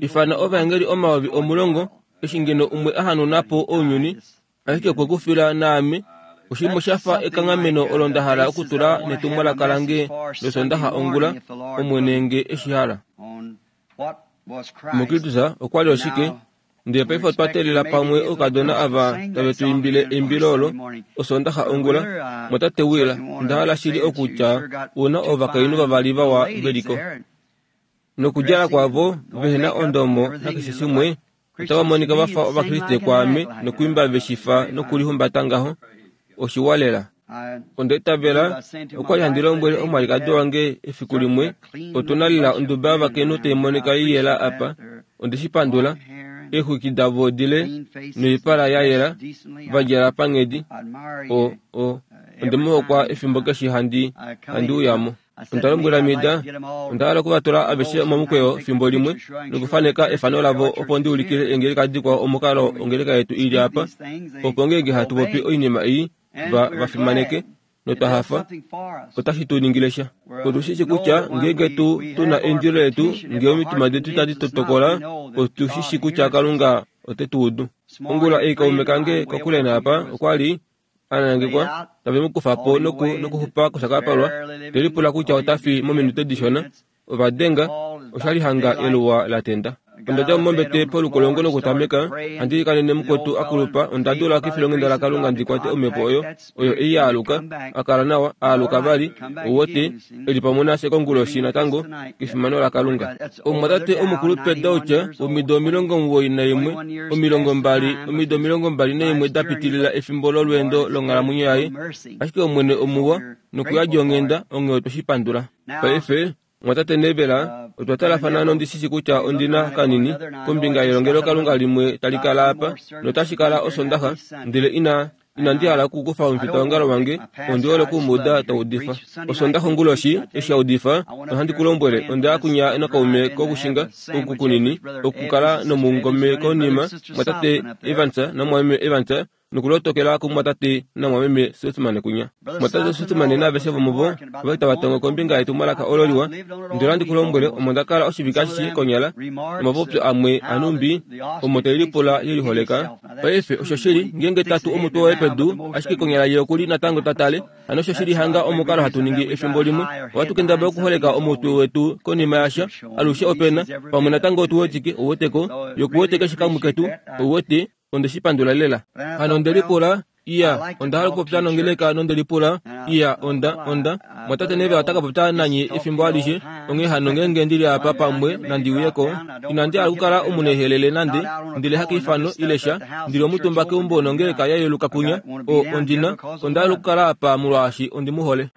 Ifana ovaengeli 10,000 eshi ngeno umwe a hanauna po ounyuni, ashike okwe ku fila naame. Oshinima sha fa ekanghameno olo nda hala okutula netumwalaka lange lOsoondaxa ongula, Omwene nge e shi hala. MuKristus okwa li oshike? Ndele paife otwa teelela pamwe oukadona ava tave tu imbile eimbilo olo Osoondaxa ongula, Mwatate Will, onda hala shili okutya u na ovakainhu vavali vawa ve li ko. Nokudjala kwavo vehe na ondomo nakeshe shimwe, otava monika va fa Ovakriste kwaame nokwiimba ve shi fa nokulihumbata ngaho. Oshiwa lela. Onda itavela, okwa li handi lombwele omwalikadi wange efiku limwe, otu na lela onduba yovakainhu tai monika i yela apa. Onde shi pandula. Eexwiki davo dile noipala ya yela, va djala panghedi. O, o, onde mu hokwa efimbo keshe handi, handi uya mo. Onda lombwela Mida, onda hala oku va tula aveshe momukweyo fimbo limwe nokufaneka efano lavo opo ndi ulikile eengeleka dikwao omukalo ongeleka yetu i li apa, opo ngeenge hatu popi oinima ei, va, va fimaneke, notwa hafa. Otashi tu ningile sha. Otu shi shi kutya ngeenge tu, tu na eindilo letu, ngee omitima detu tadi tu tokola, otu shi shi kutya Kalunga ote tu udu. Ongula ei kaume kange kokule naapa okwa li a nangekwa, tave mu kufa po noku, nokuxupa koshakapalwa, te lipula kutya ota fi mominute dishona. Ova denga, osha li hanga eluwa la tenda. Onda dja mo mombete polukolongo nokutameka handi ilikanene mukwetu a kulupa. Onda dula kefilonghenda laKalunga ndi kwate omhepo oyo, oyo ei ya aluka, a kala nawa, a aluka vali, ou wete, e li pamwe nafye konguloshi natango, kefimano laKalunga. Omumwatate omukulupe Dauch, womido 91, 20, omido 21 da pitilila efimbo lolweendo longhalamwenyo yaye, ashike Omwene omuwa, nokuyadi onghenda, onghee otwe shi pandula. Paife, Mumwatate Neville, otwa talafana nondi shi shi kutya ondi na kanini kombinga yelongelokalunga limwe tali kala apa, notashi kala Osondaxa, ndele ina, inandi hala okukufa omufitaongalo wange, ondi hole oku mu uda ta udifa. Osondaxa onguloshi, eshi a udifa, nohandi ku lombwele, onda ya kunya nakaume kokushinga oku kunini, okukala nomungome konima, Mumwatate Evans naMumwameme Evans, nokulotokela kumumwatate namumwameme Sothmann kunya. Mumwatate Sothmann naaveshe vomuvo ova li tava tongo kombinga yetumwalaka olo liwa. Ndele ohandi ku lombwele, omo nda kala oshivike ashishe konyala, nomapopyo amwe anhumbi omo tai lipula ye liholeka. Paife, oshoshili, ngeenge ta tu omutwe waye pedu, ashike konyala ye oku li natango ta tale. Hano oshoshili hanga omukalo hatu ningi efimbo limwe. Ohatu kendabala okuholeka omutwe wetu konima yasha. Alushe ope na, pamwe natango otu wetike, ou weteko, ye oku wete keshe kamwe ketu, ou wete. Onde shi pandula lela. Hano onde lipula, Iya, onda hala okupopya nongeleka nonde lipula, Iya, onda, onda, Mwatate Neville ota ka popya nanye efimbo alishe, onghee hano ngeenge ndi li apa pamwe nandi uye ko. Inandi hala okukala omunehelele nande, ndele hakeifano ile sha, ndi li omutumba keumbo nongeleka ya yeluka kunya. O, ondi na, onda hala okukala apa molwaashi ondi mu hole.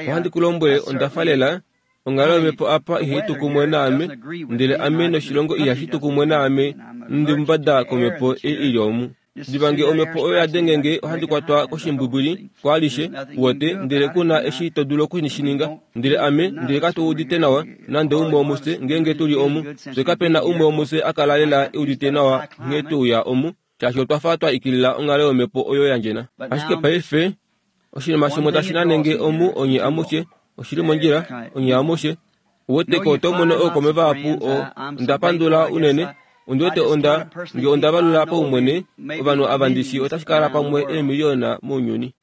Ohandi ku lombwele, onda fa lela, Onghalo yomhepo apa ihai tu kumwe naame, ndele ame noshilongo ihashi tu kumwe naame, nondi mumbada komhepo ei i li omu. Diva nge omhepo oyo ya denge nge, ohandi kwatwa koshimbwibwili kwaalishe, uwete, ndele ku na eshi to dulu oku shi ninga. Ndele ame, ndele katu udite nawa, nande umwe womufye, ngeenge tu li omu. Fye kape na umwe womufye a kala lela e udite nawa nghee twe uya omu, shaashi otwa fa twa ikilila onghalo yomhepo oyo ya ndjena. Ashike paife, Oshinima shimwe tashi nanenge omu onye amushe, oshi li mondjila, onye amushe. Uweteko oto mono ookome vahapu o, onda pandula unene. Ondi wete onda, nge onda valula paumwene, ovanhu ava ndi shi otashi kala pamwe eemiliona mounyuni.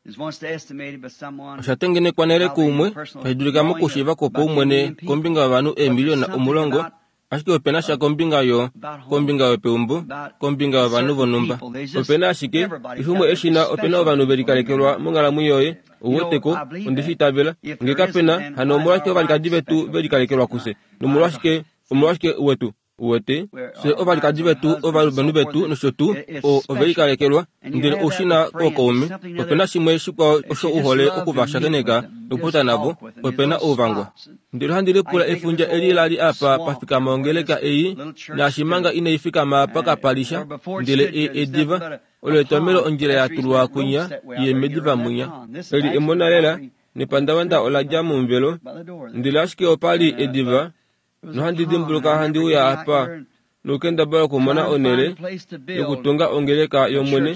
Osha tengenekwa nale kuumwe, tashi dulika mokushiiva kwopaumwene kombinga yovanhu eemiliona 10, Ashike ope na sha kombinga yo, kombinga yopeumbo, kombinga yovanhu vonhumba. Ope na ashike, keshe umwe e shi na, ope na ovanhu ve likalekelwa monghalamwenyo yoye. Ou wete ko? Onde shi itavela. Nge kape na, hano omolwashike ovalikadi vetu ve likalekelwa kufye? Nomolwashike, omolwashike wetu? Uwete, fye ovalikadi vetu, ovalumenhu vetu nosho tuu, o, ove likalekelwa. Ndele ou shi na ookaume. Ope na shimwe shikwao osho u hole oku va shakeneka nokupopya navo, ope na ouvangwa. Ndele ohandi lipula efundja eli la li apa pa fikama ongeleka ei, naashi manga inai fikama apa kapa li sha, ndele e, ediva. Olo etomelo ondjila ya tulwa kwinya ye mediva mwinya. Eli emona lela, nepandavanda ola dja momuvelo, ndele ashike opa li ediva, nohandi dimbuluka handi uya apa. Nokukendabala okumona onhele yokutunga ongeleka yOmwene,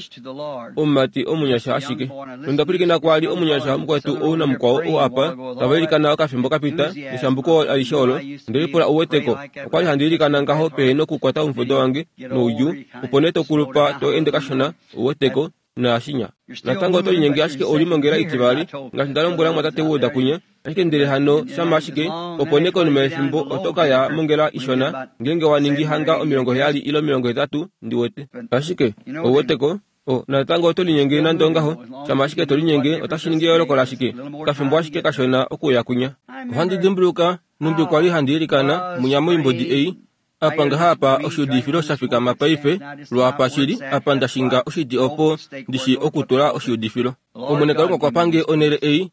omumati omunyasha ashike. Nonda pwilikina kwaali omunyasha mukwetu ou namukwao ou apa, tava ilikana okafimbo kapita, neshambuko alishe olo. Onde lipula uweteko, okwali handi ilikana ngaho pehe nokukwata omufudo wange noudjuu, opo nee to kulupa to ende kashona, uweteko, naashinya. Natango oto linyenge ashike ou li mongela itivali, ngaashi nda lombwela mumwatate Wood kunya. Ashike ndele hano shama ashike, opo nee konima yefimbo oto ka ya mongela ishona, ngeenge wa ningi hanga 70 ile 80, ndi wete. Ashike, ou weteko, o, natango oto linyenge nande ongaho. Shama ashike to linyenge, otashi ningi eyooloko lashike? Okafimbo ashike kashona okuuya kunya. Ohandi dimbuluka nhumbi kwa li handi ilikana munya moimbodi ei, Apa ngaha apa oshiudifilo sha fikama paife, lwaapa shili, apa nda shinga oshiti opo ndi shii okutula oshiudifilo. Omwene Kalunga okwa pa nge onhele ei,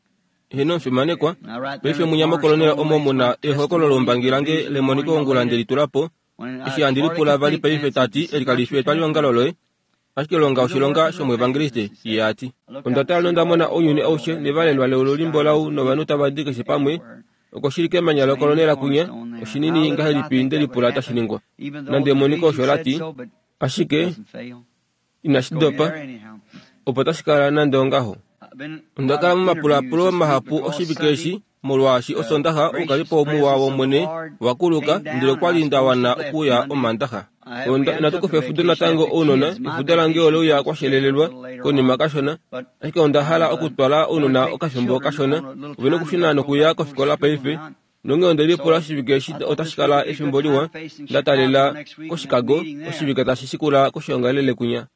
heeno omufimanekwa. Paife munya mokolonela omo mu na ehokololoumbangi lange lemoniko ongula nde li tula po, eshi handi lipula vali paife ta ti eli kali fi etwaliongalo loye, ashike longa oshilonga shomuevangeliste, ye a ti. Onda tala nonda mona ounyuni aushe nevalelwa leulu limbolau novanhu tava di keshe pamwe, oko shili kemanya lokolonela kwinya, oshinini ngahelipi nde lipula tashi ningwa. Nande emoniko osho la ti, ashike inashi dopa, opo tashi kala nande ongaho. Onda kala momapulaapulo mahapu oshivike eshi, molwaashi Osondaxa oukalipo muwa wOmwene wa kuluka, ndele okwa li nda wana okuuya Omaandaxa. Onda, inatu kufa efudo natango ounona, efudo lange ole uya kwa shelelelwa konima kashona, ashike onda hala okutwala ounona okafimbo kashona. Ove nokushuna nokuya kofikola paife, nonghee onde lipula oshivike eshi otashi kala efimbo liwa nda talela koChicago oshivike tashi shikula koshoongalele kwinya.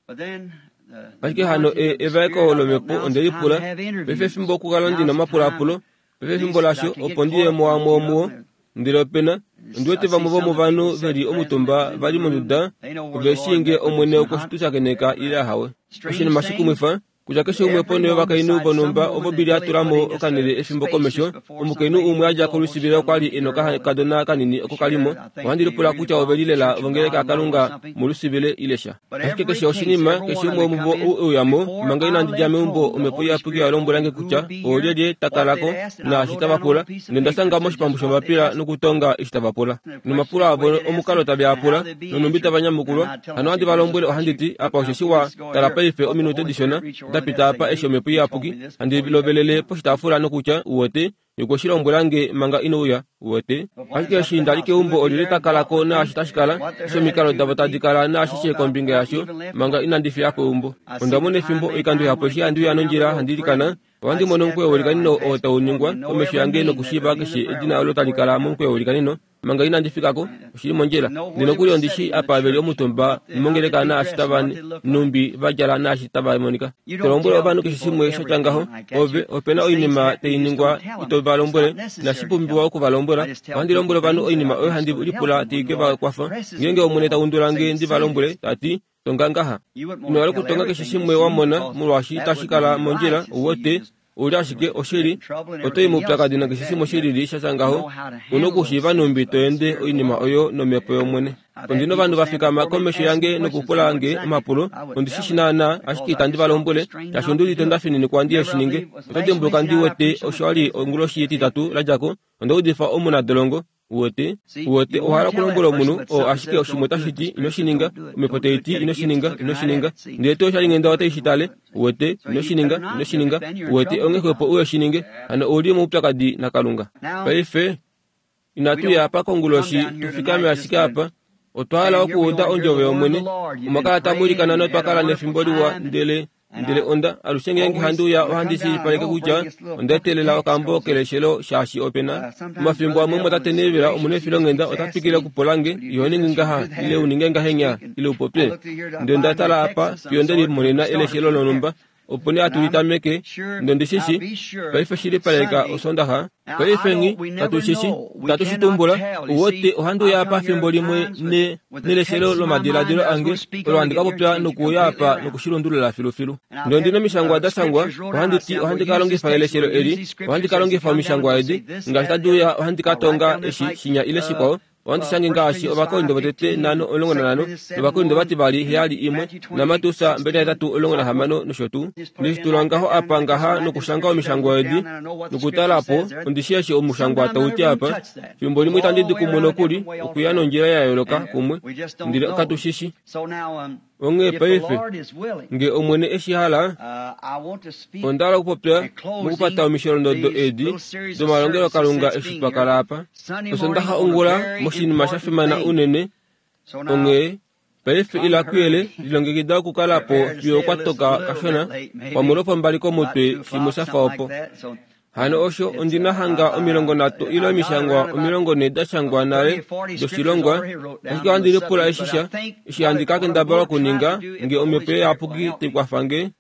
Ashike hano e, evaeko lomhepo onde lipula, paife efimbo okukala ndi na omapulaapulo, paife efimbo lasho opo ndi ye muamwe omuo. Ndele ope na, ondi wete vamwe vomovanhu ve li omutumba va li monduda, ove shii nge Omwene okwe shi tu shakeneka ile ahawe. Oshinima shikumwifa, kutya keshe umwe ponho yovakainhu vonhumba ovo Billy a tula mo okanhele efimbo komesho, omukainhu umwe a dja kolusivile okwa li e nokakadona kanini oko ka li mo. Ohandi lipula kutya ove li lela vongeleka yaKalunga molusivile ile sha. Ashike keshe oshinima, keshe umwe womuvo ou e uya mo, manga inandi dja meumbo, Omhepo Iyapuki oya lombwela nge kutya oolyelye ta kala ko, naashi tava pula, nonda shanga moshipambu shombapila nokutonga eshi tava pula. Nomapulo avo omukalo tave a pula, nonhumbi tava nyamukulwa, hano ohandi va lombwele ohandi ti, Apa osheshi wa tala paife ominute dishona da pita apa eshi Omhepo Iyapuki handi lovelele poshitaafula nokutya, Uwete, Ye okwe shi lombwela nge manga ino uya. Uwete? Ashike eshi nda li keumbo olyelye ta kala ko naashi tashi kala, eshi omikalo davo tadi kala naashishe kombinga yasho, manga inandi fiya po eumbo. Onda mona efimbo oikando ihapu eshi handi uya nondjila handi ilikana, ohandi mono omukweyo welikanino oo tau ningwa komesho yange nokushiiva keshe edina olo tali kala momukweyo welikanino. Manga inandi fika ko, oshi li mondjila. Ndele nokuli ondi shii apa ve li omutumba mongeleka naashi tava nhumbi va djala naashi tava monika. To lombwele ovanhu keshe shimwe sha tya ngaho. Ove, ope na oinima tai ningwa ito va lombwele, inashi pumbiwa oku va lombwela. Ohandi lombwele ovanhu oinima oyo handi lipula tai ke va kwafa. Ngeenge Omwene ta undula nge ndi va lombwele, ta ti, Tonga ngaha. Ino hala okutonga keshe shimwe wa mona, molwaashi itashi kala mondjila, ou wete, ou li ashike oshili, oto i moupyakadi nakeshe shimwe shi lili sha tya ngaho. U na okushiiva nhumbi to ende oinima oyo nomhepo yOmwene. Ondi na ovanhu va fikama komesho yange nokupula nge omapulo, ondi shi shi naanaa, ashike itandi va lombwele, shaashi ondi udite nda fininikwa ndi shi ninge. Oto dimbuluka ndi wete osho wa li onguloshi yEtitatu la dja ko, onda udifa omunadolongo, Uwete? Uwete, owa hala okulombwela omunhu oo ashike oshimwe otashi ti, Ino shi ninga. Omhepo tai ti, Ino shi ninga, ino shi ninga. Ndele tuu oshalinghenda otai shi tale. Uwete? Ino shi ninga, ino shi ninga. Uwete, onghee xwepo uhe shi ninge. Hano ou li moupyakadi naKalunga. Paife, inatu ya apa konguloshi tu fikame ashike apa. Otwa hala okuuda ondjovo yOmwene. Omwa kala tamu ilikana notwa kala nefimbo liwa, ndele Ndele onda, alushe ngeenge handi uya ohandi shilipaleke kutya onda etelela okambo keleshelo shaashi ope na omafimbo amwe omwatate Neville omunefilonghenda ota twikile okupula nge, Iho ningi ngaha, ile u ninge ngahenya, ile u popye. Ndele onda tala apa fiyo nde limonena eleshelo lonhumba, opo nee hatu li tameke. Ndele ondi shi shi, paife shilipaleka Osoondaxa. Paife nghi, katu shi shi, itatu shi tumbula. Uwete, ohandi uya apa fimbo limwe ne, neleshelo lomadiladilo ange, olo handi ka popya nokuuya apa noku shi lundulula filufilu. Ndele ondi nomishangwa da shangwa, ohandi ti ohandi ka longifa eleshelo eli, ohandi ka longifa omishangwa edi, ngaashi tadi uya ohandi ka tonga eshi, shinya ile shikwao. Ohandi shange ngaashi Ovakorinto votete 5:15 nOvakorinto vativali 7:1 naMateus 28:16 nosho tuu. Ndeshi tula ngaho apa ngaha nokushanga omishangwa edi nokutala po, ondi shii eshi omushangwa tau ti apa. Fimbo limwe itandi di kumwe nokuli, okuya nondjila ya yooloka kumwe, ndele katu shi shi. Onghee paife, nge Omwene e shi hala, onda hala okupopya mokupata omisholondodo edi domalongelokalunga eshi twa kala apa Osondaxa ongula moshinima sha fimana unene. Onghee paife ila kuyele, lilongekida okukala po fiyo kwa toka kashona, pamwe lwopombali komutwe, shimwe sha fa opo. Hano osho ondi na hanga 30 ile omishangwa 40 da shangwa nale doshilongwa, ashike ohandi lipula eshi sha, eshi handi ka kendabala okuninga, nge Omhepo Iyapuki tai kwafa nge,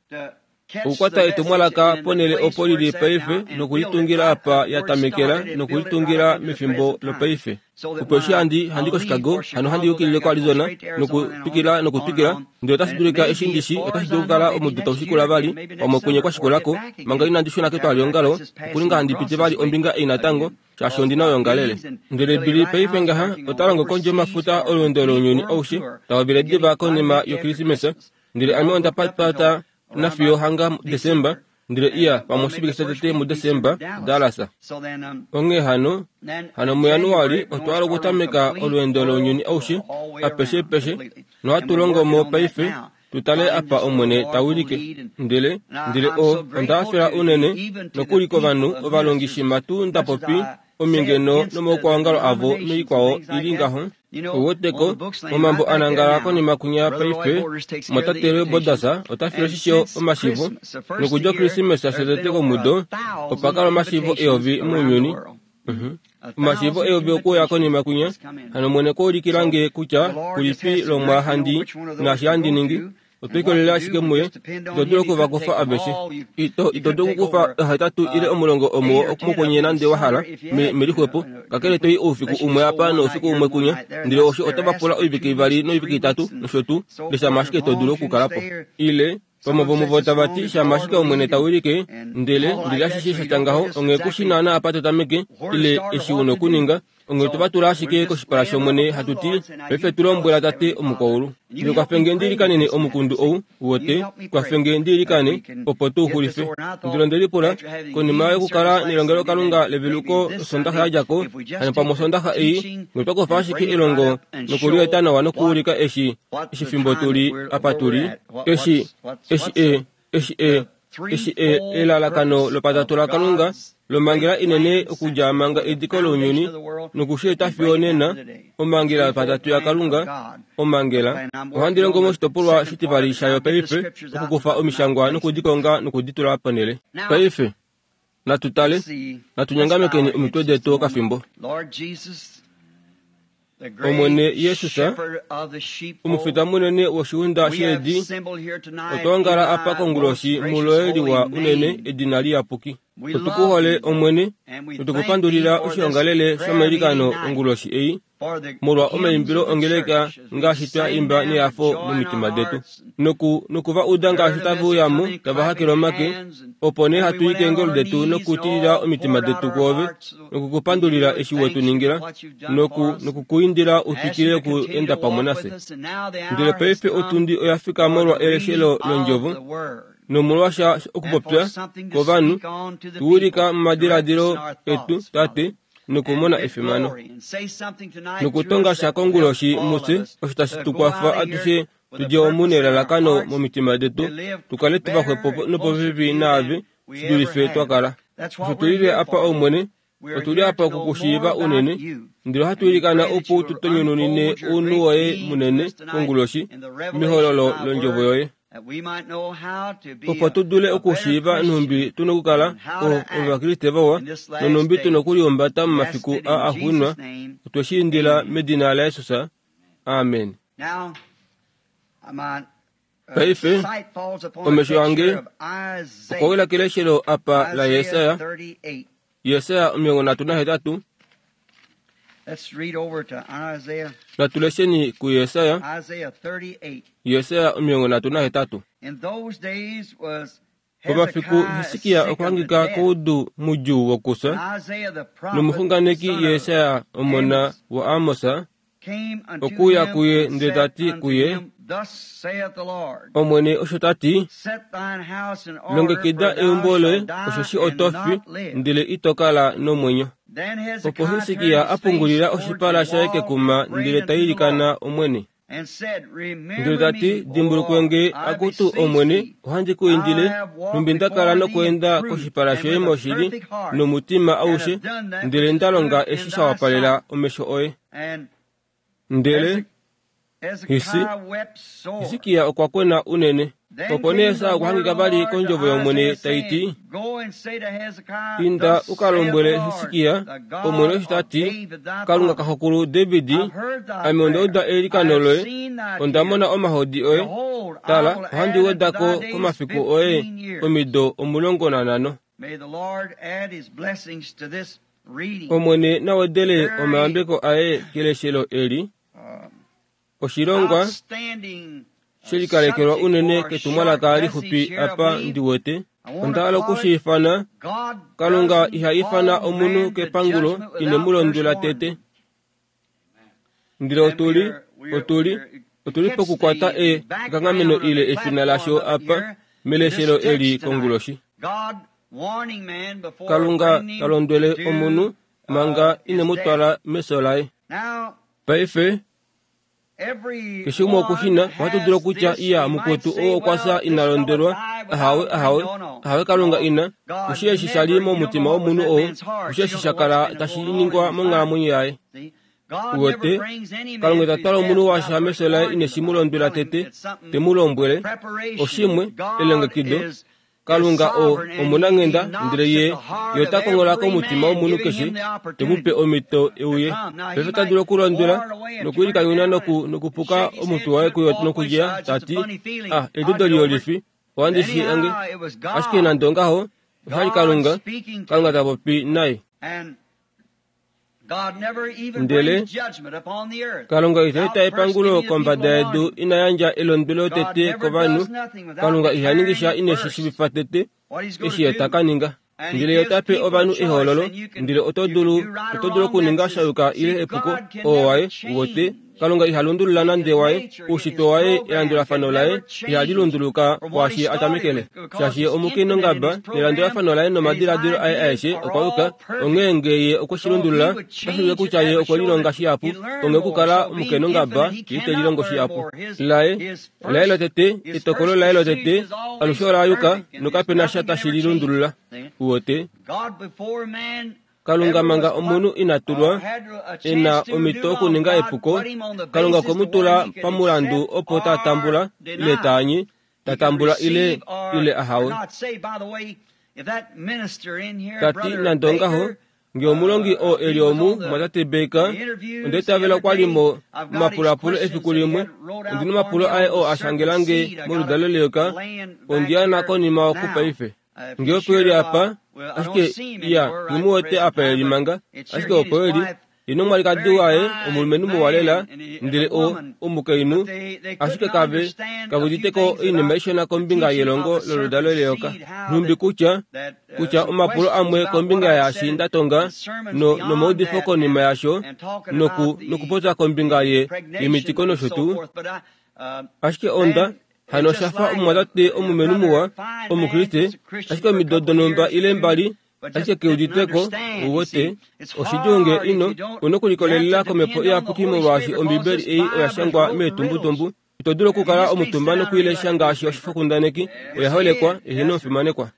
okukwata etumwalaka ponhele opo li li paife nokulitungila apa ya tamekela nokulitungila mefimbo lopaife. Opo eshi handi handi koChicago, hano handi yukilile koArizona, nokutwikila nokutwikila, ndele otashi dulika eshi ndi shi otashi dulu okukala omudo tau shikula vali, pamwe kwenye kwa shikula ko, manga inandi shuna ketwalihongalo, okuninga handi piti vali ombinga ei natango, shaashi ondi na oyoongalele. Ndele Billy paife ngaha ota longo kondje yomafuta olweendo lounyuni aushe, ta hovele diva konima yOkrismesa, ndele ame onda patapata nafiyo hanga Desemba, ndele iya pamwe oshivike shotete muDesemba, Dallas. Onghee hano, hano muJanuali otwa hala okutameka olweendo lounyuni aushe, apeshepeshe, nohatu longo mo paife, tu tale apa Omwene ta wilike. Ndele, ndele o, onda hafela unene, nokuli kovanhu ovalongi shimha tuu nda popi omingeno nomaukwaongalo avo noikwao i li ngaho. Ouweteko, momambo a nangala konima kwinya paife, Mwatate Roy Borders ota file oshisho omashivo, nokudja Okrismesa shotete komudo, opa kala omashivo eyovi mounyuni. Uh-huh. Omashivo eyovi okuuya konima kwinya. Hano Omwene okwa ulikila nge kutya kulipi lomwaa handi naashi handi ningi. Otwe likolelela ashike muye. Ito dulu oku va kufa aveshe. Ito, ito dulu okukufa ohetatu ile omulongo omuwo mokwenye nande wa hala, me, melixwepo, kakele to i oufiku umwe apa noufiku umwe kunya. Ndele osho otava pula oivike ivali noivike itatu, nosho tuu, ndele shama ashike to dulu okukala po. Ile, vamwe vomuvo tava ti, Shama ashike Omwene ta wilike, ndele, ndele ashishe sha tya ngaho, onghee ku shi naana apa to tameke, ile eshi u na okuninga. Onghee otwe va tula ashike koshipala shOmwene hatu ti, Paife tu lombwela Tate omukwaulu. Ndele kwafe nge ndi ilikanene omukundu ou, wote, kwafe nge ndi ilikane, opo tu u xulife. Ndele onde lipula, konima yokukala nelongelokalunga leveluko Osondaxa ya dja ko, hano pamwe Osondaxa ei, nge otwa kufa ashike elongo noku li eta nawa nokuulika eshi, eshi fimbo tu li apa tu li, eshi, eshi e, eshi e, eshi e, elalakano lopatatu laKalunga lomhangela inene okudja manga ediko lounyuni noku shi eta fiyo onena, omhangela yopatatu yaKalunga, omhangela. Ohandi longo moshitopolwa shitivali shayo paife, okukufa omishangwa noku di konga noku di tula ponhele. Paife, natu tale, natu nyongamekeni omitwe detu okafimbo. Omwene Jesus, omufita munene woshiunda sheedi, otwa ongala apa konguloshi muloye liwa unene edina liyapuki. Otu ku hole, Omwene, notu ku pandulila oshiongalele shomailikano onguloshi ei, molwa omaimbilo ongeleka ngaashi twa imba nehafo momitima detu, noku, noku va uda ngaashi tave uya mo tava hakele omake, opo nee hatu i keengolo detu nokutilila omitima detu kwoove, noku ku pandulila eshi we tu ningila, noku, noku ku indila u twikile oku enda pamwe nafye. Ndele paife otundi oya fika molwa eleshelo londjovo, nomolwasha okupopya kovanhu, tu wilika momadiladilo etu, Tate, nokumona efimano. Nokutonga sha konguloshi mufye osho tashi tu kwafa atushe tu dje omu nelalakano momitima detu, tu kale tu vaxwepo nopopepi naave shi dulife twa kala. Osho tu lile apa Omwene, otu li apa oku ku shiiva unene, ndele ohatu ilikana opo u tu tonyununine ounhu woye munene konguloshi mehololo londjovo yoye. Opo tu dule okushiiva nhumbi tu nokukala Ovakriste vawa nonhumbi tu nokulihumbata momafiku aa axuuninwa, otwe shi indila medina laJesus. Amen. Paife, omesho ange okwa wila keleshelo apa laJesaja, Jesaja 38. Natu lesheni kuJesaja, Jesaja 38. Pomafiku Hisikia okwa hangika koudu mudjuu wokufya, nomuxunganeki Jesaja omona waAmos okwe uya kuye ndele ta ti kuye, Omwene osho ta ti, Longekida eumbo loye, osheshi oto fi, ndele ito kala nomwenyo. Opo Hisikia a pungulila oshipala shaye kekuma ndele ta ilikana Omwene. Ndele ta ti, Dimbulukwe nge, akutu Omwene, ohandi ku indile, nhumbi nda kala nokweenda koshipala shoye moshili nomutima aushe, ndele nda longa eshi sha wapalela omesho oye. Ndele Hisikia okwa kwena unene. Opo nee Esau okwa hangika vali kondjovo yOmwene tai ti, Inda u ka lombwele Hisikia, Omwene osho ta ti, Kalunga kaxokulu David, ame onda uda eilikano loye, onda mona omahodi oye. Tala, ohandi weda ko komafiku oye omido 15. Omwene na wedele omayambeko aye keleshelo eli. Oshilongwa she likalekelwa unene ketumwalaka lixupi apa ndi wete. Onda hala oku shi ifana, Kalunga iha ifana omunhu kepangulo ine mu londwela tete. Ndele otu li, otu li, otu li pokukwata e, ekanghameno ile efina lasho apa meleshelo eli konguloshi. Kalunga ta londwele omunhu manga ine mu twala mefyo laye. Paife, keshe umwe oku shi na, ohatu dulu okutya, Iya, mukwetu oo okwa fya ina londelwa. Ahawe, ahawe, ahawe, Kalunga ina. Kushi eshi sha li momutima womunhu oo, kushi eshi sha kala tashi ningwa monghalamwenyo yaye. Uwete, Kalunga ita twala omunhu washa mefyo laye ine shi mu londwela tete, te mu lombwele, oshimwe, elongekido, Kalunga o omunanghenda, ndele Ye, Ye ota konghola komutima womunhu keshe, te mu pe omhito e uye. Paife ota dulu okulondwela, nokwiilikanyuna noku, nokupuka omutwe waye kuyo nokudja, ta ti, Ah, eliudo liyolifi, ohandi shi ange. Ashike nande ongaho, osha li Kalunga, Kalunga ta popi naye. Ndele Kalunga ita eta epangulo kombada yedu ina yandja elondwelo tete kovanhu. Kalunga iha ningi sha ine shi shivifa tete eshi ye ta ka ninga. Ndele ye ota pe ovanhu ehoololo, ndele oto dulu, oto dulu okuninga sha yuka ile epuko, oo waye, wote. Kalunga iha lundulula nande waye, oushitwe waye, elandulafano laye ihali lunduluka kwaashi ye a tamekele. Shaashi ye omukiinongaba, nelandulafano laye nomadiladilo aye aeshe okwa yuka, onghee nge ye okwe shi lundulula, otashi ulike kutya ye okwe lilonga shihapu, onghee okukala omukeenongaba ye ite lilongo shihapu. Laye, laye lotete, etokolo laye lotete, alushe ola yuka, nokape na sha tashi li lundulula. Uwete? Kalunga manga omunhu ina tulwa e na omhito okuninga epuko, Kalunga okwe mu tula pamulandu opo ta tambula ile ta anye, ta tambula ile ile ahawe. Ta ti nande ongaho, nge omulongi oo e li omu, mwatate Baker, onda itavela okwa li mo momapulapulo efiku limwe, ondi nomapulo aye oo a shangela nge moludalo leyoka, ondi a na konima oku paife. Nge opo e li apa, ashike iya, nghi mu wete apa e li manga, ashike opo e li, ye nomwalikadi waye, omulumenhu muwa lela, ndele o, omukainhu, ashike kave, kave udite ko oinima ishona kombinga yelongo loludalo leyoka. Nhumbi kutya, kutya omapulo amwe kombinga yaashi nda tonga, no, nomaudifo konima yasho, noku, nokupopya kombinga ye, yemitiko nosho tuu, ashike onda, Hano osha fa omumwatate omulumenhu muwa, Omukriste, ashike omido donhumba ile mbali, ashike ke udite ko, uwete. Oshidjuu nge ino, u nokulikolelela kOmhepo Iyapuki molwaashi Ombibeli ei oya shangwa meetumbutumbu. Ito dulu okukala omutumba nokuilesha ngaashi oshifokundaneki, oya holekwa, eheno omufimanekwa.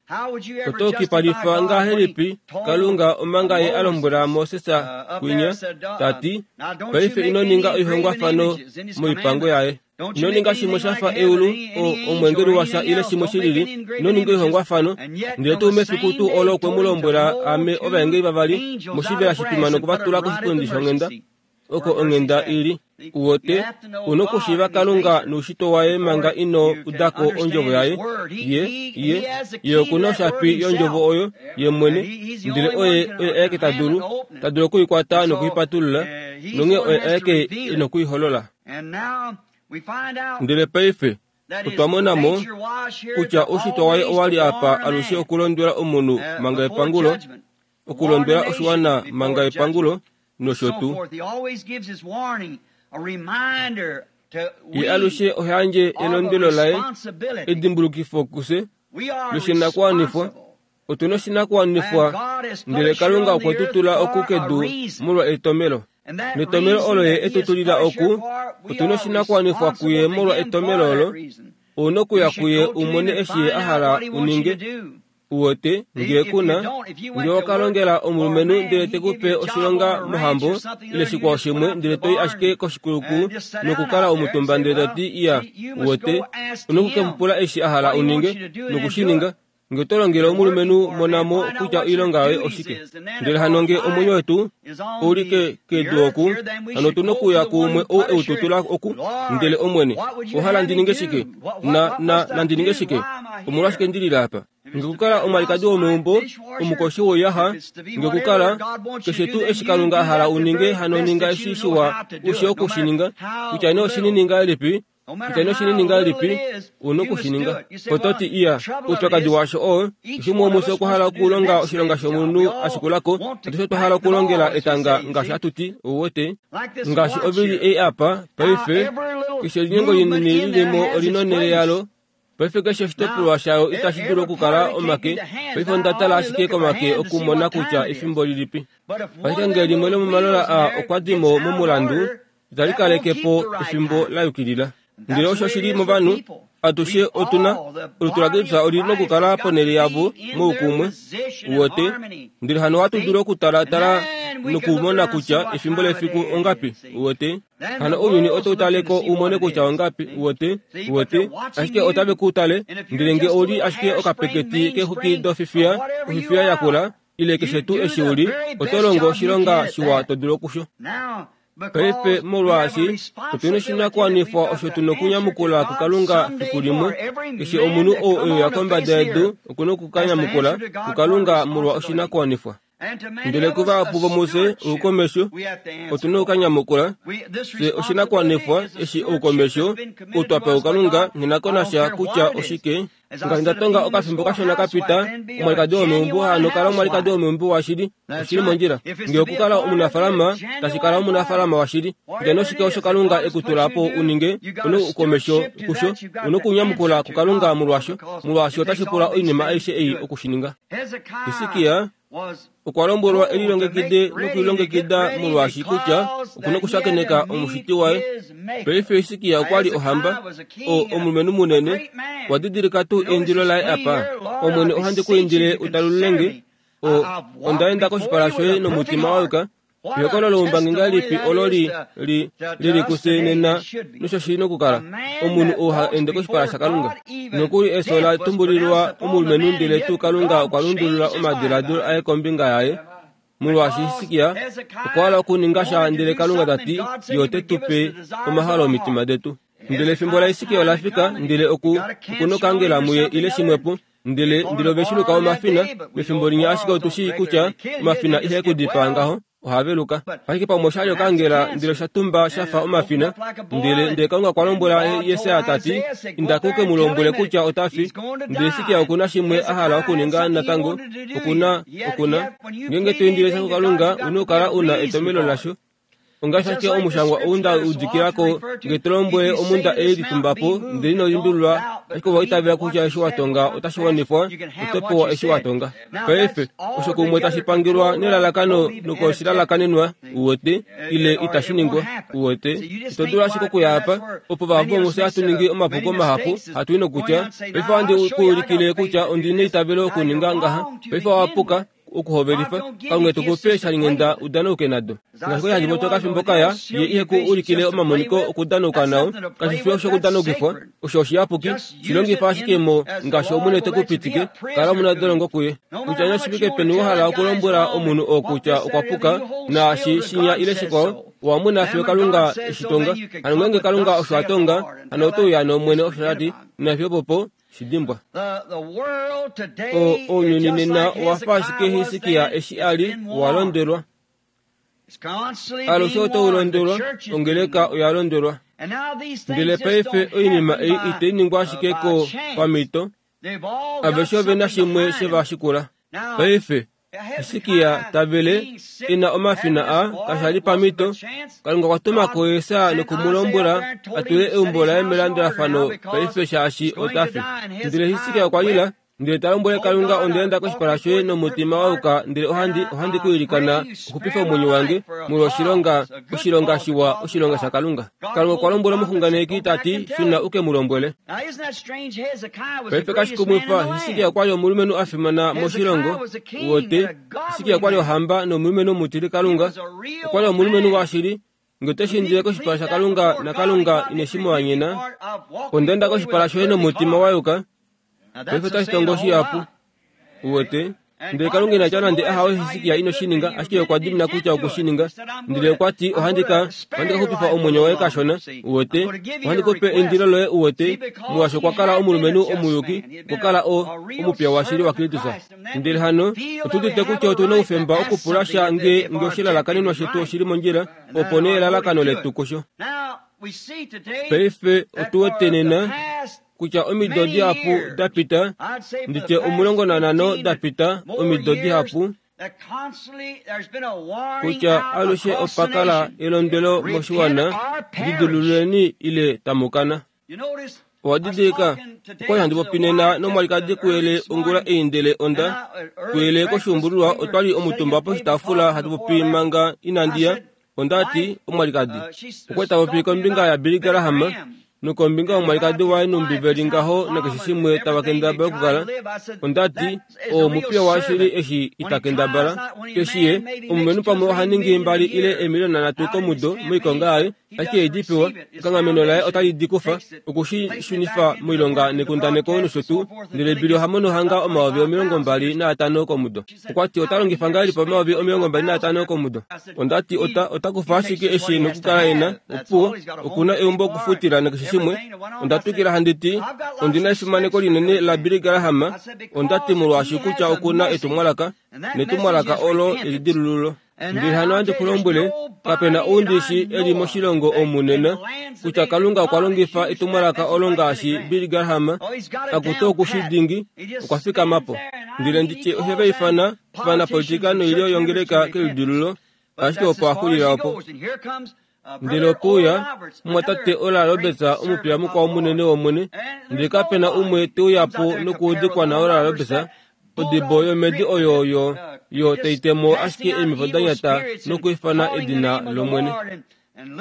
Oto kipalifa ngahelipi Kalunga omanga ye a lombwela Moses kwinya, ta ti, Paife ino ninga oihongwafano moipango yaye. Ino ninga shimwe sha fa eulu, o, omweengeli washa ile shimwe shi lili. Ino ninga oihongwafano. Ndele tuu mefiku tuu olo okwe mu lombwela ame ovaengeli vavali moshivela shitwima noku va tula koshipundi shonghenda, oko onghenda i li. Uwete, u nokushiiva Kalunga noushitwe waye manga ino uda ko ondjovo yaye. Ye, ye, ye oku na oshapi yondjovo oyo, ye mwene, ndele oye, oye aeke ta dulu, ta dulu oku i kwata noku i patulula, nonghee oye aeke e noku i holola. Ndele paife, Otwa mona mo kutya oushitwa waye owa li apa alushe okulondwela omunhu manga epangulo, okulondwela oshiwana manga epangulo, nosho tuu. Ye alushe oha yandje elondwelo laye, edimbulukifo kufye loshinakuwanifwa. Otu na oshinakuwanifwa, ndele Kalunga okwe tu tula oku kedu molwa etomelo. Netomelo olo Ye e tu tulila oku, otu na oshinakuwanifwa kuye molwa etomelo olo. Ou na okuya kuye u mone eshi Ye a hala u ninge. Uwete, ngee ku na, ngee owa ka longela omulumenhu ndele te ku pe oshilonga mohambo ile shikwao shimwe ndele to i ashike koshikuluku nokukala omutumba ndele to ti, Iya, uwete, u na oku ke mu pula eshi a hala u ninge, noku shi ninga. Nge oto longele omulumenhu mona mo kutya oilonga yoye oshike. Ndele hano nge omwenyo wetu ou li ke, kedu oku, hano otu nokuya kuumwe ou e u tutula oku, ndele Omwene, owa hala ndi ninge shike? Na, na, nandi ninge shike? Omolwashike ndi lile apa? Nge okukala omwalikadi womeumbo, omukoshi woiyaxa, nge okukala, keshe tuu eshi Kalunga a hala u ninge, hano ninga eshi shiwa u shii oku shi ninga, kutya nee oshinini ngahelipi, Kutya nee oshinini ngahelipi, u na oku shi ninga. Oto ti, Iya, oupyakadi washo oo, keshe umwe womufye okwa hala okulonga oshilonga shomunhu a shikula ko. Atushe otwa hala okulongela etanga ngaashi hatu ti, ou wete. Ngaashi ovili ei apa, paife, keshe elinyengo linini li li mo oli na onhele yalo. Paife keshe oshitopolwa shayo itashi dulu okukala omake. Paife onda tala ashike komake okumona kutya efimbo lilipi. Ashike ngee limwe lomomalola aa okwa di mo momulandu, itali kaleke po efimbo la yukilila. Ndele osho shi li movanhu, atushe otu na, olutu laKristus oli nokukala ponhele yavo moukumwe, uwete. Ndele hano ohatu dulu okutalatala nokumona kutya efimbo lefiku ongapi, uwete. Hano ounyuni otau tale ko u mone kutya ongapi, uwete, uwete. Ashike otave ku tale, ndele nge ou li ashike okapeketi keexwiki dofifiya, ofifiya yakula, ile keshe tuu eshi u li, oto longo oshilonga shiwa to dulu okusho. Paife, molwaashi otu na oshinakuwanifwa osho tu na okunyamukula kuKalunga fiku limwe, keshe omunhu ou e uya kombada yedu oku na oku ka nyamukula kuKalunga molwa oshinakuwanifwa. Ndele kuvahapu vomufye oukomesho otu na oku ka nyamukula fye oshinakuwanifwa eshi oukomesho ou twa pewa kuKalunga nghi na ko nasha kutya oshike. Ngaashi nda tonga okafimbo kashona ka pita, omwalikadi womeumbo hano kala omwalikadi womeumbo washili, oshili mondjila. Nge okukala omunafalama, tashi kala omunafalama washili. Kutya noshike osho Kalunga e ku tula po u ninge, u na oukomesho kusho, u na okunyamukula kuKalunga molwasho, molwaashi otashi pula oinima aishe ei oku shi ninga. Hisikia okwa lombwelwa e lilongekide nokulilongekida molwaashi kutya oku na okushakeneka Omushiti waye. Paife Hisikia okwa li ohamba, o, omulumenhu munene. Wa didilika tuu eindilo laye apa? Omwene, ohandi ku indile u talulule nge. O, onda enda koshipala shoye nomutima wa yuka. Ehokololo loumbangi ngahelipi olo li li li li kufye nena nosho shi nokukala omunhu ou ha ende koshipala shaKalunga. Nokuli efyo la tumbulilwa omulumenhu ndele tuu Kalunga okwa lundulula omadiladilo aye kombinga yaye. Molwaashi Hiskia okwa hala okuninga sha ndele Kalunga ta ti, Ye ote tu pe omahalo omitima detu. Ndele efimbo laHiskia ola fika ndele oku oku nokangela muye ile shimwepo. Ndele ndele ove shi luka omafina, mefimbo linya ashike otu shii kutya omafina ihe ku dipaa ngaho, oha veluka. Ashike pamwe osha li okangela ndele osha tumba sha fa omafina. Ndele ndele Kalunga okwa lombwela Jesaja ta ti, Inda ku ke mu lombwele kutya ota fi. Ndele Hiskia oku na shimwe a hala okuninga natango. Oku na, oku na. Ngeenge to indile sha kuKalunga, u na okukala u na etomhelo lasho. Ongaashi ashike omushangwa ou nda udikila ko, nge to lombwele omhunda ei litumba po, ndele ino limbililwa, ashike owa itavela kutya eshi wa tonga otashi wanifwa, oto pewa eshi wa tonga. Paife, osho kumwe tashi pangelwa nelalakano nokoshilalakanenwa, uwete, ile itashi ningwa, uwete. Ito dulu ashike okuya apa, opo vahapu vomufye hatu ningi omapuko mahapu, hatu i nokutya, Paife ohandi ku ulikile kutya ondi neitavelo okuninga ngaha. Paife owa puka. okuhovelifa Kalunga te ku pe eeshalinghenda u danauke nado. Ngaashi kwali handi popi okafimbo kaya, ye ihe ku ulikile omamoniko okudanauka nao, kashi fi oshokudanaukifwa, osho oshiyapuki, shi longifa ashike mo ngaashi Omwene te ku pitike, kala omunadolongo kuye. Kutya nee oshifike peni wa hala okulombwela omunhu oo kutya okwa puka, naashi shinya ile shikwao, owa mona fiyo Kalunga e shi tonga. Hano ngeenge Kalunga osho a tonga, hano oto uya nOmwene osho a ti, nafiyo opopo, Shi dimbwa. O, ounyuni nena owa fa ashike Hisikia eshi a li, wa londwelwa. Alushe otau londwelwa, ongeleka oya londwelwa. Ndele paife oinima ei itai ningwa ashike ko pamhito, aveshe ove na shimwe she va shikula. Paife, Hisikia ta vele e na omafina a kasha li pamhito, Kalunga okwa tuma ko Jesaja noku mu lombwela a tule eumbo laye melandulafano paife shaashi ota fi. Ndele Hisikia okwa lila ndele ta lombwele Kalunga onda enda koshipala shoye nomutima wa yuka ndele ohandi ohandi ku ilikana uxupife omwenyo wange molwa oshilonga oshilonga shiwa oshilonga shaKalunga. Kalunga okwa lombwela omuxunganeki ta ti shuna u ke mu lombwele. Paife kashi kumwifa Hisikia okwa li omulumenhu a fimana moshilongo wote. Hisikia okwa li ohamba nomulumenhu omutili Kalunga. Okwa li omulumenhu washili Nge ote shi indile koshipala shaKalunga naKalunga ine shi mu anyena, onda enda koshipala shoye nomutima wa yuka. Paife otashi tongo shihapu. Uwete? Ndele Kalunga ina tya nande ahawe Hisikia ino shi ninga, ashike okwa dimina kutya okwe shi ninga. Ndele okwa ti, ohandi ka, ohandi ka xupifa omwenyo woye kashona. Uwete? Ohandi ku pe eindilo loye, uwete, molwaashi okwa kala omulumenhu omuyuki, okwa kala o, omupiya washili waKristus. Ndele hano, otu udite kutya otu na oufemba okupula sha nge, nge oshilalakanenwa shetu oshi li mondjila, opo nee elalakano letu kusho. Paife otu wete nena kutya omido dihapu da pita, nditye 15 da pita, omido dihapu, kutya alushe opa kala elondwelo moshiwana, lidilululeni ile tamu kana. Owa didilika, okwali handi popi nena nomwalikadi kuyele ongula ei ndele onda kuyele koshuumbululwa otwali omutumba poshitaafula hatu popi manga inandi ya. Onda ti, Omwalikadi, okwa ta popi kombinga yaBilly Graham nokombinga yomwalikadi waye numbi ve li ngaho nakeshe shimwe tava kendabala okukala. Onda ti, Oo omupiya washili eshi ita kendabala. Eshi ye, omulumenhu pamwe oha ningi mbali ile eemiliona nhatu komudo moikonga yaye, ashike e di pewa, ekanghameno laye otali di kufa, oku shi shunifa moilonga nekundaneko nosho tuu, ndele Billy oha mono hanga 25,000 komudo. Okwa ti ota longifa ngahelipi 25,000 komudo? Onda ti ota, ota kufa ashike eshi e nokukala e na, opuwo, oku na eumbo okufutila nakeshe shimwe. Onda twikila handi ti, Ondi na efimaneko linene laBilly Graham, onda ti molwaashi kutya oku na etumwalaka, netumwalaka olo elidilululo. Ndele hano ohandi ku lombwele, kape na ou ndi shi e li moshilongo omu nena, kutya Kalunga okwa longifa etumwalaka olo ngaashi Billy Graham, akutu oku shi dingi, okwa fikama po. Ndele ndi tye ohe va ifana ovanapolitika noilyo yongeleka kelidilululo, ashike opo a xulila opo. Ndele ope uya omumwatate Oral Roberts, omupiya mukwao munene wOmwene, ndele kape na umwe te uya po nokuudikwa naOral Roberts, odibo yomhedi oyo yo, yo tai temo ashike eemhepo da nyata nokwiifana edina lOmwene.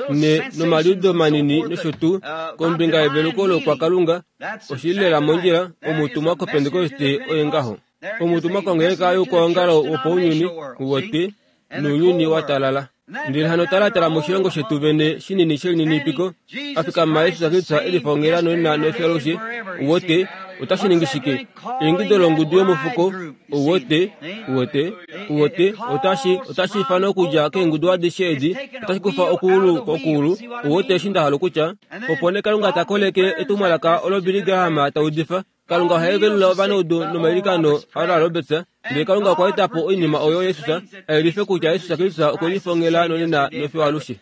Ne, nomaliudo manini nosho tuu, kombinga yeveluko loukwakalunga, oshi li lela mondjila, omutumwa kOpentekoste oye ngaho. Omutumwa kongeleka youkwaongalo wopaunyuni, wote, nounyuni wa talala. Ndele hano talatala moshilongo shetu vene shinini shelininipiko, a fikama Jesus Kristus e lifa nonena nefyo alushe, uwete, otashi ningi shike? Eingido longudu yomufuko, uwete, uwete, uwete, otashi, otashi ifana okudja keengudu adishe edi, otashi kufa okuulu kokuulu, uwete eshi nda hala okutya? Opo nee Kalunga ta koleke etumwalaka olo Billy Graham ta udifa, Kalunga oha yevelula ovanaudu nomailikano aOral Roberts, ndele Kalunga okwa eta po oinima oyo Jesus a yelife kutya Jesus Kristus okwe lifongela nonena nofiyo alushe.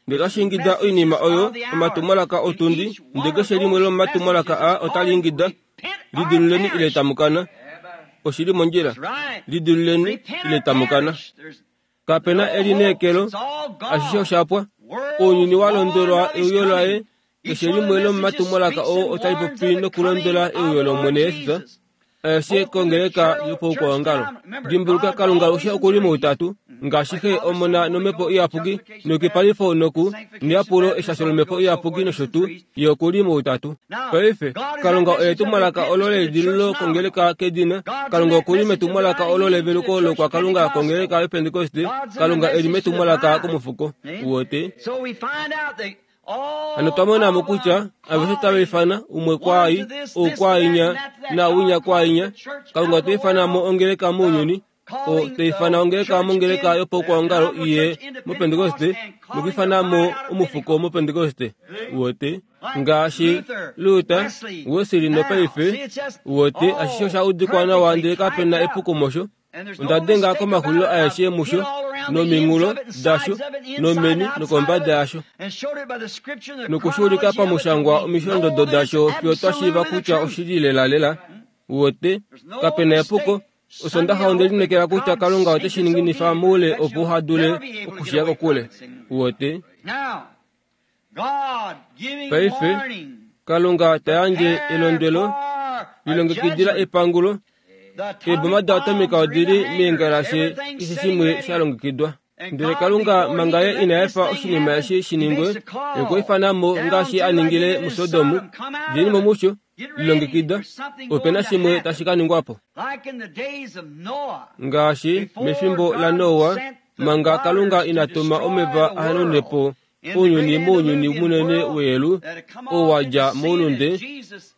Ndele otashi ingida oinima oyo omatumwalaka otundi, ndele keshe limwe lomomatumwalaka aa otali ingida, Lidiluleni ile tamu kana. Oshi li mondjila. Lidiluleni ile tamu kana. Kape na elineekelo, ashishe osha pwa. Ounyuni wa londwelwa euyo laye, keshe limwe lomomatumwalaka oo otali popi nokulondwela euyo lOmwene Jesus, aeshe kongeleka yopaukwaongalo. Dimbuluka, Kalunga alushe oku li moutatu, ngaashi Xe, Omona nOmhepo Iyapuki, neyukipalifo noku neyapulo, eshasho lOmhepo Iyapuki nosho tuu, Ye oku li moutatu. Paife, Kalunga oye etumwalaka olo leidililo kongeleka kedina. Kalunga oku li metumwalaka olo leveluko loukwakalunga kongeleka yoPentekoste. Kalunga e li metumwalaka komufuko. Uwete? Hano twa mona mo kutya aveshe tava ifana umwe kwaai, ou kwaainya, naawinya kwaainya. Kalunga ota ifana mo ongeleka mounyuni, o ta ifana ongeleka mongeleka yopaukwaongalo iye mopentekoste nokwiifana mo omufuko mopentekoste. Uwete? Ngaashi Luther, Wesley nopaife, uwete, ashishe osha udikwa nawa ndele kape na epuko mosho. Onda denga komaxulilo aeshe musho, nominghulo dasho, nomeni nokombada yasho, noku shi ulika pamushangwa omisholondodo dasho fiyo twa shiiva kutya oshili lelalela. Uwete, kape na epuko. Osondaxa onde lineekela kutya Kalunga ote shi ninginifa moule opo uha dule okushiya kokule. Uwete? Paife, Kalunga ta yandje elondwelo, lilongekidila epangulo. Eeboma daatomica odi li meengalashe keshe shimwe sha longekidwa. Ndele Kalunga manga Ye ina efa oshinima eshi shi ningwe, Ye okwa ifana mo ngaashi a ningile muSodom, Djeni mo musho, lilongekida, ope na shimwe tashi ka ningwa po. Ngaashi mefimbo laNoa, manga Kalunga ina tuma omeva a hanaune po ounyuni mounyuni munene weyelu oo wa dja moulunde,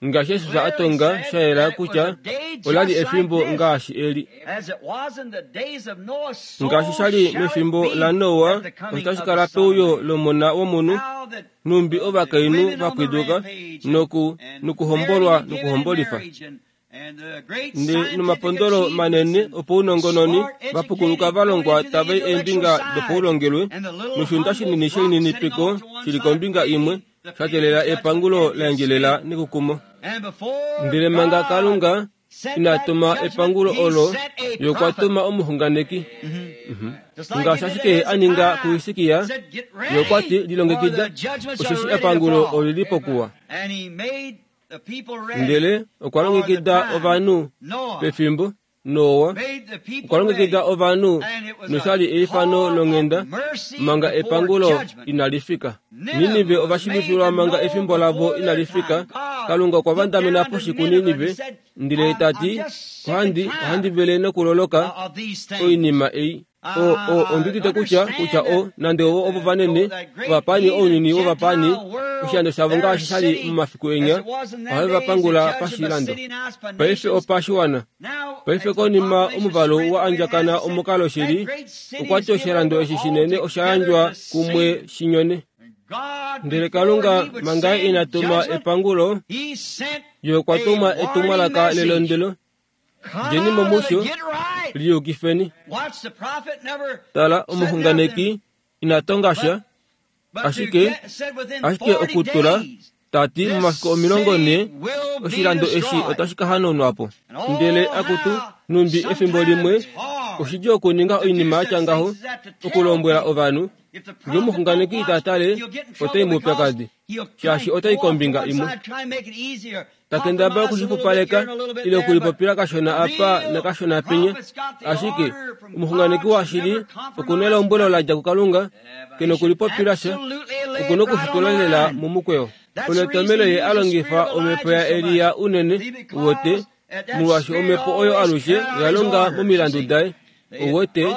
ngaashi Jesus a tonga sha yela kutya ola li efimbo ngaashi eli. Ngaashi sha li mefimbo laNoa, osho tashi kala peuyo lOmona wOmunhu, nhumbi ovakainhu va pwiduka noku, nokuhombolwa nokuhombolifa. Ndi nomapondolo manene opounongononi va pukuluka va longwa tava i eembinga dopaulongelwe, noshiunda shinini shelininipiko shi li kombinga imwe, sha teelela epangulo la endjelela nekukumo. Ndele manga Kalunga ina tuma epangulo olo, Ye okwa tuma omuxunganeki. Ngaashi ashike Ye a ninga kuHisikia, Ye okwa ti, Lilongekida, osheshi epangulo oli li pokuwa. Ndele okwa longekida ovanhu pefimbo Noa okwa longekida ovanhu nosha li eifano longhenda manga epangulo inali fika. Ninive ova shiivifilwa manga efimbo lavo inali fika. Kalunga okwa vandamena poshi kuNinive ndele ta ti, Ohandi, ohandi vele nokuloloka oinima ei. O, o, ondi udite kutya, kutya o, nande ovo ovo vanene, ovapaani ounyuni wovapaani, oshilando shavo ngaashi sha li momafiku enya, ohave va pangula pashilando. Paife opashiwana. Paife konima omuvalu wa andjakana omukalo shili, okwa ti oshilando eshi shinene osha yandjwa kumwe shi nyone. Ndele Kalunga manga ina tuma epangulo, Ye okwa tuma etumwalaka lelondwelo Djeni mo musho, liyukifeni. Tala, omuxunganeki ina tonga sha, ashike, ashike okutula, ta ti, momafiku 40 oshilando eshi otashi ka hanaunwa po. Ndele, akutu, nhumbi efimbo limwe oshidjuu okuninga oinima ya tya ngaho, okulombwela ovanhu. Nge omuxunganeki ita tale, ota i moupyakadi, shaashi ota i kombinga imwe. Ta kendabala okushixupaleka ile okulipopila kashona apa nakashona penya. Ashike omuxunganeki washili oku na elombwelo la dja kuKalunga, ke nokulipopila sha, oku nokushitula lela momukweyo. Olo etomhelo ye a longifa omhepo yaElia unene, uwete, molwaashi omhepo oyo alushe oya longa momilandu daye. Uwete,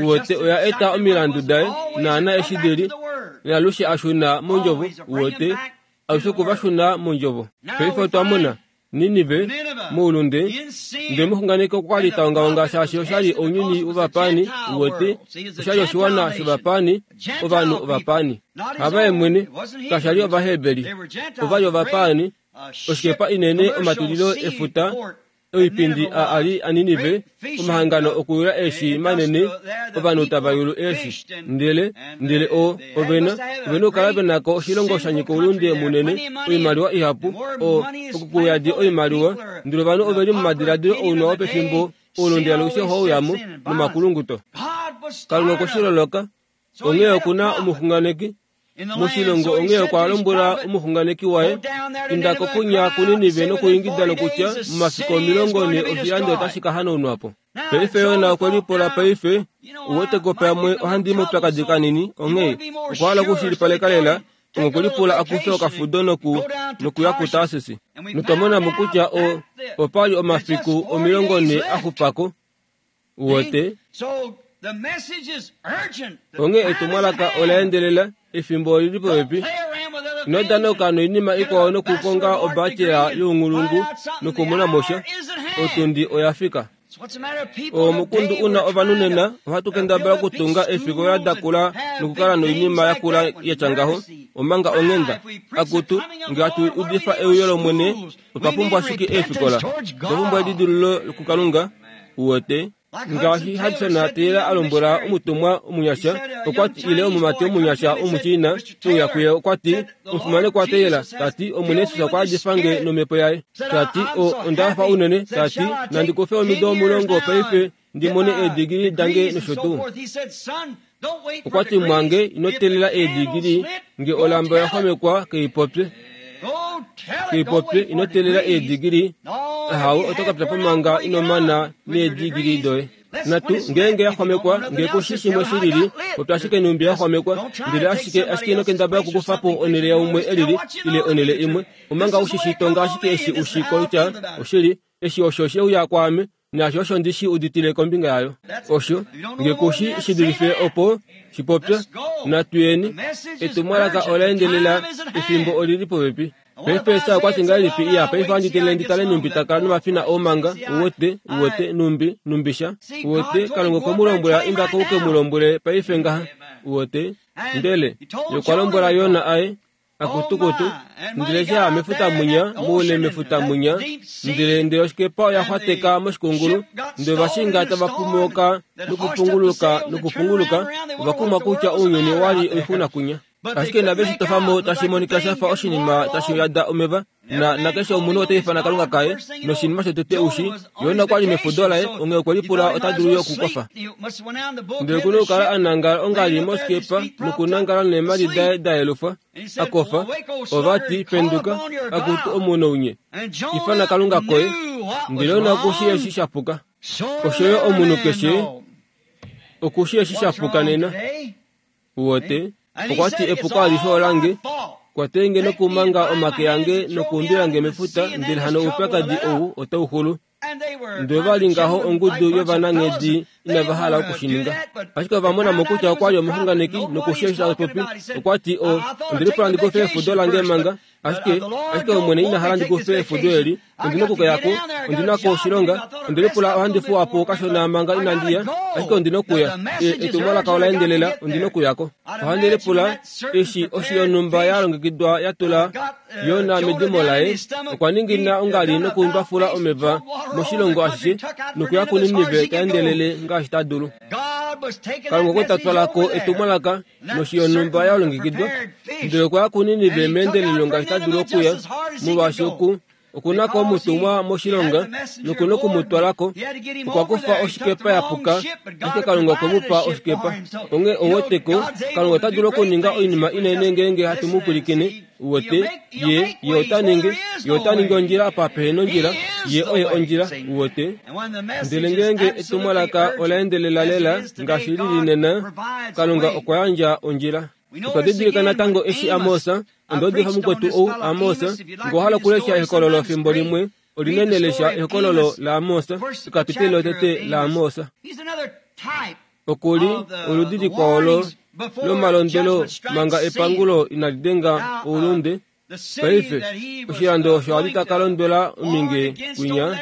uwete, oya eta omilandu daye naana eshi di li, naalushe a shuna mondjovo, uwete, alushe oku va shuna mondjovo. Paife otwa mona Ninive moulunde, ndele omuxunganeki okwa li ta ongaonga shaashi osha li ounyuni wovapaani, uwete, osha li oshiwana shovapaani, ovanhu ovapaani. Havaye mwene, kasha li Ovaheberi, ova li ovapaani, oshikepa inene omatulilo efuta Oipindi a a li aNinive, omahangano okuyula eeshi manene, ovanhu tava yulu eeshi. Ndele, ndele o, ove na, ove na okukala ve na ko oshilongo sha nyika oulunde munene, oimaliwa ihapu, o, okukuyadi oimaliwa, ndele ovanhu ove li momadiladilo ounwa wopefimbo, oulunde alushe ohau uya mo, nomakulunguto. Kalunga okwe shi loloka, onghee oku na omuxunganeki moshilongo onghee okwa lombwela omuxunganeki waye, Inda ko kunya kuNinive nokuingida nokutya, momafiku 40 oshilando otashi ka hanaunwa po. Paife Yona okwe lipula paife, Uwete ko pamwe ohandi i moupyakadi kanini, onghee okwa hala okushilipaleka lela, onghee okwe lipula a kufe okafudo noku, nokuya kuTarsis. Notwa mona mo kutya o, opa li omafiku 40 a xupa ko. Uwete? Onghee etumwalaka ola endelela, efimbo oli li popepi. Ino danoka noinima ikwao nokukonga obacela younghulungu nokumona mo sha. Otundi oya fika. Omukundu u na ovanhu nena, ohatu kendabala okutunga eefikola da kula nokukala noinima ya kula ya tya ngaho, omanga onghenda. Akutu, nge hatu udifa euyo lOmwene, otwa pumbwa ashike eefikola. Otwa pumbwa edidululo kuKalunga. Uwete? Ngaashi Hudson Taylor a lombwela omutumwa omunyasha, okwa ti ile omumati omunyasha Omuchina e uya kuye okwa ti, Omufimanekwa Taylor, ta ti, Omwene Jesus okwa yadifa nge nomhepo yaye. Ta ti, O, onda hafa unene, ta ti, nandi kufe omido 10 paife ndi mone eedigili dange nosho tuu. Okwa ti, Mwange, ino teelela eedigili, nge olamba oya xwamekwa, keipopye. Keipopye, ino teelela eedigili, ahawe, oto ka pya po manga ino mana needigili doye. Natu, ngeenge ya xwamekwa, nge ku shi shimwe shi lili, popya ashike nhumbi ya xwamekwa, ndele ashike, ashike ino kendabala okukufa po onhele yaumwe e lili, ile onhele imwe, omanga u shi shi tonga ashike eshi u shi kutya oshili, eshi osho she uya kwaame, naasho osho ndi shi uditile kombinga yayo. Osho, nge ku shi shi dulife opo, shi popya. Natu yeni. Etumwalaka ola endelela, efimbo oli li popepi. Paife Esau okwa ti ngahelipi, Iya, paife ohandi teelele ndi tale nhumbi ta kala nomafina oomanga, uwete, uwete, nhumbi, nhumbi sha. Uwete, Kalunga okwe mu lombwela inda ko u ke mu lombwele paife ngaha. Uwete? Ndele Ye okwa lombwela Jona aye, Akutukutu, ndele sha ya mefuta munya, moule mefuta munya, ndele ndele oshikepa oya xwateka moshikungulu, ndele ovashinga tava pumooka nokupunguluka nokupunguluka, ova kumwa kutya ounyuni owa li oixuna kunya. Ashike inave shi tofa mo tashi monika sha fa oshinima tashi yada omeva, na nakeshe omunhu ota ifana Kalunga kaye, noshinima shotete u shi, Jona okwa li mefudo laye, onghee okwe lipula ota dulu yo okukofa. Ndele oku na okukala a nangala ongali mosikepa nokunangala neemhadi daye da yelufwa, a kofa. Ova ti, Penduka, akutu omunounye, ifana Kalunga koye. Ndele Jona oku shii eshi sha puka. Osho yo omunhu keshe oku shii eshi sha puka nena. Uwete? Okwa ti, Epuko alishe olange. Kwatei nge nokumanga omake ange nokuumbila nge mefuta, ndele hano oupyakadi ou otau xulu. Ndele ova li ngaho ongudu yovananghedi inava hala oku shi ninga. Ashike ova mona mo kutya okwa li omuxunganeki noku shi eshi ta popi. Okwa ti, O, ondi lipula ndi kufe efudo lange manga. Ashike, ashike Omwene ina hala ndi kufe efudo eli. Ondi na okukeya ko. Ondi na ko oshilonga. Onde lipula ohandi fuwa po kashona manga inandi ya, ashike ondi na okuya. E, etumwalaka ola endelela, ondi na okuya ko. Ohandi lipula eshi oshi yonhumba ya longekidwa ya tula Jona medimo laye, okwa ningina ongali nokumbafula omeva moshilongo ashishe nokuya kuNinive ta endelele ngaashi ta dulu. Kalunga okwe ta twala ko etumwalaka noshi yonhumba ya longekidwa, ndele okwa ya kuNinive meendelelo ngaashi ta dulu okuya, molwaashi oku oku na ko omutumwa moshilonga noku na oku mu twala ko. Okwa kufa oshikepa ya puka, ashike Kalunga okwe mu pa oshikepa. Onghee ou wete ko, Kalunga ota dulu okuninga oinima inene ngeenge hatu mu pwilikine. Uwete, Ye, Ye ota ningi, Ye ota ningi ondjila apa pehe nondjila. Ye oye ondjila. Uwete? Ndele ngeenge etumwalaka ola endelela lela ngaashi li li nena, Kalunga okwa yandja ondjila. Otwa didilika natango eshi Amos, onda udifa mukwetu ou, Amos, nge owa hala okulesha ehokololo fimbo limwe, olinene lesha ehokololo laAmos, ekapiteli lotete laAmos. Oku li oludi likwao lo, lomalondwelo manga epangulo inali denga oulunde. Paife, oshilando osho a li ta ka londwela ominge kwinya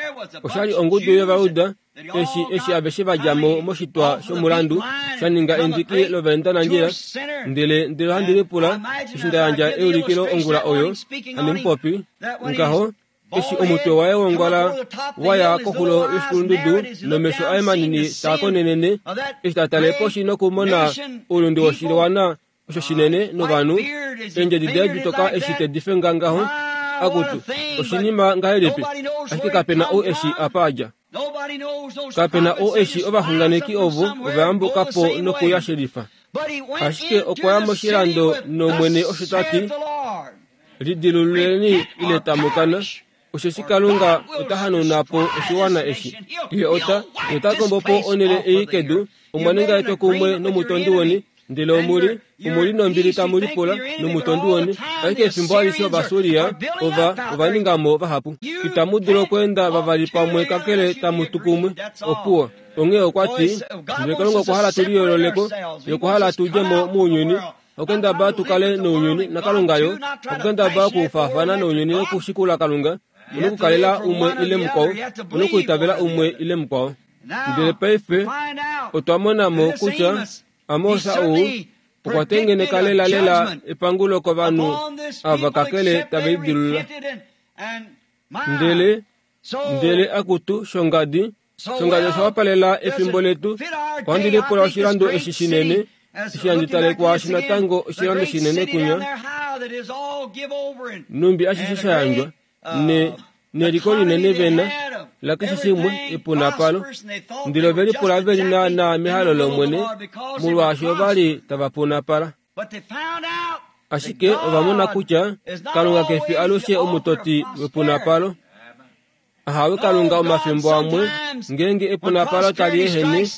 osha li ongudu yOvayuda eshi eshi aveshe va dja mo moshitwa shomulandu sha ninga endiki lovaendanandjila. Ndele ndele ohandi lipula eshi nda yandja eulikilo ongula oyo handi mu popi ngaho eshi omutwe waye wongwala wa ya koxulo yoshikulundudu nomesho aye manini taa konenene eshi ta tale poshi nokumona oulunde woshiwana osho shinene novanhu eendjedi daye ditoka eshi te di fenga ngaho akutu oshinima ngahelipi ashike kape na ou eshi apa a dja kape na ou eshi ovaxunganeki ovo ova yambuka po nokuya shelifa ashike okwa ya moshilando nomwene osho ta ti lidilululeni ile tamu kana osheshi Kalunga ota hanauna po oshiwana eshi. Ye ota, ye ota kombo po onhele ei kedu, omwa ninga etwokumwe nomutondi weni, ndele omu li, omu li nombili tamu lipula nomutondi weni. Ashike efimbo alishe Ovasuria ova, ova ninga mo vahapu. Itamu dulu okweenda vavali pamwe kakele tamu tu kumwe. Opuwo. Onghee okwa ti, ndele Kalunga okwa hala tu liyoolole ko, ye okwa hala tu dje mo mounyuni, Okendaba tu kale nounyuni naKalunga yo, okukendaba okufaafana nounyuni nokushikula Kalunga, u nokukalela umwe ile mukwao, u nokuitavela umwe ile mukwao. Ndele paife otwa mona mo kutya Amos ou okwa tengeneka lelalela epangulo kovanhu ava kakele tave lidilulula. Ndele, ndele akutu shongadi, Shongajo osha wapalela efimbo letu. Ohandi lipula oshilando eshi shinene, eshi handi tale kwaashi natango oshilando shinene kunya, numbi ashishe sha yandjwa, ne, neliko linene vena, lakeshe shimwe, epunapalo. Ndele ove lipula ve li naanaa mehalo lOmwene, molwaashi ova li tava punapala. Ashike ova mona kutya Kalunga ke fi alushe omutoti wepunapalo. Ahawe Kalunga omafimbo amwe ngeenge epunapalo tali ehene,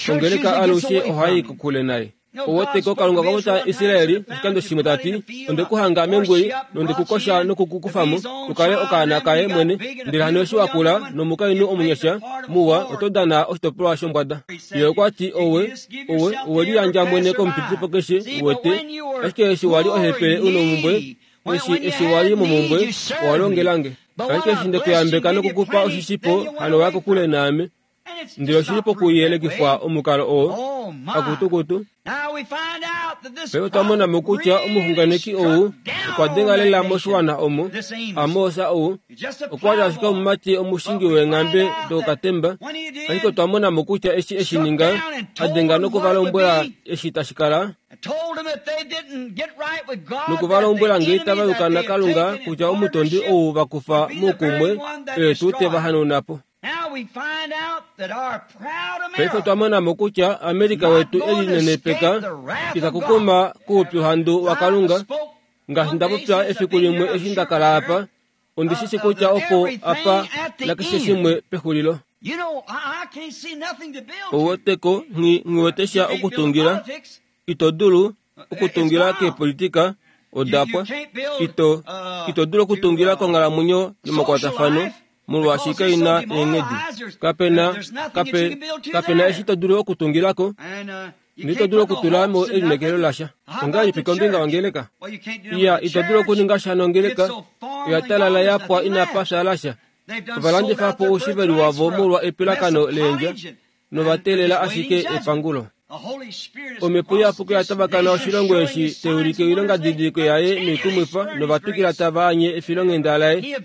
ongeleka alushe ohai kokule naye. Oweteko Kalunga okwa popya Israeli oshikando shimwe ta ti, Onde ku hanga mengui nonde ku kosha noku ku kufa mo, u kale okaana kaye mwene. Ndele hano eshi wa kula nomukainhu omunyasha muwa oto dana oshitopolwa shombwada. Ye okwa ti, Owe, owe, owe liyandja mwene komupitipo keshe, uwete. Ashike eshi wa li ohepele u nomumbwe, Eshi, eshi wa li momumbwe, owa longela nge. Ashike eshi nde ku yambeka noku ku pa oshishipo, hano wa ya kokule naame. Ndele oshi li pokuyelekifwa omukalo oo, akutukutu. Paife otwa mona mo kutya omuxunganeki ou okwa denga lela moshiwana omo, Amos ou, okwa li ashike omumati omushingi weenghambe dokatemba, ashike otwa mona mo kutya eshi e shi ninga, a denga noku va lombwela eshi tashi kala, noku va lombwela ngee tava yuka naKalunga kutya omutondi ou va kufa moukumwe oye tuu te va hanauna po. Paife otwa mona mo kutya Amerika wetu e linenepeka ita kukuma kuupyuhandu waKalunga. Ngaashi nda popya efiku limwe eshi nda kala apa, ondi shi shi kutya opo apa nakeshe shimwe pexulilo. Ouweteko nghi nghi wete sha okutungila. Ito dulu okutungila keepolitika, oda pwa. Ito, ito dulu okutungila konghalamwenyo yomakwatafano, molwaashi kai na eenghedi. Kape na, kape, kape na eshi to dulu okutungila ko. Ndele ito dulu okutula mo elineekelo lasha. Ongahelipi kombinga yongeleka? Iya, ito dulu okuninga sha nongeleka. Oya talala ya pwa inapa fya lasha. Ova landifa po oushiveli wavo molwa epilakano leendja, nova teelela ashike epangulo. Omhepo Iyapuki oya tavakana oshilongo eshi tai ulike oilongadidiliko yaye noikumwifa nova twikila tava anye efilonghenda laye.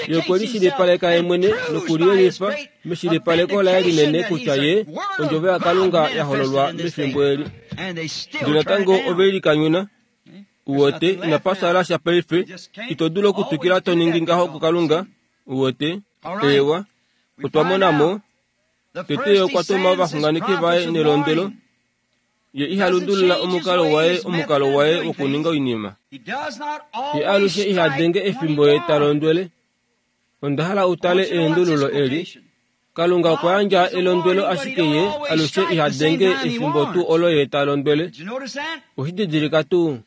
Ye okwe lishilipaleka ye mwene nokuliyelifa meshilipaleko laye linene kutya ye Ondjovo yaKalunga ya hololwa mefimbo eli. Ndele natango ove likanyuna. Uwete, inapa fyaala sha paife. Ito dulu okutwikila to ningi ngaho kuKalunga. Uwete? Eewa. Otwa mona mo. Tete ye okwa tuma ovaxunganeki vaye nelondwelo. Ye iha lundulula omukalo waye omukalo waye wokuninga oinima. Ye alushe iha denge efimbo ye ta londwele. Onda hala u tale eendululo eli. Kalunga okwa yandja elondwelo ashike ye alushe iha denge efimbo tuu olo ye ta londwele. Oshi didilika tuu?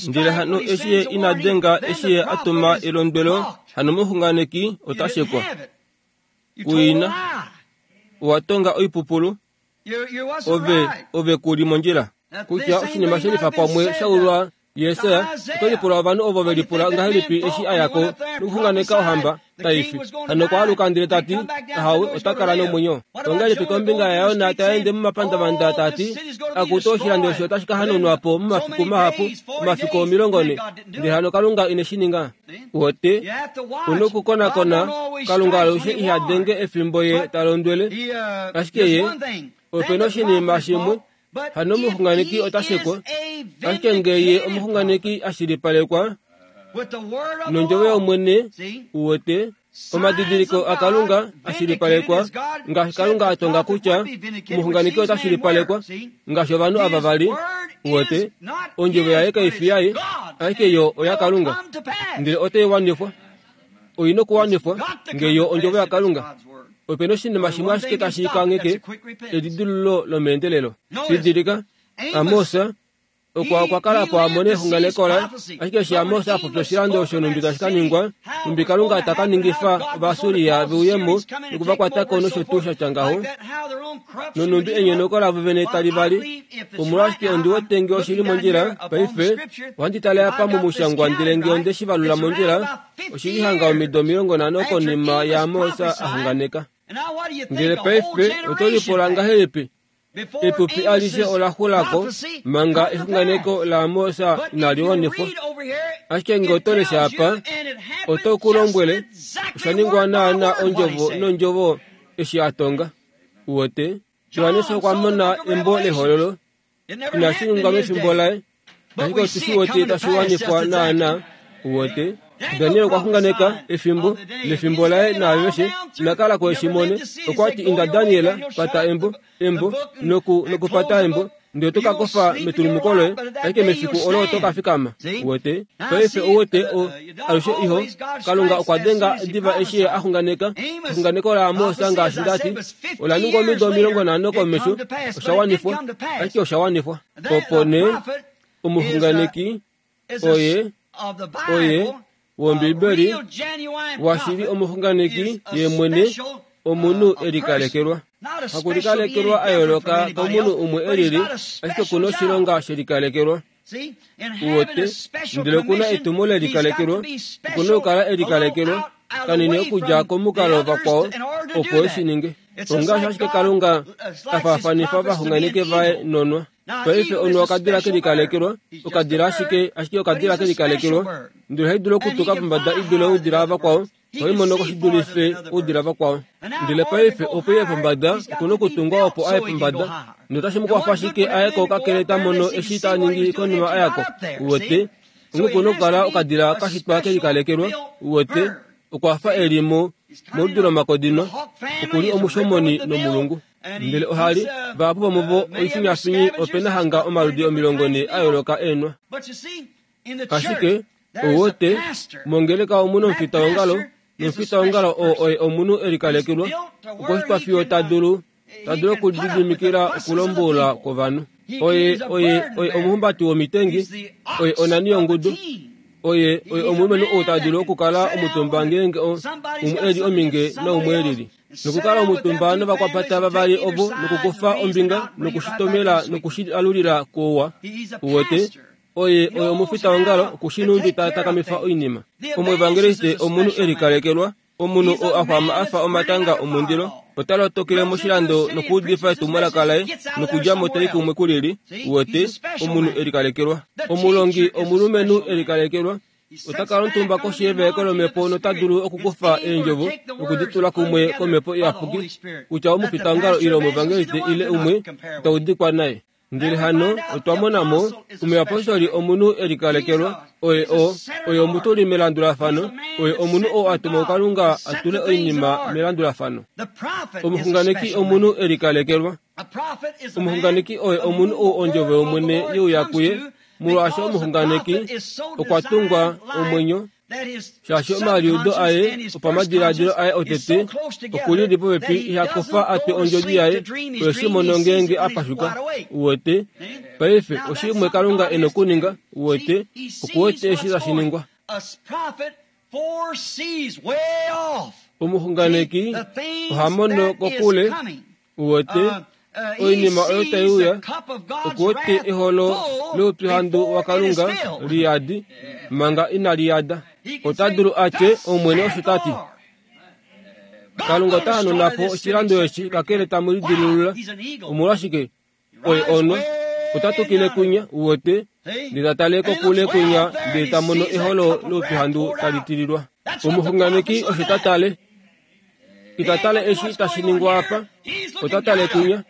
Ndele hano eshi ye ina denga eshi ye a tuma elondwelo, hano omuxunganeki ota shekwa. Kuina, owa tonga oipupulu. Ove, ove ku li mondjila. Kutya oshinima she lifa pamwe sha ulwa Jesaja, oto lipula ovanhu ovo ve lipula ngahelipi eshi a ya ko nokuxunganeka ohamba tai fi. Hano okwa aluka ndele ta ti, Ahawe, ota kala nomwenyo. Ongahelipi kombinga yaJona ta ende momapandavanda ta ti, Akutu oshilando eshi otashi ka hanaunwa po momafiku mahapu, omafiku 40. Ndele hano Kalunga ine shi ninga. Wote, u nokukonakona, Kalunga alushe iha denge efimbo ye ta londwele. Ashike ye, ope noshinima shimwe, hano omuxunganeki ota shekwa. Ashike nge ye omuxunganeki a shilipalekwa nondjovo yOmwene, uwete, omadidiliko aKalunga a shilipalekwa, ngaashi Kalunga a tonga kutya omuxunganeki ota shilipalekwa, ngaashi ovanhu ava va li, uwete, ondjovo yaye kai fi yaye, ashike yo oyaKalunga, ndele otai wanifwa. Oi nokuwanifwa, nge yo ondjovo yaKalunga. Ope na oshinima shimwe ashike tashi kangheke elidilululo lomeendelelo. Didilika, Amos okwa okwa kala po a mone exunganeko laye, ashike eshi Amos a popya oshilando osho nhumbi tashi ka ningwa, nhumbi Kalunga ta ka ningifa Ovaassuria ve uye mo noku va kwata ko nosho tuu sha tya ngaho, nonhumbi enyonauko lavo vene tali vali. Omolwashike ondi wete nge oshi li mondjila paife? Ohandi tale apa momushangwa ndele nge onde shi valula mondjila, oshi li hanga omido 50 konima yaAmos a xunganeka. Ndele paife oto lipula ngahelipi? Epupi alishe ola xula ko manga exunganeko laAmos inali wanifwa. Ashike nge oto lesha apa, oto ku lombwele, osha ningwa naanaa ondjovo nondjovo. eshi a tonga. Uwete? Johannes okwa mona embo lehololo. Inashi ningwa mefimbo laye, ashike otu shi wete tashi wanifwa naanaa. Uwete? Daniel okwa xunganeka efimbo lefimbo laye naaveshe ina kala ko eshi mone. Okwa ti inda Daniel, pata embo, embo, noku, nokupata embo, ndele oto ka kofa metulumuko loye, ashike mefiku olo oto ka fikama. Uwete? Paife ouwete o, alushe iho, Kalunga okwa denga diva eshi ye a xunganeka. Exunganeko laAmos ngaashi nda ti, ola ningwa omido 50 komesho, osha wanifwa, ashike osha wanifwa. Opo nee, omuxunganeki oye, oye, wOmbibeli, washili omuxunganeki ye mwene, omunhu e likalekelwa. Hakulikalekelwa a yooloka komunhu umwe e lili, ashike oku na oshilonga she likalekelwa. Uwete, ndele oku na etumo le likalekelwa, oku na okukala e likalekelwa kanini okudja komukalo vakwao opo e shi ninge. Ongaashi ashike Kalunga a faafanifa ovaxunganeki vaye nonwa. Paife onwa okadila ke likalekelwa, okadila ashike, ashike okadila ke likalekelwa, ndele ohai dulu okutuka pombada i dule oudila vakwao, ohai mono ko shi dulife oudila vakwao. Ndele paife opo iye pombada, oku na okutungwa opo aye pombada, ndele otashi mu kwafa ashike aye ko kakele ta mono eshi ta ningi konima a ya ko. Uwete? Onghee oku na okukala okadila ka shitwa ke likalekelwa. Uwete? Okwa fa e li mo, moludi lomakodino, oku li omushomoni nomulungu. Ndele oha li, vahapu vomuvo oifinyafinyi ope na hanga omaludi 40 a yooloka eenwa. Ashike, ou wete, mongeleka omu nomufitaongalo, nomufitaongalo oo oye omunhu e likalekelwa, okwa shitwa fiyo ta dulu, ta dulu okulididimikila okulombwela kwovanhu. Oye, oye, oye omuhumbati womitengi, oye onani yongudu, oye, oye omulumenhu ou ta dulu okukala omutumba ngeenge umwe e li ominge naumwe e lili. Nokukala omutumba novakwapata vavali ovo nokukufa ombinga nokushitomela nokushialulila kouwa. Uwete? Oye oye omufitaongalo oku shi nhumbi ta takamifa oinima. Omuevangeliste omunhu e likalekelwa, omunhu oo a xwama a fa omatanga omundilo, ota lotokele moshilando nokuudifa etumwalaka laye nokudja mo tai kumwe ku lili. Uwete? Omunhu e likalekelwa. Omulongi omulumenhu e likalekelwa, ota kala omutumba koshi yevaeko lomhepo nota dulu okukufa eendjovo noku di tula kumwe komhepo iyapuki, kutya omufitaongalo ile omuevangeliste ile umwe ta udikwa naye. Ndele hano otwa mona mo, omuyapostoli omunhu e likalekelwa, oye o, oye omutuli melandulafano, oye omunhu oo a tumwa kuKalunga a tule oinima melandulafano. Omuxunganeki omunhu e likalekelwa. Omuxunganeki oye omunhu ou ondjovo yOmwene ye uya kuye, molwaashi omuxunganeki okwa tungwa omwenyo shaashi omaliudo aye opamadiladilo aye otete oku lili popepi iha kofa a twe ondjodi yaye oye shi mono ngeenge a pashuka. Uwete? Paife, oshimwe Kalunga e nokuninga, uwete, oku wete eshi tashi ningwa. Omuxunganeki oha mono kokule Uwete, oinima oyo tai uya, oku wete eholo loupyuhandu waKalunga li yadi, manga inali yada. Ota dulu a tye, Omwene osho ta ti. Kalunga ota hanuna po oshilando eshi kakele tamu lidilulula. Omolwashike? Oye onwa. Ota tukile kwinya, uwete, ndele ta tale kokule kwinya ndele ta mono eholo loupyuhandu tali tililwa. Omuxunganeki osho ta tale. Ita tale eshi tashi ningwa apa, ota tale kwinya.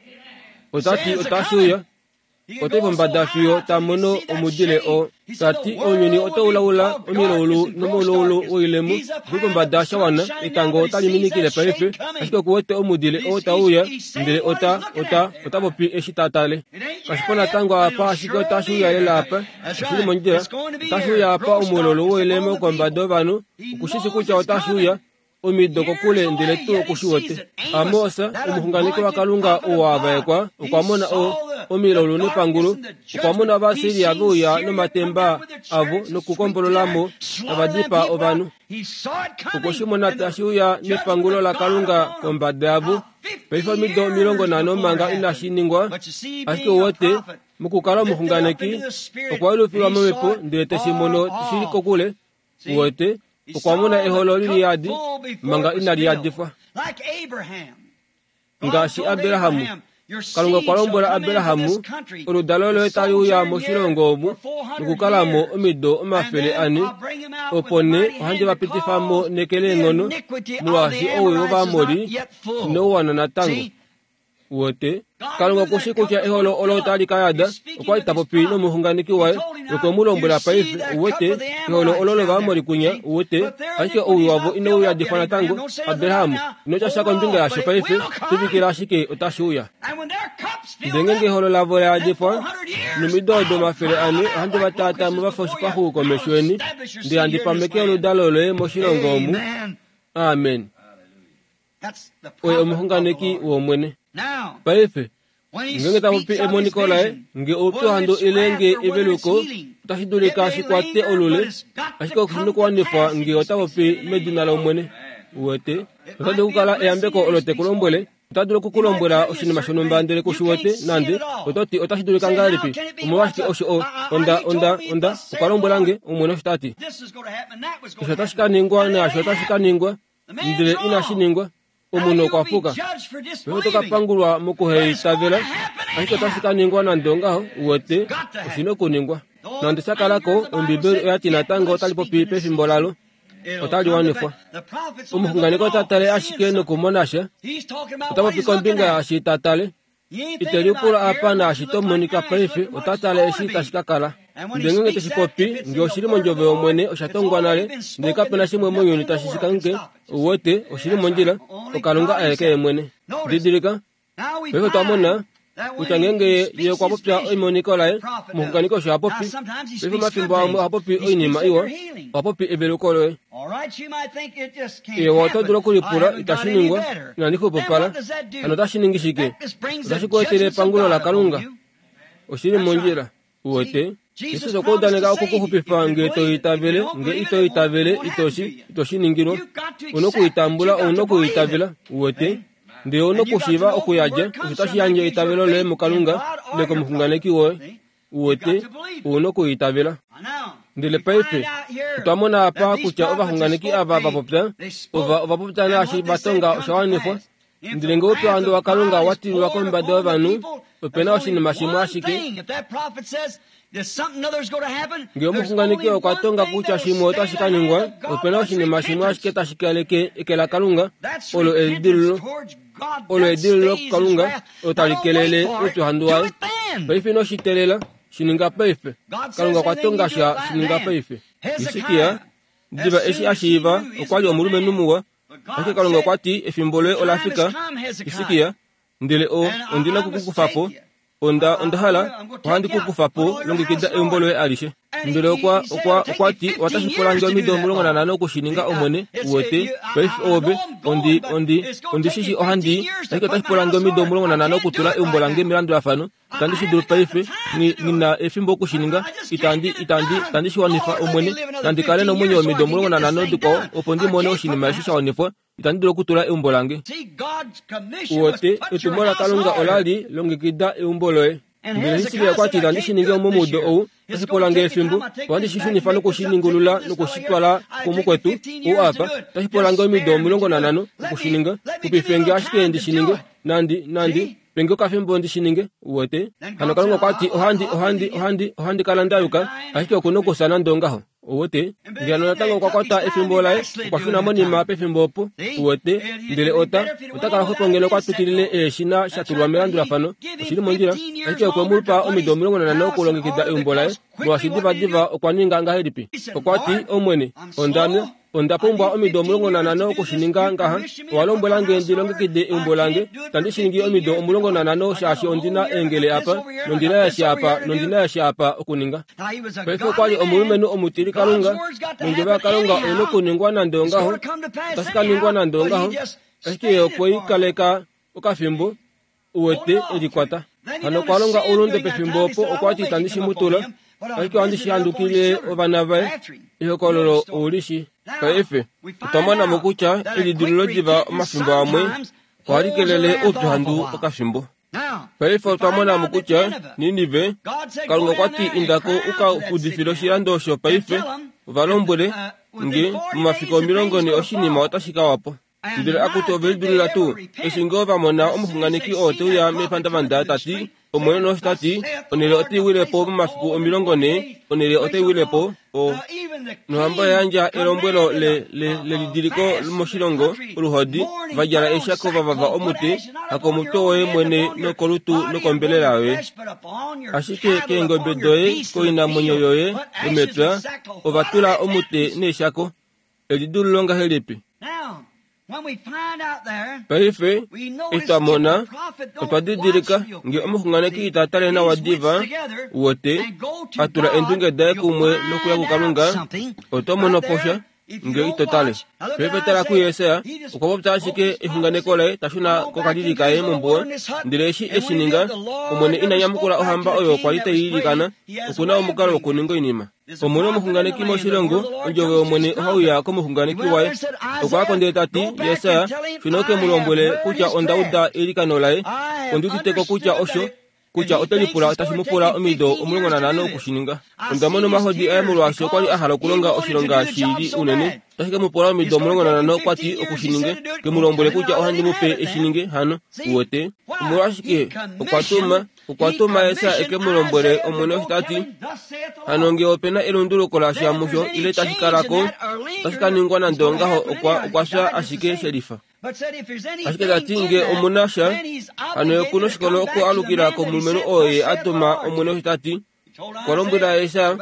Ota ti otashi uya. Ota i pombada fiyo ta mono omudile oo. Ta ti ounyuni otau laula omilaulu nomoulaulu woilemo. Okuli pombada sha wana, etango otali minikile paife, ashike oku wete omudile oo tau uya, ndele ota, ota, ota popi eshi ta tale. Kashi po natango apa, ashike otashi uya lela apa. Oshi li mondjila. Otashi uya apa omuulaulu woilemo kombada yovanhu. Oku shi shi kutya otashi uya. omido kokule ndele tuu oku shi wete. Amos, omuxunganeki waKalunga oo a vaekwa, okwa mona o, omilaulu nepangulo. Okwa mona Ovasiria ve uya nomatemba avo nokukombolola mo tava dipaa ovanhu. Okwe shi mona tashi uya nepangulo laKalunga kombada yavo. Paife omido 50 manga inashi ningwa, ashike ou wete, mokukala omuxunganeki, okwa yelufilwa momhepo ndele te shi mono shi li kokule. Uwete, okwa mona eholo li liyadi manga inali yadifwa. Ngaashi Abraham, Kalunga okwa lombwela Abraham, oludalo loye tali uya moshilongo omu nokukala mo omido 400, Opo nee ohandi va pitifa mo neke leenghono, molwaashi owii wOvaamori inau wana natango. Uwete? Kalunga oku shii kutya eholo olo otali ka yada. Okwa li ta popi nomuxunganeki waye nokwe mu lombwela paife, uwete, eholo olo lOvaamori kwinya, uwete, ashike owii wavo inau yadifwa natango. Abraham, ino tya sha kombinga yasho paife, tuvikila ashike otashi uya. Ndele ngeenge eholo lavo la yadifwa, nomido odo 400 ohandi va taataa mo va fa oshipaxu komesho yeni, ndele handi pameke oludalo loye moshilongo omu. Amen. Oye omuxunganeki wOmwene. Paife, ngeenge ta popi emoniko laye, nge oupyuhandu ile nge eveluko, otashi dulika shi kwate olule, ashike oshi nokuwanifwa nge ota popi medina lOmwene. Uwete? Ota dulu okukala eyambeko olo te ku lombwele, ota dulu oku ku lombwela oshinima shonhumba ndele ku shi wete nande. Oto ti, Otashi dulika ngahelipi? Omolwashike osho o, onda, onda, onda, okwa lombwela nge, Omwene osho ta ti. Osho otashi ka ningwa naasho otashi ka ningwa. Ndele inashi ningwa. Omunhu okwa puka. Paife oto ka pangulwa mokuheitavela, ashike otashi ka ningwa nande ongaho, uwete, oshi na okuningwa. Nande sha kala ko, Ombibeli oya ti natango otali popi pefimbo lalo. Otali wanifwa. Omuxunganeki ota tale ashike nokumona sha. Ota popi kombinga yaashi ta tale. Ite lipula apa naashi to monika paife, ota tale eshi tashi ka kala. Ndele ngeenge te shi popi, nge oshi li mondjovo yOmwene, osha tongwa nale, ndele kape na shimwe mounyuni tashi shi kangheke, ou wete, oshi li mondjila, oKalunga aeke Ye mwene. Didilika, paife otwa mona kutya ngeenge Ye okwa popya emoniko laye, omuxunganeki osho ha popi. Paife omafimbo amwe oha popi oinima iwa, oha popi eveluko loye. Ewa, oto dulu okulipula, itashi ningwa, inandi xwepopala. Hano otashi ningi shike? Otashi ku etele epangulo laKalunga. Oshi li mondjila. Uwete? Jesus okwa udaneka oku ku xupifa nge to itavele, nge ito itavele, ito shi, ito shi ningilwa. U na okuitambula, ou na okuitavela. Uwete? Ndele ou na okushiiva okuyadja, osho tashi yandje eitavelo loye muKalunga, ile komuxunganeki woye. Uwete, ou na okuitavela. Ndele paife, otwa mona apa kutya ovaxunganeki ava va popya, ova, ova popya naashi va tonga osha wanifwa. Ndele nge oupyuhandu waKalunga wa tililwa kombada yovanhu, ope na oshinima shimwe ashike. Nge omuxunganeki okwa tonga kutya shimwe otashi ka ningwa, ope na oshinima shimwe ashike tashi kaleke eke laKalunga, olo elidilululo. Olo edilululo kuKalunga, olo tali kelele oupyuhandu waye. Paife ino shi teelela, shi ninga paife. Kalunga okwa tonga sha, shi ninga paife. Hisikia, diva eshi a shiiva, okwa li omulumenhu muwa, Ashike Kalunga okwa ti, Efimbo loye ola fika, Hisikia, ndele o, ondi na oku ku kufa po. Onda, onda hala, ohandi ku kufa po, longekida eumbo loye alishe. Ndele okwa, okwa, okwa ti, Otashi pula nge omido 15 oku shi ninga, Omwene, uwete. Paife oove, ondi, ondi, ondi shi shii ohandi i, ashike otashi pula nge omido 15 okutula eumbo lange melandulafano. Itandi shi dulu paife. Nghi, nghi na efimbo oku shi ninga. Itandi, itandi, itandi shi wanifa, Omwene. Nandi kale nomwenyo omido 15 dikwao, opo ndi mone oshinima eshi sha wanifwa. Itandi dulu okutula eumbo lange. Uwete, etumo laKalunga ola li, Longekida eumbo loye. Ndele Hiskia okwa ti, Itandi shi ningi momudo ou. Otashi pula nge efimbo. Ohandi shi shunifa noku shi ningulula noku shi twala kumukwetu, ou apa. Otashi pula nge omido 15 oku shi ninga. Xupife nge ashike ndi shi ninge. Nandi, nandi. Pe nge okafimbo ndi shi ninge, uwete. Hano Kalunga okwa ti, Ohandi, ohandi, ohandi, ohandi kala nda yuka, ashike oku nokufya nande ongaho. Uwete? Ndele hano natango okwa kwata efimbo laye, okwa shuna monima pefimbo opo, uwete, ndele ota, ota kala xwepo ngeno okwa twikilile eeshina sha tulwa melandulafano. Oshi li mondjila. Ashike okwe mu pa omido 15 okulongekida eumbo laye, molwaashi divadiva okwa ninga ngahelipi? Okwa ti, Omwene, onda nwa. Onda pumbwa omido 15 oku shi ninga ngaha. Owa lombwela nge ndi longekide eumbo lange. Itandi shi ningi omido 15 shaashi ondi na eengele apa, nondi na eshi apa, nondi na eshi apa okuninga. Paife okwa li omulumenhu omutilikalunga, nondjovo yaKalunga oi na okuningwa nande ongaho. Otashi ka ningwa nande ongaho. Ashike ye okwe i kaleka okafimbo. Uwete, e likwata. Hano okwa longa oulunde pefimbo opo, okwa ti itandi shi mu tula, ashike ohandi shi handukile ovana vaye. Ehokololo ou li shi. Paife, otwa mona mo kutya elidilululo diva omafimbo amwe ohali kelele oupyuhandu okafimbo. Paife otwa mona mo kutya Ninive, Kalunga okwa ti inda ko u ka udifile oshilando osho paife, va lombwele nge, momafiku 40 oshinima otashi ka wa po. Ndele akutu ove lidulila tuu, eshi ngoo va mona omuxunganeki oo te uya mepandavanda ta ti, Omwene nosho ta ti, onhele otai wile po momafiku 40, onhele otai wile po, o. Nohamba oya yandja elombwelo le, le, lelidiliko moshilongo, oluhodi, va djala eeshako va vava omute, hakomutwe woye mwene nokolutu nokombelela yoye. Ashike keengobe doye, koinamwenyo yoye yomepya, ova tula omute neeshako. Elidululo ngahelipi? Paife, eshi twa mona, otwa didilika nge omuxunganeki ita tale nawa diva, wote, a tula eendunge daye kumwe nokuya kuKalunga, oto mono po sha, nge ito tale. Paife tala kuJesaja, okwa popya ashike exunganeko laye ta shuna kokalili kaye mombuwa, ndele eshi e shi ninga, Omwene ina nyamukula ohamba oyo kwa li tai ilikana, oku na omukalo wokuninga oinima. Omwene omuxunganeki moshilongo, ondjovo yOmwene ohai uya komuxunganeki waye. Okwa ya ko ndele ta ti, Jesaja, shuna u ke mu lombwele kutya onda uda eilikano laye, ondi udite ko kutya osho, kutya ote lipula tashi mu pula omido 15 oku shi ninga. Onda mona omahodi aye molwaashi okwa li a hala okulonga oshilonga shi li unene. Otashi ke mu pula omido 15 kwa ti oku shi ninge. Ke mu lombwele kutya ohandi mu pe e shi ninge, hano. Uwete? Omolwashike? Okwa tuma Okwa tuma Jesaja e ke mu lombwele Omwene osho ta ti, Hano nge ope na elunduluko lasha musho ile tashi kala ko, otashi ka ningwa nande ongaho okwa okwa fya ashike shelifa. Ashike ta ti nge omu na sha, hano ye oku noshikolo okualukila komulumenhu oo ye a tuma Omwene osho ta ti. Okwa lombwela Jesaja,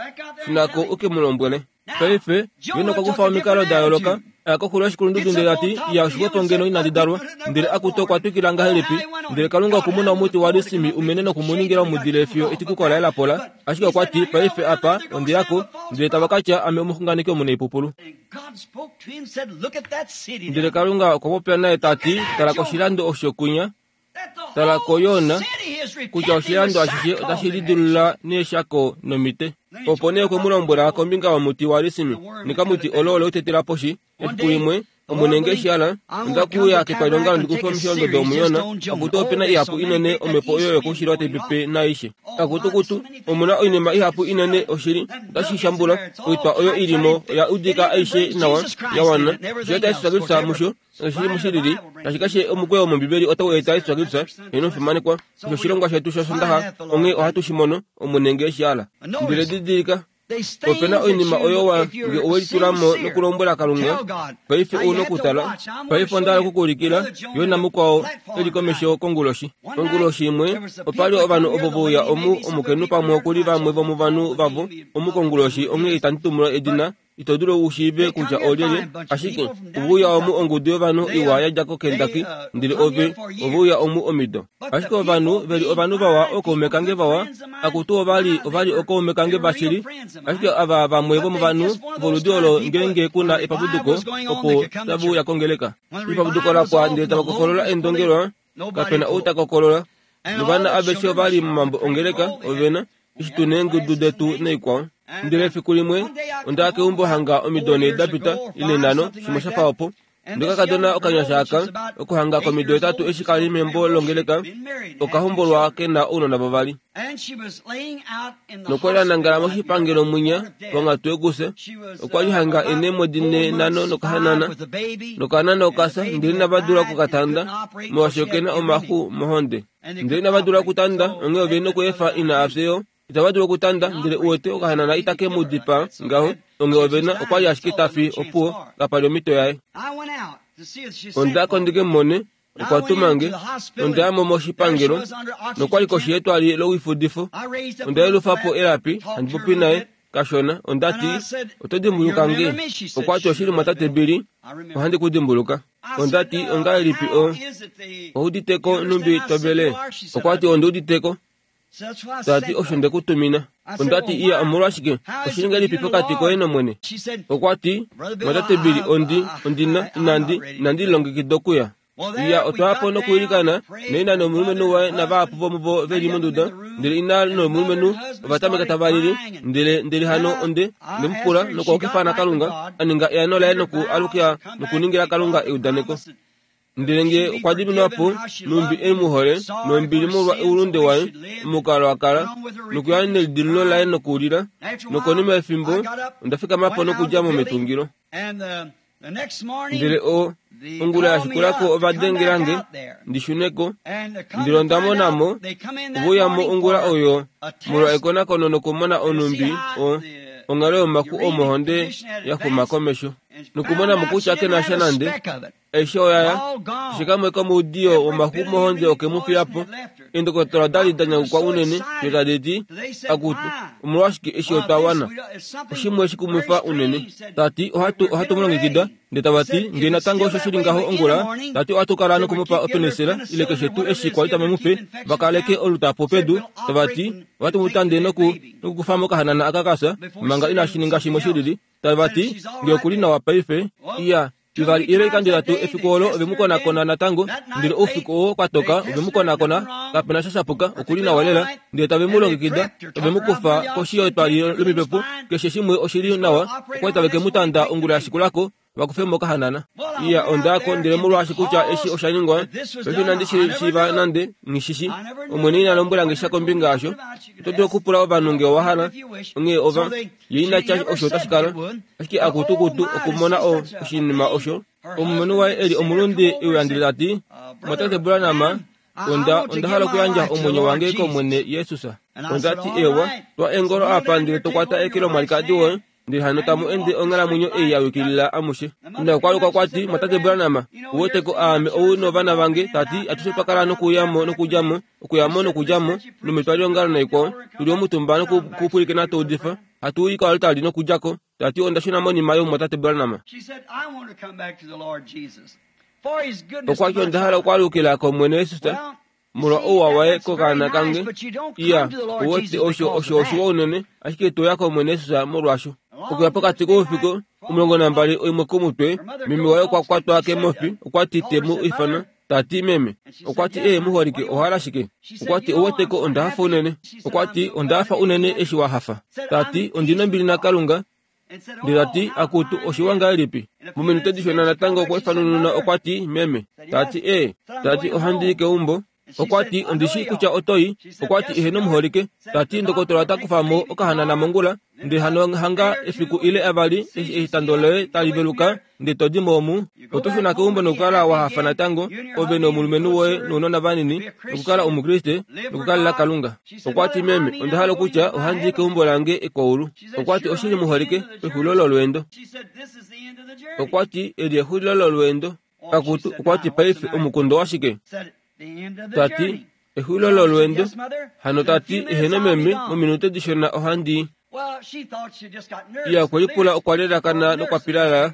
Shuna ko u ke mu lombwele. Paife, Jona okwa kufa omikalo da yooloka, a ya koxulo yoshikulundudu ndele ta ti, Iya, oshixwepo ngeno inandi dalwa. Ndele akutu okwa twikila ngahelipi? Ndele Kalunga oku mu na omuti walisimi u mene noku mu ningila omudile fiyo etikuko laye la pola. Ashike okwa ti, Paife apa, ondi ya ko, ndele tava ka tya ame omuxunganeki omunaipupulu. Ndele Kalunga okwa popya naye ta ti, Tala koshilando osho kwinya, Tala ko Jona, kutya oshilando ashishe otashi lidilula neeshako nomite. Opo nee okwe mu lombwela kombinga yomuti walisimi, nekamuti olo ole u tetela poshi. Efiku limwe, Omwene nge shi hala, onda kuuya ketwalilongalo ndi kufe omisholondodo omuYona, akutu ope na ihapu inene omhepo oyo yokoushilo tai pepe naaishe. Akutukutu, omu na oinima ihapu inene oshili, otashi shambula, oitwa oyo i li mo oya udika aishe nawa, ya wana, osho tashi twakifya musho, Oshili mushilili, tashi kashe omukweyo wOmombibeli otau eta Jesus Kristus, ye nomufimanekwa. Osho oshilongwa shetu shOsondaxa, onghee ohatu shi mono, Omwene nge eshi hala. Ndele didilika, ope na oinima oyo wa, nge owe litula mo nokulombwela Kalunga, paife ou nokutala. Paife onda hala oku ku ulikila, yo namukwao e li komesho konguloshi. Konguloshi imwe, opa li ovanhu ovo ve uya omu, omukainhu pamwe oku li vamwe vomovanhu vavo omu konguloshi, onghee itandi tumbula edina, Ito dulu u shiive kutya oolyelye, ashike ove uya omu ongudu yovanhu iwa ya dja koKentucky, ndele ove, ove uya omu omido. Ashike ovanhu, ve li ovanhu vawa, ookaume kange vawa, akutu ova li, ova li ookaume kange vashili, ashike ava vamwe vomovanhu voludi olo ngeenge ku na epapuduko, opo tave uya kongeleka. Epapuduko la pwa ndele tava kokolola eendongelwa, kape na ou ta kokolola. Novana aveshe ova li momambo ongeleka, ove na, eshi tu neengudu detu naikwao. Ndele efiku limwe onda ya keumbo hanga omido ne da pita, ile nhano, shimwe sha fa opo. Ndokakadona okanyasha aka, okuhanga komido hetatu eshi ka li membo longeleka, oka hombolwa ke na ounona vavali. Nokwa li a nangala moshipangelo mwinya ponghatu yokufya. Okwa li hanga e neemwedi ne nhano nokahanana. Nokahanana oka fya, ndele inava dula oku ka tanda, molwaashi oke na omaxu mohonde. Ndele inava dula okutanda, onghee ove nokweefa ina a fye yo. Itava dulu okutanda, ndele uwete okahanana itake mu dipaa ngaho, onghee ove na, okwa li ashike ta fi, opuwo, kapa li omhito yaye. Onda ya ko ndi ke mu mone, okwa tuma nge, nonda ya mo moshipangelo, nokwa li koshi yetwali loifudifo. Onda yelufa po elapi, handi popi naye, kashona. Onda ti, Oto dimbuluka nge? Okwa ti, Oshili, Mwatate Billy, ohandi ku dimbuluka. Onda ti, Ongahelipi o, oudite ko nhumbi to vele? Okwa ti, Ondi udite ko. Ta ti, Osho nde ku tumina. Onda ti, Iya, omolwashike? Oshili ngahelipi pokati koye nOmwene? Okwa ti, Mwatate Billy, ondi, ondi na, inandi, inandi lilongekida okuya. Iya, otwa ya po nokuilikana, naina nomulumenhu waye navahapu vomuvo ve li monduda, ndele ina nomulumenhu ova tameka tava lili, ndele, ndele hano onde, onde mu pula nokuhokifana Kalunga, a ninga eano laye noku alukila nokuningila Kalunga eudaneko. Ndele nge okwa diminwa po, nhumbi e mu hole, nombili molwa oulunde waye, omukalo a kala, nokuya nelidilululo laye nokulila, nokonima yefimbo onda fikama po nokudja mo metungilo. Ndele o, ongula ya shikula ko ova dengela nge ndi shune ko, ndele onda mona mo, ove uya mo ongula oyo molwa ekonakono nokumona onhumbi o. Onghalo yomaku omo ohonde ya xuma komesho nokumona mo kutya ke na sha nande. Aishe oya ya. Keshe kamwe komoudiyo womaku mohonde oke mu fiya po. Eendokotola oda li da nyakukwa unene fiyo tadi ti, Akutu, omolwashike eshi otwa wana? Oshimwe shikumwifa unene. Ta ti, Ohatu, ohatu mu longekida. Ndele tava ti, Ngee natango osho shi li ngaho ongula, ta ti ohatu kala noku mu pa openisela ile keshe tuu eshi kwa li tave mu pe, va kaleke olutapo pedu. Tava ti, Ohatu mu tande noku, nokukufa mo okahanana aka ka fya, manga inashi ninga shimwe shi lili. Tava ti, Nge oku li nawa paife. Iya, ivali ile oikando itatu efiku olo ove mu konakona natango, ndele oufiku oo kwa toka ove mu konakona, kape na sha sha puka, oku li nawa lela. Ndele tave mu longekida, ove mu kufa koshi yetwali lomipepo, keshe shimwe oshi li nawa, okwa li tave ke mu tanda ongula ya shikula ko, va kufe mo okahanana. Iya, onda ya ko, ndele molwaashi kutya eshi osha ningwa, paife inandi shi shiiva nande, nghi shi shi. Omwene ina lombwela nge sha kombinga yasho. Oto dulu okupula ovanhu nge owa hala. Onghee ova, ye ina tya osho otashi kala. Ashike akutukutu okumona o, oshinima osho, omulumenhu waye e li omulunde e uya ndele ta ti, Mumwatate Branham, onda, onda hala okuyandja omwenyo wange kOmwene Jesus. Onda ti, Ewa, twa eengolo apa ndele to kwata eke lomwalikadi woye, ndele hano tamu ende onghalamwenyo ei ya yukilila amushe. Nokwaluka kwa ti, Mwatate Branham, ou wete ko aame ou novana vange, ta ti, atushe twa kala nokuya mo nokudja mo, okuya mo nokudja mo, nometwaliongalo naikwao, tu li omutumba nokupwilikina to udifa, hatu i koaltari nokudja ko. Ta ti, Onda shuna monima yomumwatate Branham. Okwa ti, Onda hala okwaalukila kOmwene Jesus molwa ouwa waye kokaana kange. Iya, ou wete osho, osho oshiwa unene, ashike ito ya kOmwene Jesus molwaasho. Okuya pokati koufiku, 12 oimwe komutwe, meme waye okwa kwatwa kemofi, okwa ti te mu ifana. Ta ti, Meme, okwa ti, ee, muholike, owa hala shike? Okwa ti, Ou wete ko, onda hafa unene. Okwa ti, Onda hafa unene eshi wa hafa. Ta ti, Ondi nombili naKalunga. Ndele ta ti, Akutu, oshiwa ngahelipi? Mominute dishona natango okwa ifanununa, okwa ti, Meme. Ta ti, Ee. Ta ti, Ohandi i keumbo. Okwa ti, Ondi shii kutya oto i. Okwa ti, Eheno muholike. Ta ti, Ndokotola ota kufa mo okahanana mongula. Ndele hano hanga efiku ile avali eshi etando loye tali veluka, ndele to di mo omu. Oto shuna keumbo nokukala wa hafa natango, ove nomulumenhu woye nounona vanini, nokukala Omukriste, nokukalela Kalunga. Okwa ti, Meme, onda hala okutya ohandi i keumbo lange ekwaulu. Okwa ti, Oshili muholike, pexulilo lolweendo. Okwa ti, Eli exulilo lolweendo. Akutu, okwa ti, Paife omukundo washike? Ta ti, Exulilo lolweendo. Hano ta ti, Eheno meme, mominute dishona ohandi i. Iya, okwe lipula okwa lelakana nokwa pilala.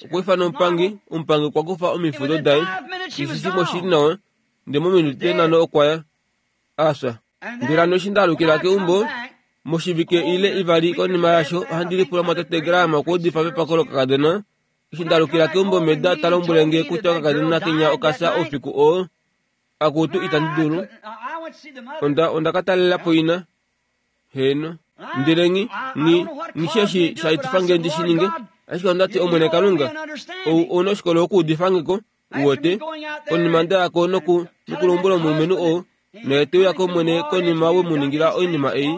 Okwa ifana omupangi, omupangi okwa kufa omifudo daye. Keshe shimwe oshi li nawa. Ndele mominute nhano okwa ya. A fya. Ndele hano eshi nda alukila keumbo, moshivike ile ivali konima yasho, ohandi lipula mwatate Graham okwa udifa pepako lokakadona. Eshi nda alukila keumbo Meda ta lombwele nge kutya okakadona kenya oka fya oufiku oo. Akutu, itandi dulu. Onda, onda ka talela po ina. Heeno. Ndele nghi, nghi, nghi shi eshi sha etifa nge ndi shi ninge. Ashike onda ti, Omwene Kalunga, ou, ou na oshikolo okuudifa nge ko, u wete, konima nda ya ko noku, nokulombwela omulumenhu oo, Naye te uya kOmwene konima we mu ningila oinima ei,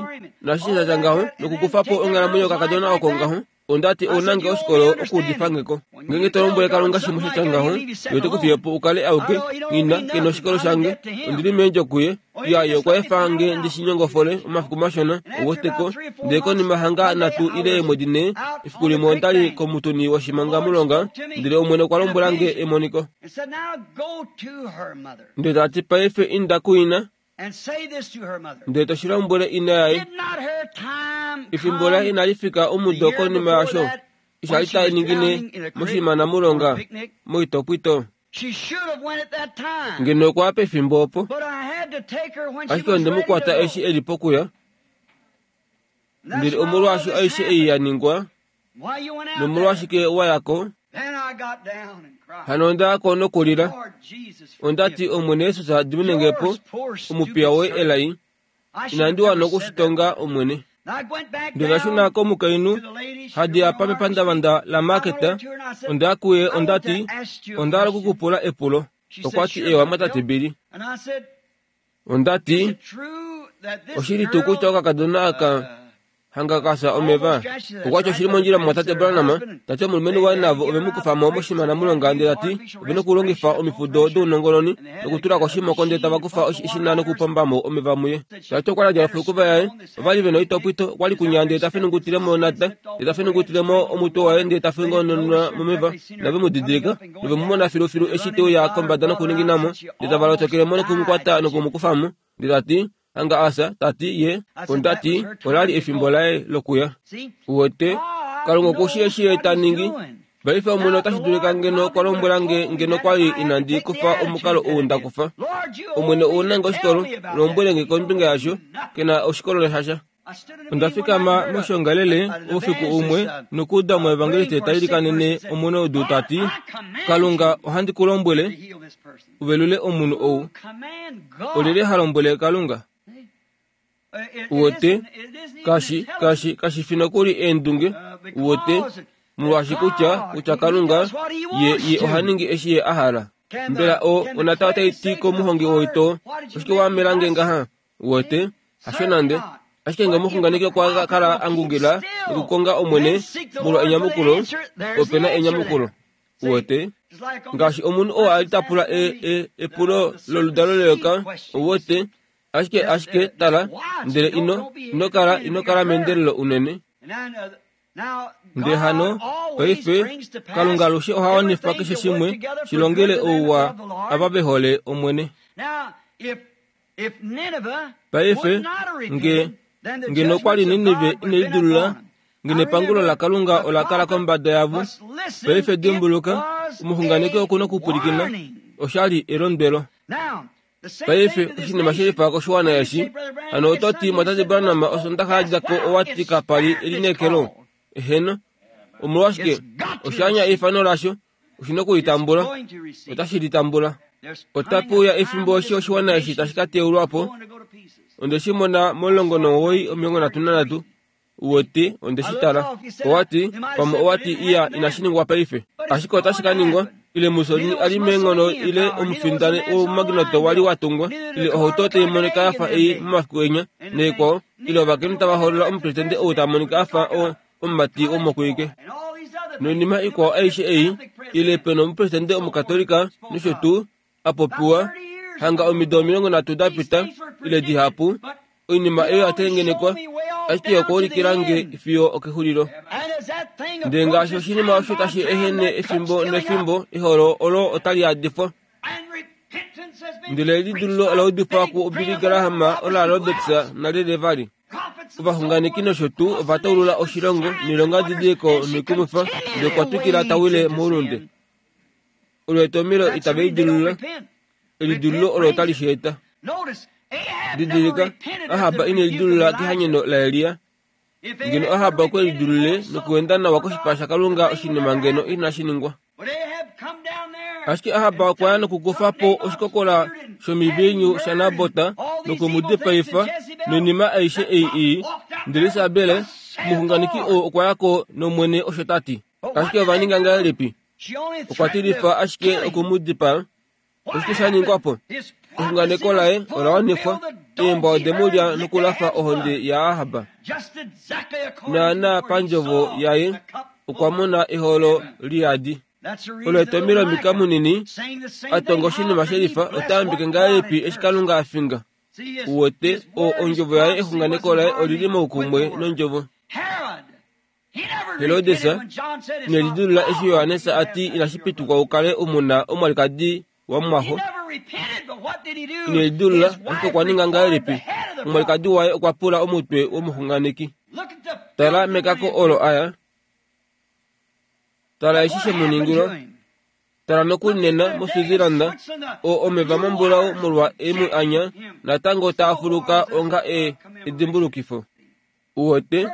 naashi sha tya ngaho, nokukufa po onghalamwenyo yokakadona oko ngaho. Onda ti, Ou na nge oshikolo okuudifa nge ko. Ngeenge to lombwele Kalunga shimwe sha tya ngaho, Ye ote ku fiye po u kale auke. Nghi ke na oshikolo shange. Ondi li meendjo kuye. Iya, Ye okwa efa nge ndi shi nyongofole omafiku mashona, ou wete ko. Ndele konima hanga nhatu ile eemwedi nhee, efiku limwe onda li komutuni woshimangamulonga, ndele Omwene okwa lombwela nge emoniko. Ndele ta ti, Paife inda kuina, ndele to shi lombwele ina yaye. Efimbo laye inali fika omudo konima yasho, eshi a li ta ningine moshimanamulonga moitopwito. Ngeno okwa ya pefimbo opo, ashike onde mu kwata eshi e li pokuya. Ndele omolwaasho aishe ei ya ningwa, nomolwashike wa ya ko? Hano onda ya ko nokulila. Onda ti, Omwene Jesus, dimine nge po, omupiya woye elai. Inandi wana oku shi tonga, Omwene. Ndele nda shuna komukainhu hadi apa mepandavanda laMarket. Onda ya kuye, onda ti, Onda hala oku ku pula epulo. Okwa ti, Eewa, mwatate Billy. Onda ti, Oshili tuu kutya okakadona aka... Hanga ka fya omeva. Okwa ti oshili mondjila mumwatate Branham, ta ti omulumenhu waye navo ove mu kufa mo moshimana-mulonga ndele ta ti ove nokulongifa omifudo dounongononi nokutula ko oshimoko ndele tava kufa eshina nokupomba mo omeva muye. Ta ti okwa li a djala ofulukuva yaye, ova li ve na oitopwito, okwa li kunya ndele ta fenungutile mo onata, ndele ta fenungutile mo omutwe waye ndele ta fengononwa momeva, nove mu didilika, nove mu mona filufilu eshi te uya kombada nokuningina mo, ndele tava lotokele mo noku mu kwata noku mu kufa mo. Ndele ta ti, Hanga a fya, ta ti ye, onda ti, ola li efimbo laye lokuya. Uwete, Kalunga oku shii eshi ye ta ningi. Paife Omwene otashi dulika ngeno okwa lombwela nge ngeno kwa li inandi kufa omukalo ou nda kufa. Omwene ou na nge oshikolo, lombwele nge kombinga yasho, ke na oshikolo shasha. Onda fikama moshiongalele oufiku umwe nokuuda omuevangeliste ta ilikanene omunaudu ta ti, Kalunga, ohandi ku lombwele, u velule omunhu ou. Olyelye ha lombwele Kalunga? Uwete, kashi, kashi, kashi fi nokuli eendunge, uwete, molwaashi kutya, kutya Kalunga, ye, ye oha ningi eshi ye a hala. Mbela o, onata otai ti komuhongi woitoo, Oshike wa amela nge ngaha? Uwete, hasho nande. Ashike nge omuxunganeki okwa kala a ngungila nokukonga Omwene molwa enyamukulo, ope na enyamukulo. Uwete? Ngaashi omunhu oo a li ta pula e, e, epulo loludalo leyoka, uwete, ashike, ashike, tala, ndele ino, ino kala, ino kala meendelelo unene. Ndele hano, paife, Kalunga alushe oha wanifa keshe shimwe shi longele ouwa ava ve hole Omwene. Paife, nge, ngeno okwa li Ninive ine lidulula, ngeno epangulo laKalunga ola kala kombada yavo. Paife dimbuluka, omuxunganeki oku nokupwilikina, osha li elondwelo. Paife, oshinima she lifa koshiwana eshi, hano oto ti, Mwatate Branham, Osondaxa ya dja ko owa ti kapa li elineekelo. Eheno. Omolwashike? Osha anya eifano lasho. Oshi na oku li tambula. Otashi li tambula. Otape uya efimbo eshi oshiwana eshi tashi ka teulwa po. Onde shi mona mo19 33. Uwete, onde shi tala. Owa ti, pamwe owa ti, Iya, inashi ningwa paife. Ashike otashi ka ningwa. Ile Mussolini a li meenghono ile omufindani wOumagnoto wa li wa tungwa, ile ohauto tai monika ya fa ei momafiku enya, naikwao, ile ovakainhu tava hoolola omupresidente ou ta monika a fa o, omumati womokwiike. Noinima ikwao aishe ei, ile pe na omupresidente Omukatolika nosho tuu, a popiwa, hanga omido 30 da pita, ile dihapu, oinima eyo ya tengenekwa, ashike okwa ulikila nge fiyo okexulilo. Ndele ngaashi oshinima osho tashi ehene efimbo nefimbo, eholo olo otali yadifwa. Ndele elidululo ola udifwa kuBilly Graham, ola Roberts nalyelye vali. Ovaxunganeki nosho tuu ova taulula oshilongo noilongadidiliko noikumwifa, ndele okwa twikila ta wile moulunde. Olo etomhelo itave lidilulula. Elidilululo olo otali shi eta. Didilika, Ahab ine lidilulula kehanyeno laElia. Ngeno Ahab okwe lidilulule nokuenda nawa koshipala shaKalunga oshinima ngeno inashi ningwa. Ashike Ahab okwa ya nokukufa po oshikokola shomiviinyu shaNabot noku mu dipaifa noinima aishe ei ii. Ndele Isabel, omuxunganeki oo okwa ya ko nOmwene osho ta ti. Ashike ova ninga ngahelipi? Okwa tilifa ashike oku mu dipaa. Oshike sha ningwa po? Exunganeko laye ola wanifwa. Eembwa ode mu lya nokulafa ohonde yaAhab. Naanaa pandjovo yaye, okwa mona eholo liyadi. Olo etomhelo Mika munini a tonga oshinima she lifa ota yambeke ngahelipi eshi Kalunga a finga. Uwete, o, ondjovo yaye exunganeko laye oli li moukumwe nondjovo. Herodes ine lidilula eshi Johannes a ti inashi pitikwa u kale u mu na omwalikadi wamumwaxo. Ine lidilula, ashike okwa ninga ngahelipi? Omwalikadi waye okwa pula omutwe womuxunganeki. Tala mekako olo a ya. Tala eshi she mu ningilwa. Tala nokuli nena moSwitzerland, o omeva mambulau molwa e mu anya, natango taa fuluka onga e, edimbulukifo. Uwete,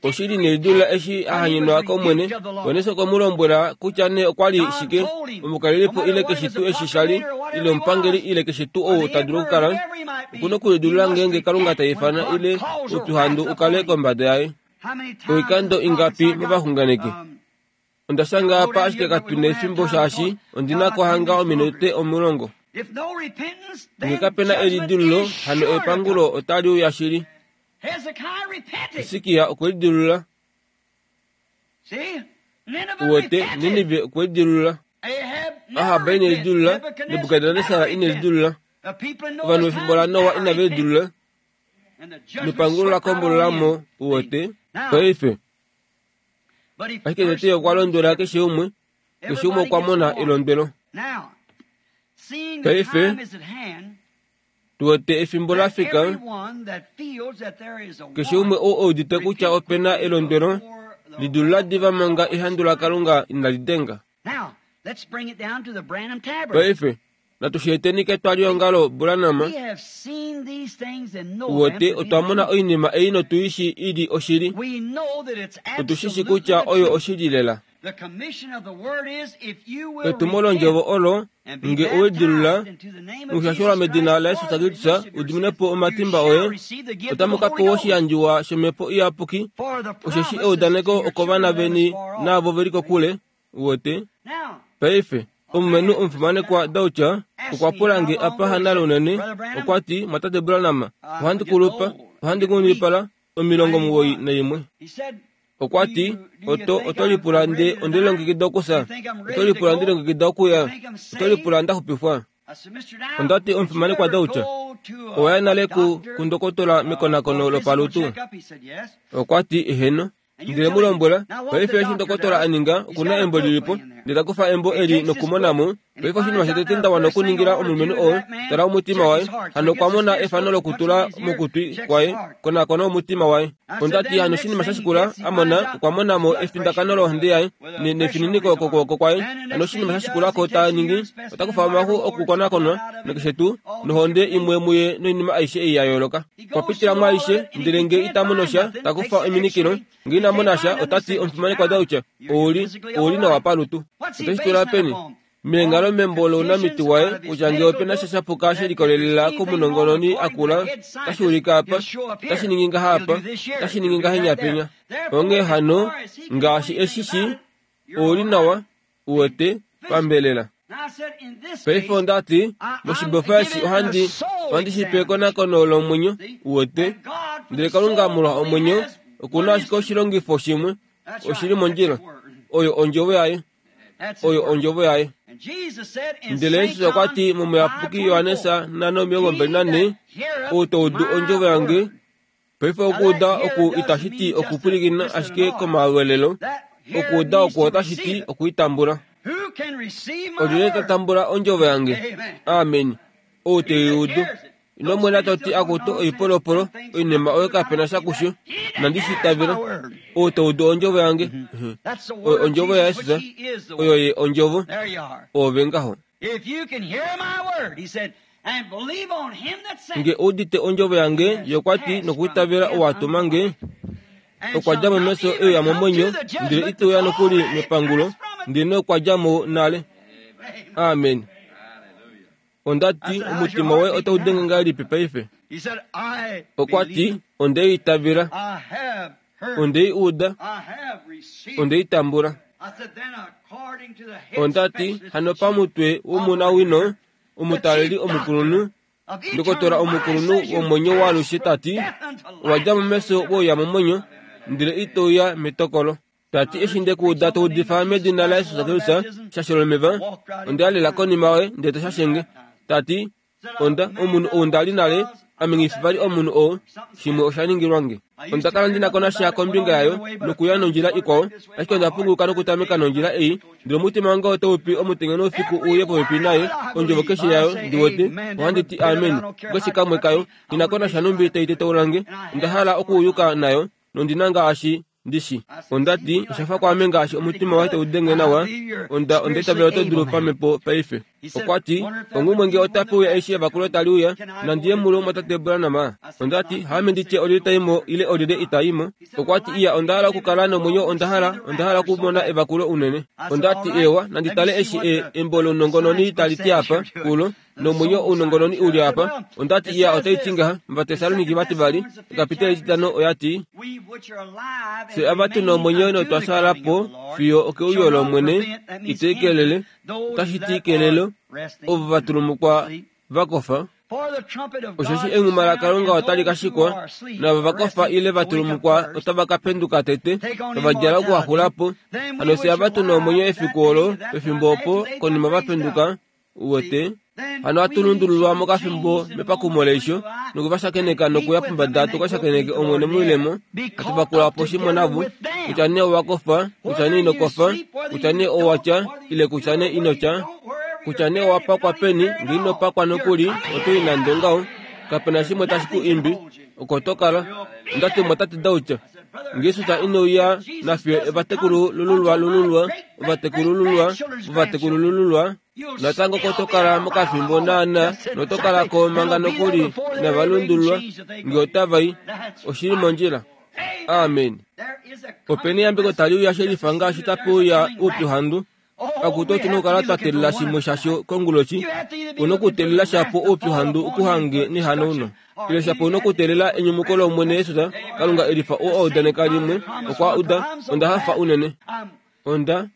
oshili nelidulula eshi a hanyenwa kOmwene, Johannes okwe mu lombwela kutya nee okwa li shike, omukalelipo ile keshe tuu eshi sha li, ile omupangeli ile keshe tuu ou ta dulu okukala, oku na okulidulula ngeenge Kalunga ta ifana ile oupyuhandu u kale kombada yaye. Oikando ingapi movaxunganeki? Onda shanga apa ashike katu na efimbo shaashi ondi na ko hanga ominute 10. Nge kape na elidululo, hano epangulo otali uya shili. Hisikia okwe lidilulula. Uwete, Ninive okwe lidilulula. Ahab ine lidilulula. Nebukadnesar ine lidilulula. Ovanhu vefimbo laNoa inave lidilulula. Nepangulo la kombolola mo, uwete. Paife, ashike tete okwa londwela keshe umwe, keshe umwe okwa mona elondwelo. Paife, tu wete efimbo la fika, keshe umwe oo e udite kutya ope na elondwelo, lidulula diva manga ehandu laKalunga inali denga. Paife, natu shi eteni ketwaliongalo Branham. Uwete, otwa mona oinima ei notu i shii i li oshili. Otu shi shii kutya oyo oshili lela. Etumo londjovo olo, nge owe lidilula nokushashelwa medina laJesus Kristus u dimine po omatimba oye, otamu ka pewa oshiyandjiwa shOmhepo Iyapuki, osheshi eudaneko okovana veni naavo ve li kokule. Uwete? Paife, omulumenhu omufimanekwa Dauch okwa pula nge apa hanale unene, okwa ti, Mwatate Branham, ohandi kulupa, ohandi nghundipala, 91. Okwa ti, Oto, oto lipula nde onde lilongekida okufya? Oto lipula nde lilongekida okuya? Oto lipula nda xupifwa? Onda ti, Omufimanekwa Dauch, owa ya nale ku, kundokotola mekonakono lopalutu? Okwa ti, Eheno. Ndele mu lombwela, Paife eshi ndokotola a ninga, oku na embo li li po. Ndele ta kufa embo eli nokumona mo. Paife oshinima shotete nda wana okuningila omulumenhu oo, tala omutima waye. Hano okwa mona efano lokutula mokutwi kwaye, konakona omutima waye. Onda ti, Hano oshinima sha shikula a mona, okwa mona mo efindakano lohonde yaye, ne, nefininiko kokwooko kwaye. Hano oshinima sha shikula ko ta ningi, ota kufa omaxu okukonakonwa, nakeshe tuu, nohonde imwe muye noinima aishe ei ya yooloka. Okwa pitila mwaaishe, ndele nge ita mono sha, ta kufa ominikilo. Nge ina mona sha, ota ti, Omufimanekwa Dauch, ou li, ou li nawa palutu. Ote shi tula peni? Meenghalo membo lounamiti waye, kutya nge ope na sha sha puka she likolelela komunongononi a kula, otashi ulike apa, otashi ningi ngaha apa, otashi ningi ngahenya penya. Onghee hano, ngaashi e shi shii, ou li nawa, uwete, pambelela. Paife onda ti, moshibofa eshi ohandi, ohandi shi pe ekonakono lomwenyo, uwete. Ndele Kalunga molwa omwenyo, oku na ashike oshilongifo shimwe, oshi li mondjila. Oyo Ondjovo Yaye. Oyo Ondjovo Yaye. Ndele Jesus okwa ti mOmuyapuki Johannes 5:24, Ou ta udu Ondjovo yange, Paife okuuda oku itashi ti okupwilikina ashike komaweelelo. Okuuda oku otashi ti okuitambula. Olyelye ta tambula ondjovo yange? Amen. Ou te i udu. Ino mwena to ti akutu oipolopolo, oinima oyo kape na sha kusho. Inandi shi itavela. Ou ta udu ondjovo yange. Oyo ondjovo yaJesus. Oyo ye ondjovo. Oove ngaho. Nge u udite ondjovo yange, ye okwa ti, nokwiitavela ou a tuma nge, okwa dja mo mefyo e uya momwenyo, ndele ite uya nokuli mepangulo, ndele okwa dja mo nale. Amen. Onda ti, Omutima woye otau denge ngahelipi paife? Okwa ti, Onde i itavela. Onde i uda. Onde i tambula. Onda ti, Hano pamutwe womunawino, omutaleli omukulunhu, ndokotola omukulunhu womwenyo waalushe ta ti, Owa dja mo mefyo we uya momwenyo, ndele ito uya metokolo. Ta ti, Eshi nde ku uda to udifa medina laJesus Kristus, shashela omeva, onda ya lela konima yoye ndele to shashe nge. Ta ti, Onda, omunhu ou nda li nale, ame nghi fi vali omunhu oo, shimwe osha ningilwa nge. Onda kala ndi na ko nasha kombinga yayo nokuya nondjila ikwao, ashike onda punguluka nokutameka nondjila ei, ndele omutima wange otau pi omutenya noufiku u uye popepi naye, ondjovo keshe yayo, ndi wete, ohandi ti amen kukeshe kamwe kayo, nghi na ko nasha nhumbi tai tetaula nge, onda hala okuuyuka nayo, nondi na ngaashi Ndi shi. Onda ti, Osha fa kwaame ngaashi omutima waye tau denge nawa. Onda, onda itavela oto dulu pamhepo paife. Okwa ti, Ongumwe nge otape uya eshi evakulo tali uya, nandi ye mulo mwatate Branham? Onda ti, Haame ndi tye olyelye ta i mo ile olyelye ita i mo. Okwa ti, Iya, onda hala okukala nomwenyo, onda hala, onda hala okumona evakulo unene. Onda ti, Eewa, nandi tale eshi e, embo lounongononi tali ti apa, kulo. Nomwenyo ounongononi u li apa. Onda ti, Iya, otai ti ngaha, Ovatessaloniki vativali, ekapiteli etitano, oya ti, Fye ava tu na omwenyo notwa fyaala po fiyo okeuyo lOmwene, ito ikelele, otashi ti kelelo, ovo va tulumukwa va kofa. Osheshi enghuma laKalunga otali ka shikwa, naava va kofa ile va tulumukwa otava ka penduka tete, tava djala okuhaxula po. Hano fye ava tu na omwenyo efiku olo, pefimbo opo, konima va penduka, uwete, hano hatu lundululwa mokafimbo mepakumo leisho, noku va shakeneka nokuya pombada tu ka shakeneke Omwene moilemo, hatu vakula po shimwe navo, kutya nee owa kofa, kutya nee ino kofa, kutya nee owa tya, ile kutya nee ino tya, kutya nee owa pakwa peni, nge ino pakwa nokuli, oto i nande ongaho, kape na shimwe tashi ku imbi, oko to kala. Onda tumwa Tate Dauch. Nge Jesus ine uya nafye ovatekulululwa lululwa, ovatekulululwa, ovatekulululwa, natango ko to kala mokafimbo naana noto kala ko manga nokuli inava lundululwa nge otava i. Oshi li mondjila. Amen. Openi eyambeko tali uya shelifa ngaashi tape uya oupyuhandu. Akutu otu na okukala twa teelela shimwe shasho konguloshi. U na okuteelela shapo oupyuhandu u ku hange nehanauno. Ile shapo u na okuteelela enyumuko lOmwene Jesus, Kalunga e lifa oo a udaneka limwe, okwa uda, Onda hafa unene. Onda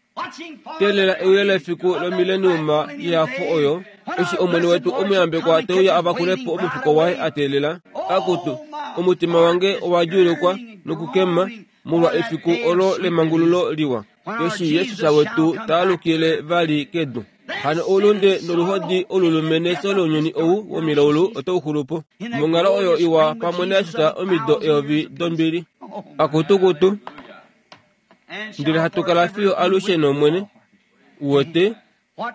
teelela euyo lefiku lomileniuma yehafo oyo, eshi Omwene wetu omuyambekwa te uya a vakule po omufuko waye a teelela. Akutu, omutima wange owa djuulukwa nokukema molwa efiku olo lemangululo liwa, eshi Jesus wetu ta alukile vali kedu. Hano oulunde noluhodi olulume nefyo lounyuni ou womilaulu otau xulu po. Monghalo oyo iwa pamwe naJesus omido eyovi dombili. Akutukutu, ndele hatu kala fiyo alushe nOmwene. Uwete,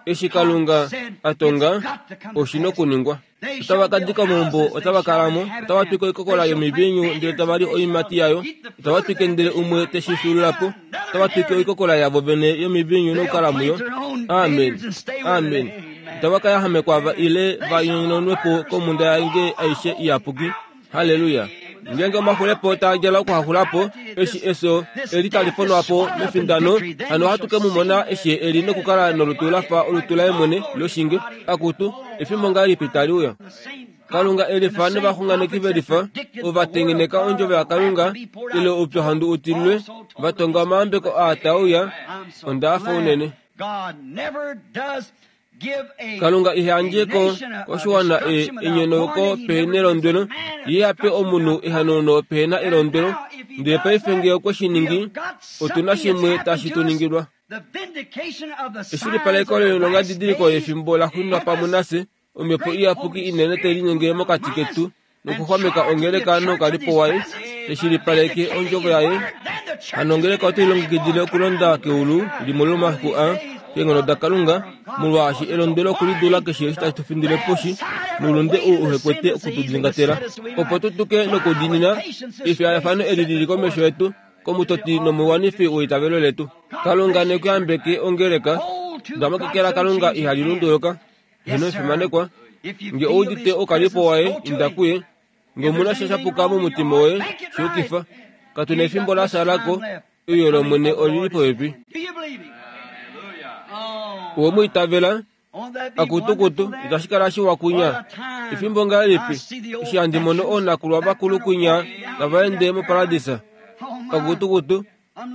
eshi Kalunga a tonga, oshi nokuningwa. Otava ka dika omaumbo, otava kala mo, otava twike oikokola yomiviinyu ndele tava li oiimati yayo, otava twike ndele umwe te shi fyuulula po, otava twike oikokola yavo vene yomiviinyu nokukala muyo. Amen! Amen! Itava ka yahamekwa va ile va nyononwe po komhunda yange aishe iyapuki. Halleluya! Ngeenge omaxulepo taa djala okuhaxula po, eshi efyo eli tali ponwa po mefindano, hano ohatu ke mu mona eshi e li nokukala nolutu la fa olutu laye mwene loshinge. Akutu, efimbo ngahelipi tali uya! Kalunga e lifa novaxunganeki ve lifa, ova tengeneka ondjovo yaKalunga ile oupyuhandu u tililwe, va tonga omayambeko aa taa uya. Onda hafa unene. Kalunga iha yandje ko koshiwana enyonauko pehe nelondwelo, ye a pe omunhu ehanauno pehe na elondwelo. Ndele paife nge okwe shi ningi, otu na shimwe tashi tu ningilwa. Eshilipaleko loilongadidiliko yefimbo la xunwa pamwe nafye, Omhepo Iyapuki inene tai linyenge mokati ketu nokuxwameka ongeleka noukalipo waye, teshilipaleke ondjovo yaye. Hano ongeleka otai longekidile okulonda keulu limwe lomomafiku aa, keenghono daKalunga, molwaashi elondwelo okulidula keshe eshi tashi tu findile poshi, noulunde ou uhe kwete oku tu dingatela, opo tu tuke nokudiinina efiyafano eli li li komesho yetu, komutoti nomuwanifi weitavelo letu. Kalunga ne ku yambeke ongeleka. Dama keke laKalunga ihali lunduluka. Ino fimanekwa. Nge ou udite oukalipo waye, inda kuye. Nge omu na sha sha puka momutima woye, shi yukifa. Katu na efimbo la shala ko, euyo lOmwene oli li popepi. Owe mu itavela? Akutukutu, itashi kala shiwa kunya. Efimbo ngahelipi, eshi handi mono oonakulwa vakulu kunya tava ende moparadisa. Akutukutu,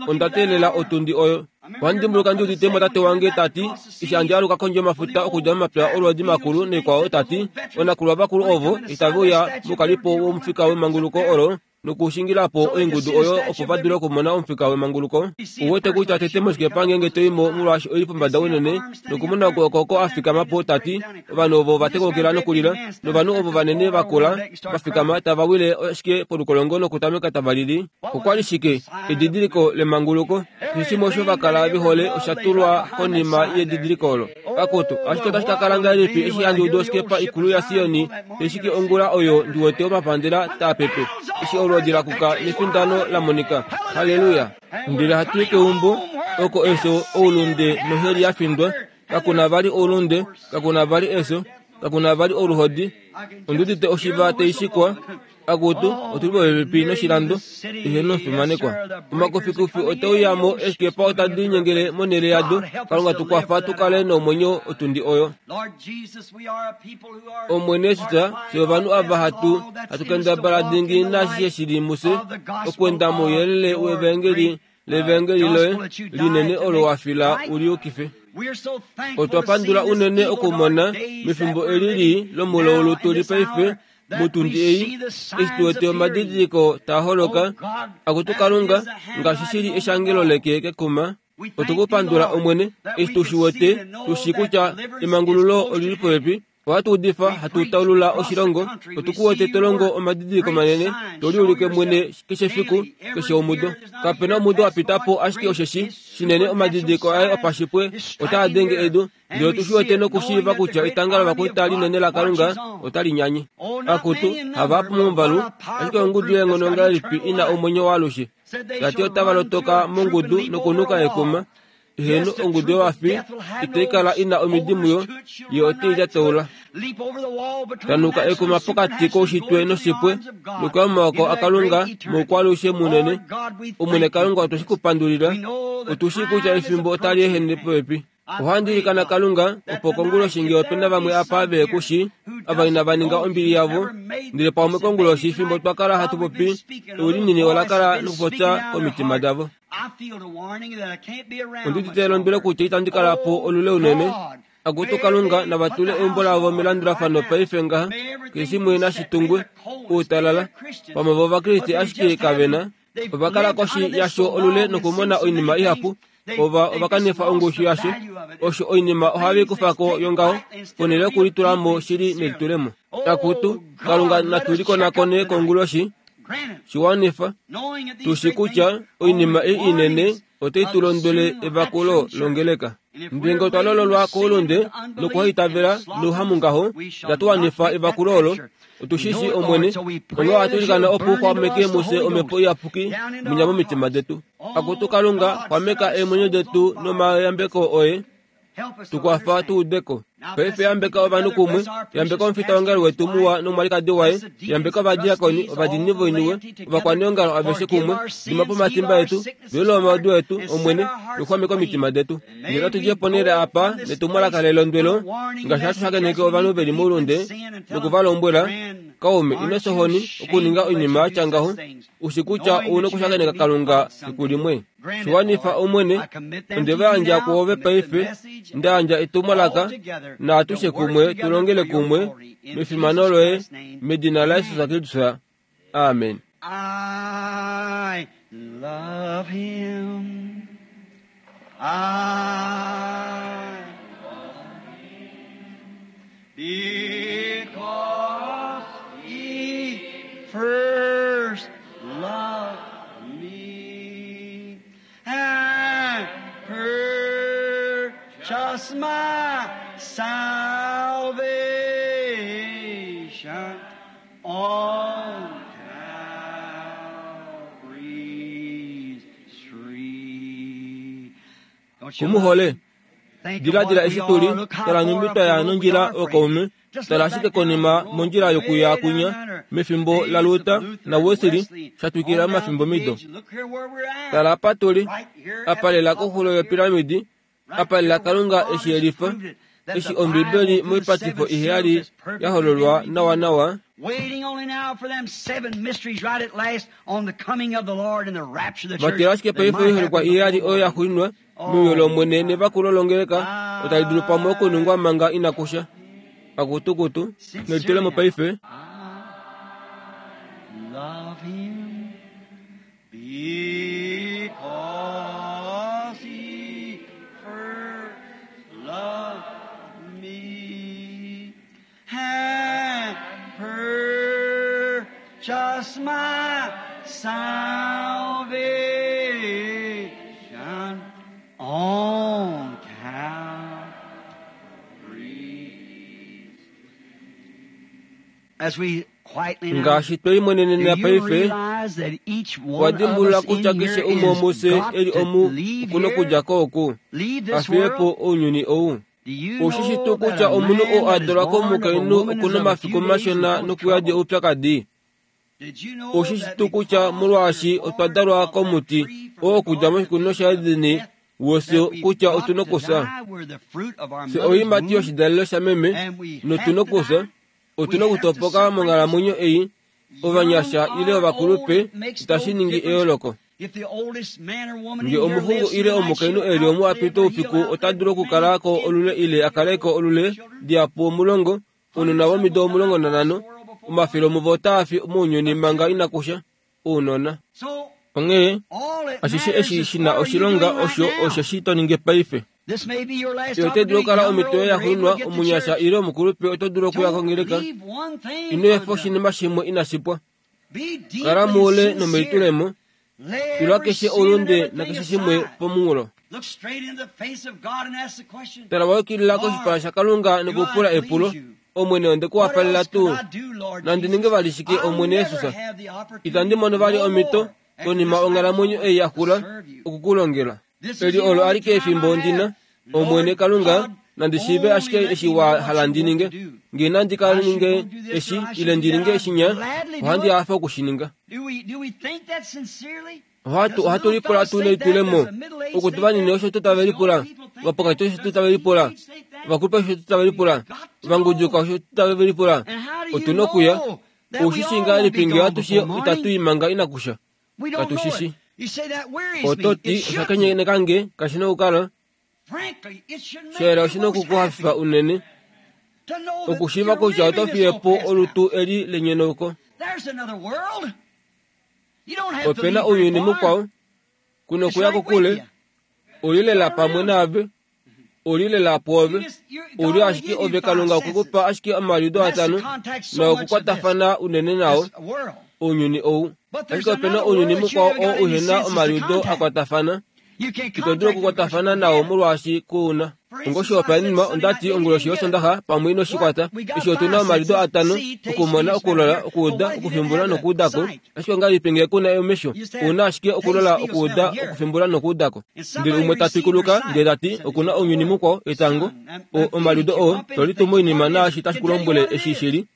Onda teelela otundi oyo. Ohandi dimbuluka ndi udite mo tate wange ta ti, eshi handi aluka kondje yomafuta okudja momapya olwoodi makulu naikwao, ta ti, Oonakulwa vakulu ovo itave uya moukalipo womufika wemanguluko olo nokushingila po oingudu oyo opo va dule okumona omufika wemanguluko. Ou wete kutya tete moshikepa ngeenge to i mo molwaashi oi li pombada unene nokumona okwooko oko a fikama po, ta ti, Ovanhu ovo ova tekokela nokulila, novanhu ovo vanene va kula va fikama tava wile ashike polukolongo nokutameka tava lili. Okwa li shike? Edidiliko lemanguluko. Keshe shimwe osho va kala ve hole osha tulwa konima yedidiliko olo. Akutu, ashike otashi ka kala ngahelipi eshi handi udu oskepa ikulu yaSioni tai shiki ongula oyo ndi wete omapandela taa pepe, eshi olwoodi la kuka nefindano la monika. Halleluya! Ndele hatu i keumbo, oko efyo, oulunde noheli ya findwa. Kaku na vali oulunde, kaku na vali efyo, kaku na vali oluhodi. Ondi udite oshiva tai shikwa. Akutu, otu li popepi noshilando ihe nofimanekwa. Omakufikufi ote uya mo, eeskepa otadi linyengele monhele yado. Kalunga tu kwafa tu kale nomwenyo otundi oyo. Omwene Jesus, fye ovanhu ava hatu hatu kendabala dingi naashishe shi li mufye, okwenda mouyelele wevaengeli. levangeli loye linene olo wa fila u liyukife. Otwa pandula unene okumona mefimbo eli lii lomulaulu tu li paife mutundi ei, eshi tu wete omadidiliko taa holoka, akutu Kalunga, ngaashi shi li eshangelo leke kekuma. Otu ku pandula, Omwene, eshi tu shi wete, tu shii kutya emangululo oli li popepi. Ohatu udifa, hatu taulula oshilongo, otu ku wete to longo omadidiliko manene, to liulike mwene keshe efiku, keshe omudo. Kape na omudo wa pita po ashike osheshi shinene omadidiliko aye opashipwe otaa denge edu, ndele otu shi wete nokushiiva kutya etanga lovakwaita linene laKalunga otali nyanye. Akutu, havahapu momuvalu, ashike ongudu yeenghono ongahelipi i na omwenyo waalushe? Ta ti otava lotoka mongudu nokunuka ekuma. Heeno, ongudu yovafi itai kala i na omidi muyo, ye ote i lyataula. Tanuka ekuma pokati koushitwe noshipwe, nokuya momaoko aKalunga moukwaalushe munene. Omwene Kalunga otwe shi ku pandulila. Otu shii kutya efimbo otali ehene popepi. Ohandi ilikana Kalunga opo konguloshi nge ope na vamwe apa ve ku shii, ava inava ninga ombili yavo, ndele pamwe konguloshi fimbo twa kala hatu popi, ewi linini ola kala nokupopya komitima davo. Ondi udite elondwelo kutya itandi kala po olule unene. Akutu Kalunga, nava tule eumbo lavo melandulafano paife ngaha, keshe shimwe nashi tungwe, outalala. Pamwe vo Ovakriste ashike kave na. Ova kala koshi yasho olule nokumona oinima ihapu. Ova, ova kanifa ongushu yasho. Osho oinima ohave i kufa ko yongaho, ponhele yokulitula mo shili nelitulemo. Akutu, Kalunga, natu likonakone konguloshi. Shi wanifa, tu shi kutya oinima ei inene otai tu londwele evakulo longeleka. Ndele ngee otwa lololwa koulunde nokuhaitavela nouhamungaho, itatu wanifa evakulo olo. Otu shi shii, Omwene, onghee ohatu ilikana opo u xwameke mufye Omhepo Iyapuki munya momitima detu. Akutu Kalunga, xwameka eemwenyo detu nomayambeko oye. Tu kwafa tu ude ko. Paife yambeka ovanhu kumwe, yambeka omufitaongalo wetu muwa nomwalikadi waye, yambeka ovadiakoni, ovadiinini voiniwe, ovakwaneongalo aveshe kumwe, dima po omatimba etu, velula omaudu etu, Omwene, nokuxwameka omitima detu. Ndele natu dje ponhele apa netumwalaka lelondwelo, ngaashi hatu shakeneke ovanhu ve li moulunde, noku va lombwela, Kaume, ino fya ohoni okuninga oinima ya tya ngaho, u shi kutya ou na okushakeneka Kalunga fiku limwe. Shi wanifa, Omwene, onde va yandja kwoove paife, nda yandja etumwalaka, naatushe kumwe tu longele kumwe mefimano loye, medina laJesus Kristus. Amen. I love him. I because he first loved me and purchased my salvation on Calvary's tree. Don't you Ku mu hole? Think of Diladila what eshi we tu li, are. Look how tala far nhumbi up twa the ya road we nondjila are, ookaume, friend. Just tala look ashike back down konima the road mondjila way yokuya down kunya, yonder. mefimbo Days of laLuther Luther naWesley and Wesley, sha twikila on down omafimbo the mido. age. Look here where we're at. Tala apa tu li, Right here at apa the lela top of koxulo the yopiramidi, pyramid. Right apa lela here where Kalunga God eshi has yelifa, proved it, that eshi the Ombibeli Bible through the moipatifo seven seals iheyali has ya perfectly hololwa been revealed. nawanawa, Waiting only now for them seven mysteries right at last on the coming of the Lord and the rapture of the church vatila ashike that paife might oiholekwa happen iheyali before oyo ya long. xuuninwa meuyo Oh, lOmwene my. nevakulo longeleka otali dulu pamwe okuningwa manga inaku sha. Akutukutu, Sincerely nelitulemo now, paife. I love him because he first loved me and purchased my salvation on Calvary. As we quietly now Ngaashi twe Do limonenena you paife, realize that each owa one of dimbulula us kutya in keshe here umwe is womufye got e li to omu leave oku na here, okudja ko oku, leave a this fiye po world? ounyuni ou? Do you Oushi shi know tuu that kutya a omunhu man oo a that is dalwa born of a komukainhu woman oku is na of a omafiku few days and mashona full of nokuyadi trouble? oupyakadi? Did you know Oushi shi that tuu kutya because we're molwaashi otwa born dalwa of that komuti tree from oo the okudja garden of moshikunino Eden of shaEden death, wofye that we've kutya got otu na to okufya? die? We're the fruit of our Fye mother's oiimati womb, yoshidalelo shameme and we notu have na to okufya. die. Otu We na have to okutopoka separate this monghalamwenyo ei, Young ovanyasha ile or old, ovakulupe, it makes itashi no ningi difference. eyooloko. Nge omuxungu ile omukainhu e li omu a pita oufiku ota dulu okukala ko olule ile a kale ko olule dihapu 10, ounona vomido 15, omafele omuvo otaa fi mounyuni manga inaku sha, ounona. Onghee, ashishe eshi shi na oshilonga osho osheshi to ningi paife. Yo otai dulu okukala omhito yoye yaxuuninwa, omunyasha ile omukulupe oto dulu okuya kongeleka. Ino efa oshinima shimwe inashi pwa. Kala moule nomelitulemo. Tula keshe oulunde nakeshe shimwe pomunghulo. Tala wa yukilila koshipala shaKalunga nokupula epulo, Omwene onde ku wapalela tuu? Nandi ninge vali shike, Omwene Jesus? Itandi mono vali omhito, konima onghalamwenyo ei ya xula, oku ku longela. Eli olo alike efimbo ndi na, Omwene Kalunga, nandi shiive ashike eshi wa hala ndi ninge. Nge nandi ka ninge eshi, ile ndi ninge eshinya, ohandi hafe oku shi ninga. Ohatu, ohatu lipula tuu nelitulemo. Okutu vanini osho tuu tave lipula. Vapokati osho tuu tave lipula. Vakulupe osho tuu tave lipula. Vanguduka osho tuu tave lipula. Otu na okuya. Ou shi shii ngahelipi nge atushe itatu i manga inaku sha? Katu shi shi. Oto ti, Osha kenyeneka nge, kashi na okukala. Shela oshi na oku ku hafifa unene okushiiva kutya oto fiye po olutu eli lenyonauko. Ope na ounyuni mukwao, ku nokuya kokule, u li lela pamwe naave, u li lela pwoove, u li ashike ove. Kalunga okwe ku pa ashike omaliudo atano nookukwatafana unene nao, ounyuni ou. Ashike ope na ounyuni mukwao oo uhe na omaliudo a kwatafana. Ito dulu okukwatafana nao molwaashi ku u na. Ngoshihopaenenwa, onda ti onguloshi yOsondaxa, pamwe ino shi kwata, eshi otu na omaliudo atano, okumona, okulola, okuuda, okufimbula nokuuda ko. Ashike ongahelipi ngee ku na omesho? Ou na ashike okulola, okuuda, okufimbula nokuuda ko. Ndele umwe ta twikuluka ndele ta ti, Oku na ounyuni mukwao, etango, o, omaliudo oo, to litu moinima naashi tashi ku lombwele eshi shi li.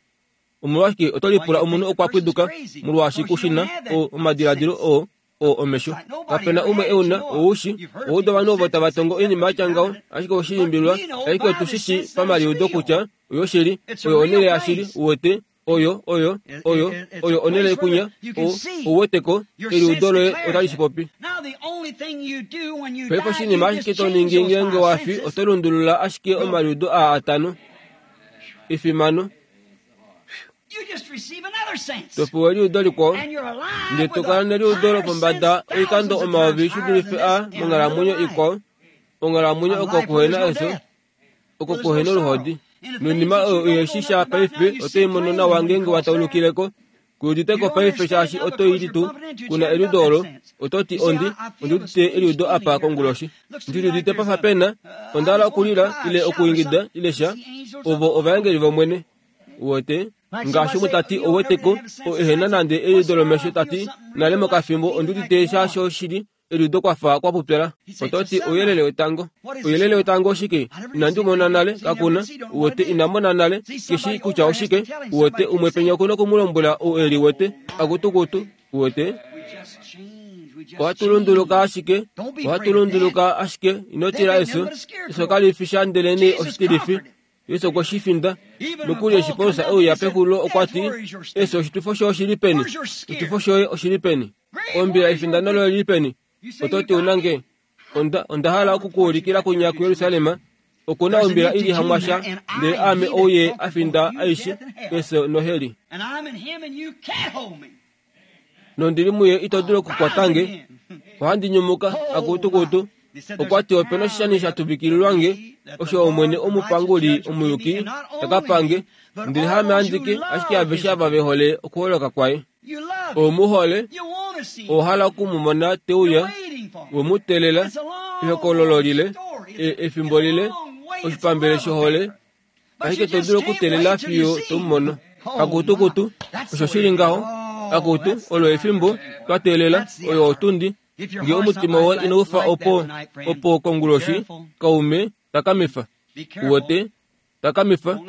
Omolwashike oto lipula omunhu okwa pwiduka molwaashi ku shi na o, omadiladilo oo, oo omesho? Kape na umwe e u na, ou shi. Owa uda ovanhu ovo tava tongo oinima ya tya ngaho, ashike owe shi limbililwa. Ashike otu shi shii pamaliudo kutya oyoshili. Oyo onhele yashili, uwete. Oyo, oyo, oyo, oyo onhele ikunya, o, ou wete ko, eliudo loye otali shi popi. Paife oshinima ashike to ningi ngeenge wa fi, oto lundulula ashike omaliudo aa atano. Efimano. To pewa eliudo likwao, ndele to kala neliudo lopombada oikando omayovi shi dulife a monghalamwenyo ikwao, onghalamwenyo oko kuhena efyo. oko kuhe noluhodi. Noinima oyo uhe shi sha paife oto i mono nawa ngeenge wa taulukile ko. Ku udite ko paife shaashi oto i litu ku na eliudo olo. Oto ti, Ondi, ondi udite eliudo apa konguloshi. Ndi liudite pa fa pe na, onda hala okulila, ile okuingida, ile sha. Ovo ovaengeli vOmwene. Uwete? Ngaashi umwe ta ti, Ouwete ko, oo ehe na nande eliudo lomesho, ta ti, Nale mokafimbo ondi udite sha shoshili Eliudo kwa fa kwa pupyala. Oto ti ouyelele wetango. Ouyelele wetango oshike? Inandi u mona nale, kaku na. Uwete, ina mona nale. Ke shii kutya oshike. Uwete, umwe penya oku na oku mu lombwela ou e liwete. Akutukutu. Uwete? Ohatu lunduluka ashike. Ohatu lunduluka ashike. Ino tila efyo. Efyo kali fi sha ndelenee oshitilifi. Jesus okwe shi finda. Nokuli eshi Paulus e uya pexulilo okwa ti, Efyo oshitwifo shoye oshi li peni? Oshitwifo shoye oshi li peni? Ombila efindano loye li peni? Oto ti una nge? Onda, onda hala oku ku ulikila kunya kuJerusalem. Oku na ombila i li hamwasha, ndele aame ou ye a finda aishe, efyo noheli. Nondi li muye ito dulu okukwata nge. Ohandi nyumuka, akutukutu. Okwa ti ope na oshishani sha tuvikililwa nge, osho Omwene omupanguli omuyuki ta ka pa nge, ndele haame andike, ashike aveshe ava ve hole okuholoka kwaye. Ou mu hole, owa hala oku mu mona te uya, we mu teelela, ehokololo lile, e, efimbo lile, oshipambele shohole, ashike to dulu okuteelela fiyo to mu mono. Akutukutu, osho shi li ngaho. Akutu, olo efimbo twa teelela, oyo otundi. Nge omutima woye inau fa opo, opo konguloshi, kaume, takamifa. Uwete? Takamifa,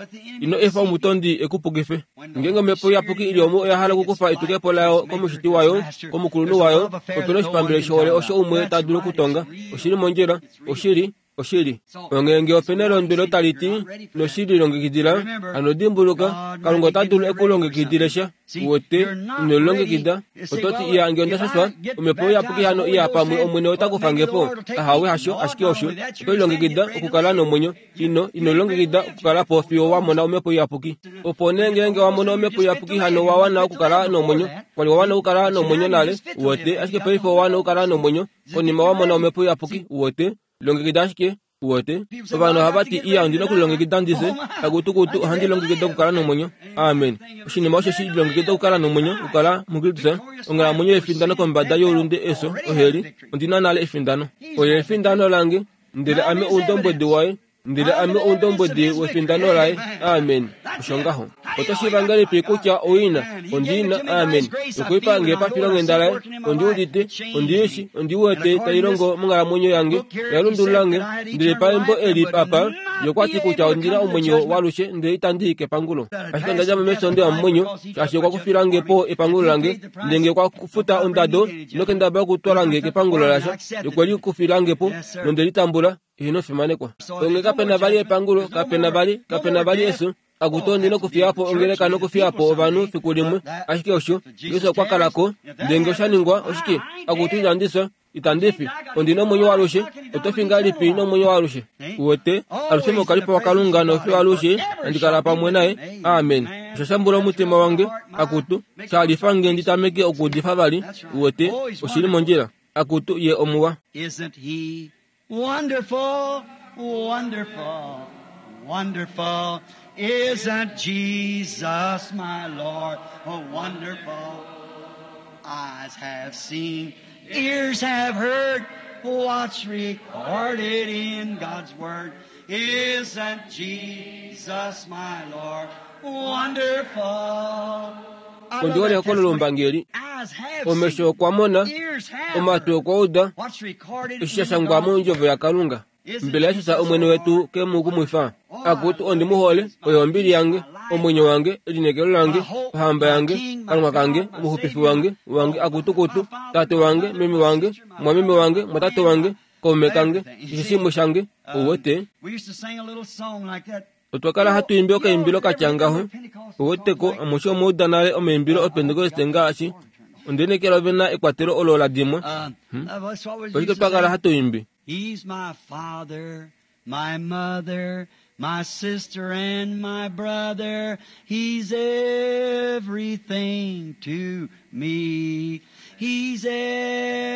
ino efa omutondi e ku pukife. Ngeenge omhepo iyapuki i li omu oya hala okukufa etukepo layo komushiti wayo, komukulunhu wayo, ope na oshipambele shohole osho umwe ta dulu okutonga. Oshi li mondjila. Oshili. Oshili. Onghee nge ope na elondwelo tali ti, Noshi lilongekidila, hano dimbuluka, Kalunga ota dulu e ku longekidile sha. Uwete, ino lilongekida. Oto ti, Iya, nge onda shashwa, Omhepo Iyapuki hano iya pamwe Omwene ota kufa nge po. Ahawe, hasho, ashike osho. Oto lilongekida okukala nomwenyo. Ino, ino lilongekida okukala po fiyo wa mona Omhepo Iyapuki. Opo nee ngeenge wa mono Omhepo Iyapuki hano wa wana okukala nomwenyo. Kwa li wa wana okukala nomwenyo nale, uwete, ashike paife owa wana okukala nomwenyo konima wa mona Omhepo Iyapuki, uwete. Longekida ashike, uwete. Ovanhu ohava ti, Iya, ondi na okulilongekida ndi fye. Akutukutu, ohandi longekida okukala nomwenyo. Amen. Oshinima osho shi lilongekida okukala nomwenyo, okukala muKristus, onghalamwenyo yefindano kombada youlunde, efyo, oheli. Ondi na nale efindano. Oye efindano lange, ndele ame oundombwedi waye. Ndele ame oundombwedi wefindano laye. Amen. Osho ngaho. Oto shiiva ngahelipi kutya oi na? Ondi na. Amen. Okwe i pa nge pafilonghenda laye. Ondi udite. Ondi i shi. Ondi wete tai longo monghalamwenyo yange. Oya lundulula nge. Ndele paembo eli apa, ye okwa ti kutya ondi na omwenyo waalushe ndele itandi i kepangulo. Ashike onda dja mo mesonde yomomwenyo, shaashi okwa kufila nge po epangulo lange. Ndele nge okwa futa ondado, ino kendabala okutwala nge kepangulo lasha. Ye okwe li kufila nge po, nonde li tambula. Ino fimanekwa. Onge kape na vali epangulo, kape na vali, kape na vali efyo. Akutu ondi nokufiya po ongeleka nokufiya po ovanhu fiku limwe. Ashike osho, Jesus okwa kala ko. Ndele nge osha ningwa, oshike? Akutu inandi fya, itandi fi. Ondi nomwenyo waalushe. Oto fi ngahelipi nomwenyo waalushe? Uwete, alushe moukalipo waKalunga nofiyo alushe handi kala pamwe naye. Amen. Osha shambula omutima wange. Akutu, sha lifa nge ndi tameke okuudifa vali. Uwete, oshi li mondjila. Akutu, ye omuwa. Isn't he Wonderful, wonderful, wonderful. Isn't Jesus my Lord? Oh, wonderful. Eyes have seen, ears have heard what's recorded in God's Word. Isn't Jesus my Lord? Wonderful. Ondi hole ehokololo lombangeli. Omesho okwa mona, omatwi okwa uda eshi sha shangwa mondjovo yaKalunga. Mbela Jesus Omwene wetu ke mu kumwifa? Akutu, ondi mu hole, oye ombili yange, omwenyo wange, elineekelo lange, ohamba yange, Kalunga kange, omuxupifi wange, wange, akutukutu, tate wange, meme wange, mwameme wange, mwatate wange, kaume kange, keshe shimwe shange, ou wete. Otwa kala hatu imbi okaimbilo ka tya ngaho. Ouweteko, amushe omwa uda nale omaimbilo Opentekoste ngaashi, Onde lineekela ove na ekwatelo olo la dimwa. Hmm? Oshike twa kala hatu imbi? He's my father, my mother, my sister and my brother. He's everything to me. He's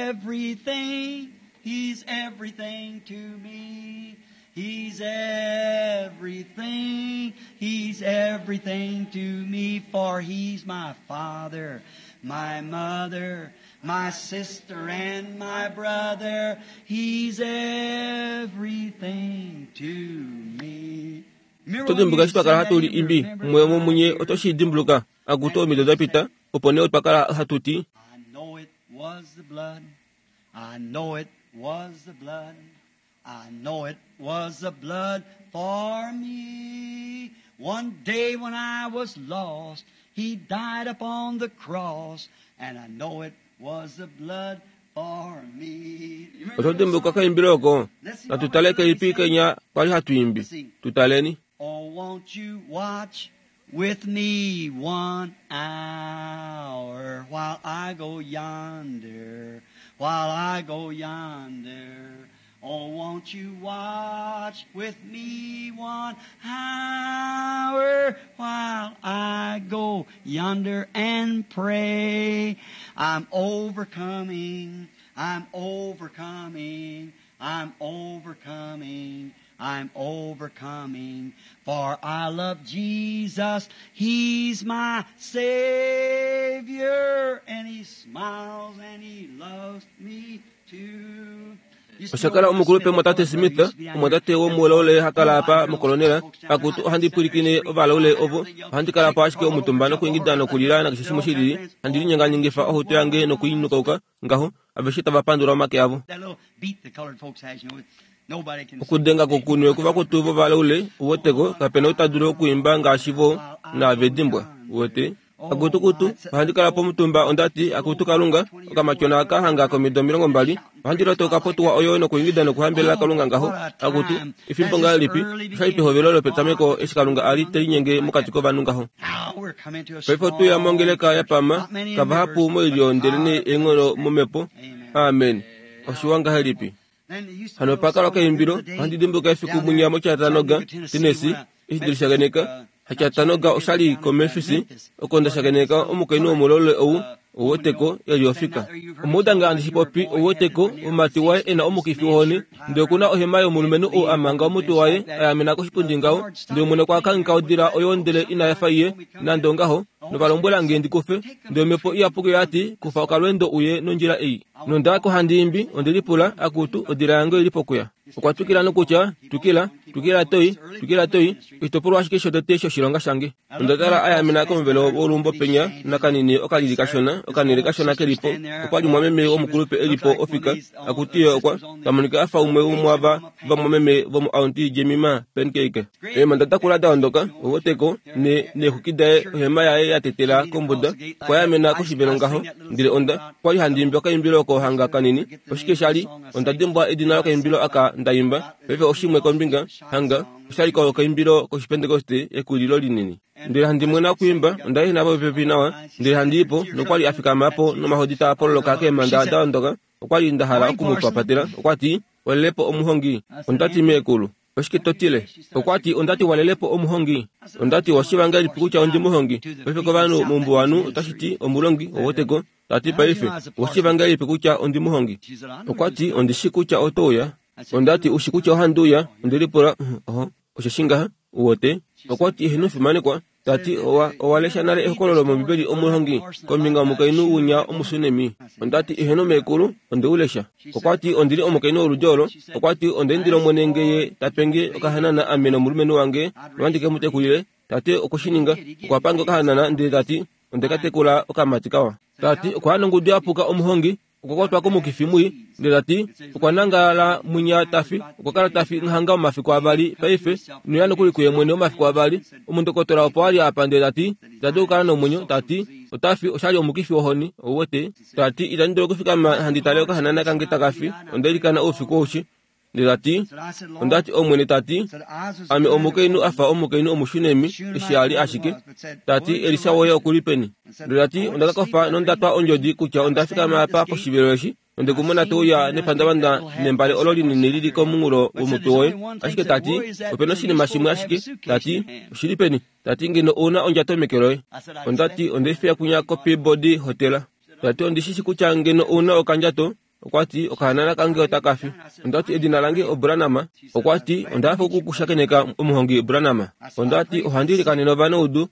everything. He's everything to me. He's everything, He's everything to me, for He's my father, my mother, my sister and my brother. He's everything to me. Oto dimbuluka eshi twa kala hatu li imbi umwe womomunye oto shi dimbuluka akutu omido da pita opo nee otwa kala hatu ti I know it was the blood. I know it was the blood. I know it was the blood for me. One day when I was lost, He died upon the cross, and I know it was the blood for me. Oto dimbuluka kaimbilo oko? Natu tale kelipi kenya kwali hatu imbi. Tu taleni. Oh, won't you watch with me one hour while I go yonder, while I go yonder. Oh, won't you watch with me one hour while I go yonder and pray? I'm overcoming, I'm overcoming, I'm overcoming, I'm overcoming. For I love Jesus, He's my Savior, and He smiles and He loves me too. Osha kala omukulupe mwatate Smith, omwatate womulaule ha kala apa mokolonela. Akutu, ohandi pwilikine ovalaule ovo. Ohandi kala po ashike omutumba nokuingida nokulila nakeshe shimwe shilili, handi linyenganyengifa ohuto yange nokuinukauka ngaho, aveshe tava pandula omake avo. Okudenga kokunwe kuvakutu vovalaule, uweteko, kape na ou ta dulu okuimba ngaashi vo, naave dimbwa. Uwete? Akutu kutu, ohandi kala pomutumba onda ti, Akutu Kalunga, okamatyona aka hanga komido 20, ohandi lotoka potuwa oyo nokuingida nokuhambelela Kalunga ngaho. Akutu, efimbo ngahelipi, osha li pehovelo lopetameko eshi Kalunga a li te linyenge mokati kovanhu ngaho. Paife otu ya mongeleka ya pama, kavahapu moilyo ndelenee eenghono momhepo. Amen. Oshiwa ngahelipi. Hano pa kala okaimbilo, ohandi dimbuluka efiku mwinya moChattanooga, Tennessee, eshi ndeli shakeneka. HaChattanooga osha li koMemphis, oko nda shakeneka omukainhu womulole ou, ou weteko, e li ofika. Omwa uda nge handi shi popi, ou weteko, omumati waye e na omukifi wohoni, ndele oku na ohema yomulumenhu ou a manga omutwe waye, a yamena koshipundi ngaho, ndele Omwene okwa kangheka odila oyo ndele ina efa iye, nande ongaho, nova lombwela nge ndi kufe. Ndele Omhepo Iyapuki oya ti, Kufa okalweendo uye nondjila ei. Nonda ya ko handi imbi, onde lipula, Akutu, odila yange oi li pokuya. Okwa twikila nokutya, Twikila, twikila to i, twikila to i, oshitopolwa ashike shotete shoshilonga shange. Onda tala a yamena komuvelo woluumbo penya, nakanini okalili kashona, okanhele kashona ke li po. Okwa li mumwameme womukulupe e li po ofika, akutu ye okwa, ta monika a fa umwe womwaava vamwameme vomoAuntie Jemima Pancake. Eemhanda da kula da ondoka, oweteko, ne, neexwiki daye, ohema yaye ya tetela kombuda, okwa yamena koshivelo ngaho. Ndele onda, kwa li handi imbi okaimbilo oko hanga kanini. Oshike sha li? Onda dimbwa edina lokaimbilo aka nda imba. Paife oshimwe kombinga, hanga, osha li okaimbilo kOshipentekoste, Ekulilo Linini. Ndele handi mwena okuimba, onda ehena popepi nawa, ndele handi i po, nokwa li a fikama po nomahodi taa pololoka keemhanda da ondoka. Okwa li nda hala oku mu papatela. Okwa ti, Walele po omuhongi. Onda ti, Meekulu, Oshike to tile? Okwa ti, Onda ti walele po omuhongi. Onda ti, Oshiva ngahelipi kutya ondi muhongi? Paife kovanhu moumbuwanhu otashi ti omulongi, oweteko. Ta ti, Paife, oshiva ngahelipi kutya ondi muhongi? Okwa ti, Ondi shi kutya oto uya. Onda ti, Ushi kutya ohandi uya? Onde lipula, Oho, osheshi ngaha, uwete. Okwa ti, Eheno fimanekwa. Ta ti, Owa, owa lesha nale ehokololo mOmbibeli omuhongi kombinga yomukainhu winya Omusunemi? Onda ti, Eheno meekulu, onde u lesha. Okwa ti, Ondi li omukainhu woludi olo. Okwa ti, Onda indila Omwene nge Ye ta pe nge okahanana ame nomulumenhu wange nohandi ke mu tekulile. Tate okwe shi ninga. Okwa pa nge okahanana ndele ta ti, Onde ka tekula okamati kawa. Ta ti, Okwa ya nongudu ya puka omuhongi. Okwa kwatwa komukifi mwii, ndele ta ti, Okwa nangala mwinya ta fi. Okwa kala ta fi hanga omafiku avali paife, noya nokuli kuye mwene omafiku avali. Omundokotola opo a li apa ndele ta ti, Ita dulu okukala nomwenyo. Ta ti, Ota fi, osha li omukifi wohoni. Ou wete? Ta ti, Itandi dulu okufikama handi tale okahanana kange taka fi. Onda ilikana oufiku aushe. Ndele ta ti, Onda ti, Omwene ta ti, ame omukainhu a fa omukainhu Omushunemi, eshi a li ashike. Ta ti, Elisa woye oku li peni? Ndele ta ti, Onda ka kofa nonda twa ondjodi kutya onda fikama apa poshivelo eshi, nonde ku mona to uya nepandavanda nembale olo linini li li komunghulo womutwe woye. Ashike ta ti, ope na oshinima shimwe ashike. Ta ti, Oshi li peni? Ta ti, Ngeno ou na ondjato meke loye. Onda ti, Onde i fiya kwinya koPeabody Hotela. Ta ti, Ondi shi shi kutya ngeno ou na okandjato, Okwa ti, Okahanana kange otaka fi. Onda ti, Edina lange oBranham. Okwa ti, Onda hafa oku ku shakeneka, omuhongi Branham. Onda ti, Ohandi ilikanene ovanaudu.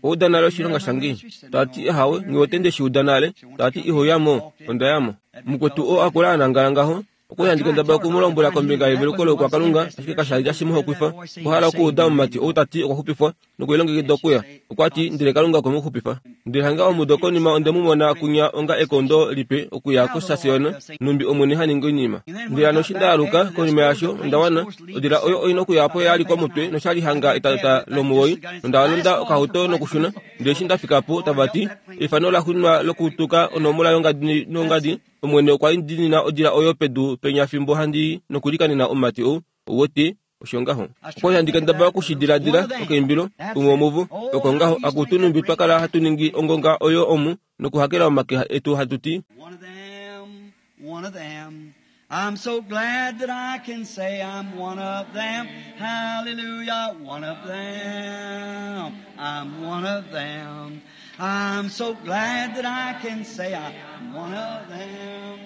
Owa uda nale oshilonga shange? Ta ti, Ahawe, nghi wete nde shi uda nale. Ta ti, Iho ya mo. Onda ya mo. Mukwetu oo a kula a nangala ngaho, okwa li handi kendabala oku mu lombwela kombinga yeveluko loukwakalunga, ashike kasha li tashi mu hokwifa. Okwa hala okuuda omumati ou ta ti okwa xupifwa. nokulilongekida okuya. Okwa ti, Ndele Kalunga okwe mu xupifa. Ndele hanga omudo konima onde mu mona kunya onga ekondo lipe okuya kosasiona, nhumbi Omwene ha ningi oinima. Ndele hano eshi nda aluka konima yaasho, onda wana. Odila oyo oi nokuya opo ya li komutwe nosha li hanga etata lomuwoi, nonda londa okahauto nokushuna. Ndele eshi nda fika po, tava ti, Eifano la xuuninwa lokutuka onomola yongadi nongadi, Omwene okwa idinina odila oyo pedu penya fimbo handi i nokulikanena omumati ou. Ou wete? Osho ngaho. Okwa li handi kendabala oku shi diladila, okaimbilo, umwe womuvo. Oko ngaho, akutu numbi twa kala hatu ningi ongonga oyo omu nokuhakela omake etu hatu ti. One of them, one of them. I'm so glad that I can say I'm one of them. Hallelujah, one of them. I'm one of them. I'm so glad that I can say I'm one of them.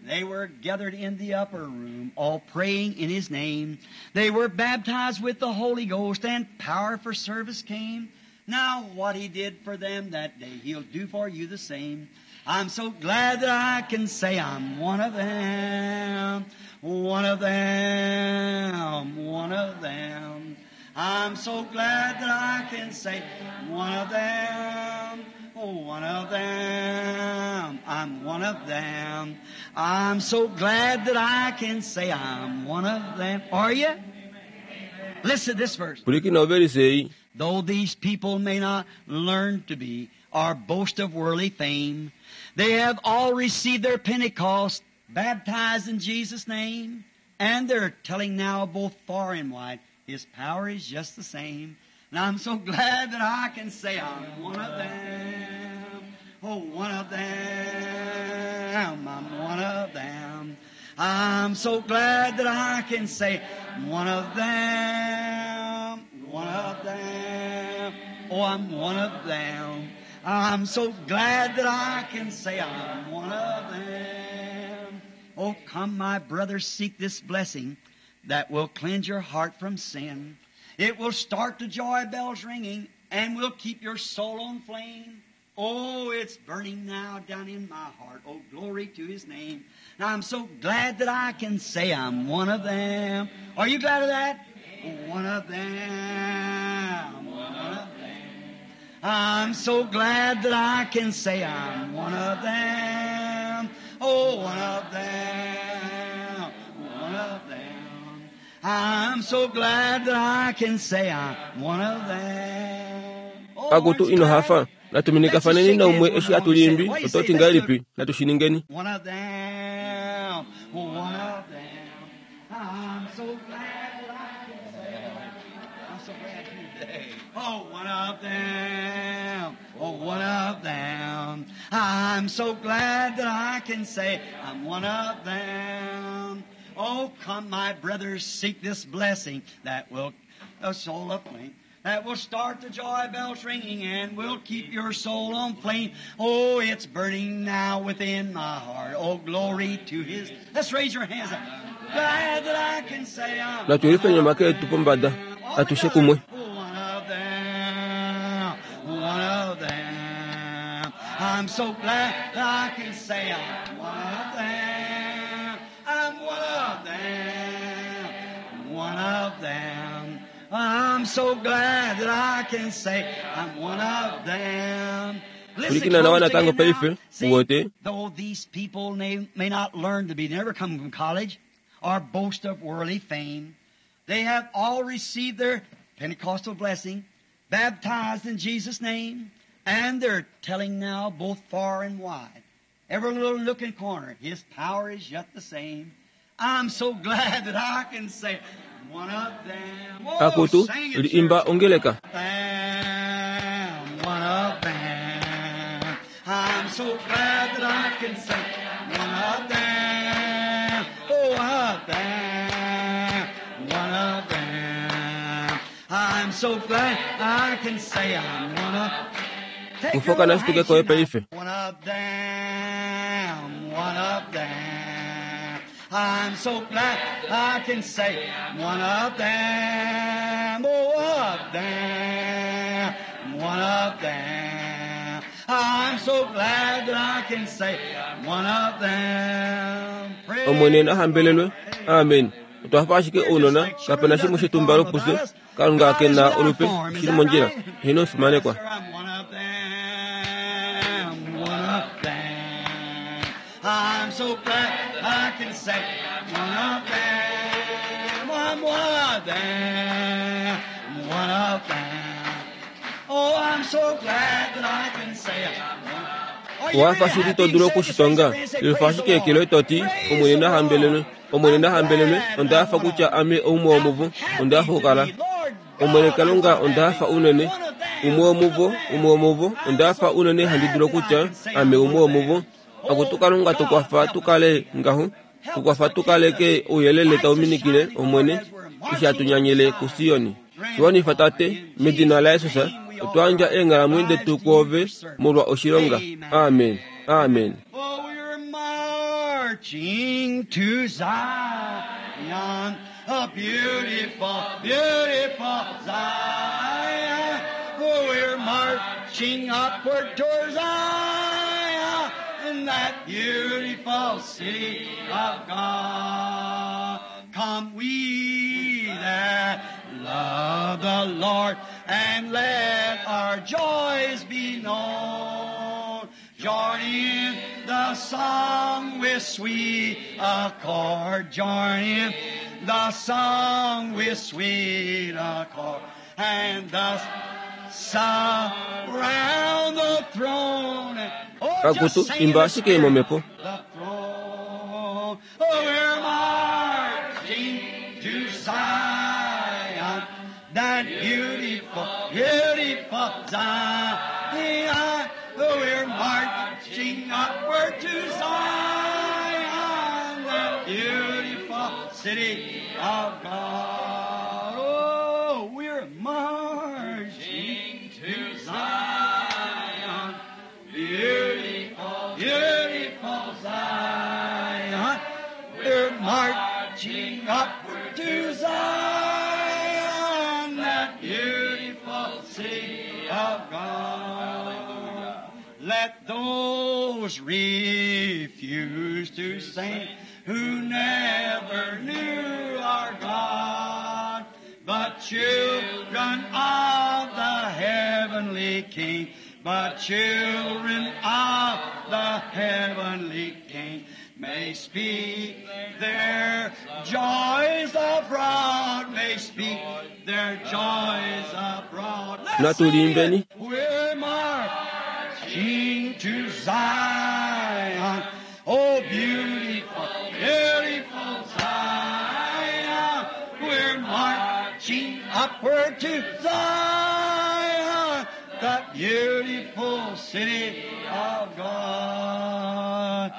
They were gathered in the upper room, all praying in His name. They were baptized with the Holy Ghost, and power for service came. Now what He did for them that day, He'll do for you the same. I'm so glad that I can say I'm one of them, one of them, one of them. I'm so glad that I can say one of them, one of them, I'm one of them. I'm so glad that I can say I'm one of them. Are you? Listen to this verse. Pwilikina ovelise ei. Though these people may not learn to be or boast of worldly fame. They have all received their Pentecost, baptized in Jesus' name, and they're telling now both far and wide, His power is just the same. And I'm so glad that I can say I'm one of them. Oh, one of them. I'm one of them. I'm so glad that I can say one of them. One of them. Oh, I'm one of them. I'm so glad that I can say I'm one of them. Oh, come, my brothers, seek this blessing that will cleanse your heart from sin. It will start the joy bells ringing and will keep your soul on flame. Oh, it's burning now down in my heart. Oh, glory to His name. Now, I'm so glad that I can say I'm one of them. Are you glad of that? One of them. One of them. I'm so glad that I can say I'm one of them. Oh, one of them. One of them. I'm so glad that I can say I'm one of them. Oh, Akutu aren't you ino glad? hafa natuminikafaneni naumwe eshi atulimbi ototi ngahelipi natushiningeni One of them, one of them. I'm so glad that I can say, I'm so glad today. Oh, one of them, oh, one of them. I'm so glad that I can say, I'm one of them. Oh, come, my brothers, seek this blessing that will a soul aflame. That will start the joy bells ringing and will keep your soul on flame. Oh, it's burning now within my heart. Oh, glory to His. Let's raise your hands up. Glad that I can say I'm Natulife make yetu pombada atushe kumwe one of them. One of them. I'm so glad that I can say I'm one of them. I'm one of them. One of them. I'm so glad that I can say I'm one of them. Listen Kulikina na close wana tango again now. paife See, wote Though these people may not learn to be, never come from college or boast of worldly fame, they have all received their Pentecostal blessing, baptized in Jesus' name, and they're telling now both far and wide, every little nook and corner, His power is yet the same. I'm so glad that I can say, one of them. Oh, akutu sing it, liimba church ongeleka them, one of them. I'm so glad that I can say, one of them, oh, one of them, one of them. I'm so glad I can say I'm one of. Take your Kufoka little nashituke koe handkerchief paife now. One of them, one of them. I'm so glad I can say one of them, oh, one of them, one of them. I'm so glad that I can say one of them. Praise Omwene nahambelelwe amen otwafa ashike ounona kapena shimwe shetumbalo puse kalunga kena olupe shili mondjila hino ofimanekwa Yes, sir, I'm one of them, one of them. I'm so glad I can say one of them, I'm one of them, one of them. Oh, I'm so glad that I can say I'm one. Are you wafa really shili happy? todula Say this, okushitonga raise your hand, say, lifa praise the ashike ekelo Lord. etoti Praise omwene the nahambelelwe Lord. omwene I'm nahambelelwe glad ondafa I'm one kutya of ame oumwe womuvo happy ondafa to okukala be. Lord omwene God, I'm kalunga so ondafa happy. unene One of them, umwe one of womuvo them. umwe womuvo I'm ondafa so unene handi glad dula that I kutya can say ame I'm umwe one of womuvo them. akutu Oh kalunga God, tukwafa help us. tukale ngaho Help us tukwafa to keep tukaleke the ouyelele lights are tauminikile shining, Lord, omwene as we're eshi marching to atunyanyile ku Zion. Siyoni Grant it, shiwanifa Father, tate in medina la Jesus' Yesusa name we offer otwandja our eenghalamwenyo lives detu to you kwoove for service. molwa oshilonga Amen. amen amen Oh, we're marching to Zion, a beautiful, beautiful Zion. Oh, we're marching upward toward Zion, in that beautiful city of God. Come we that love the Lord, and let our joys be known. Join in the song with sweet accord. Join in the song with sweet accord. And thus Surround the throne. Oh, Akutu, just sing in imba the ashike spirit. momhepo. The throne. Oh, we're marching to Zion, that beautiful, beautiful Zion. Oh, we're marching upward to Zion, that beautiful city of God. Oh, we're marching to Zion, beautiful, beautiful Zion. We're marching upward to Zion, that beautiful city of God. Let those refuse to sing who never knew our God, but children of the heavenly King, but children of the heavenly King may speak their joys abroad, may speak their joys abroad. Let's sing Natulimbeni. it. We're marching to Zion. Oh, beautiful, beautiful Zion. We're marching upward to Zion, that beautiful city of God.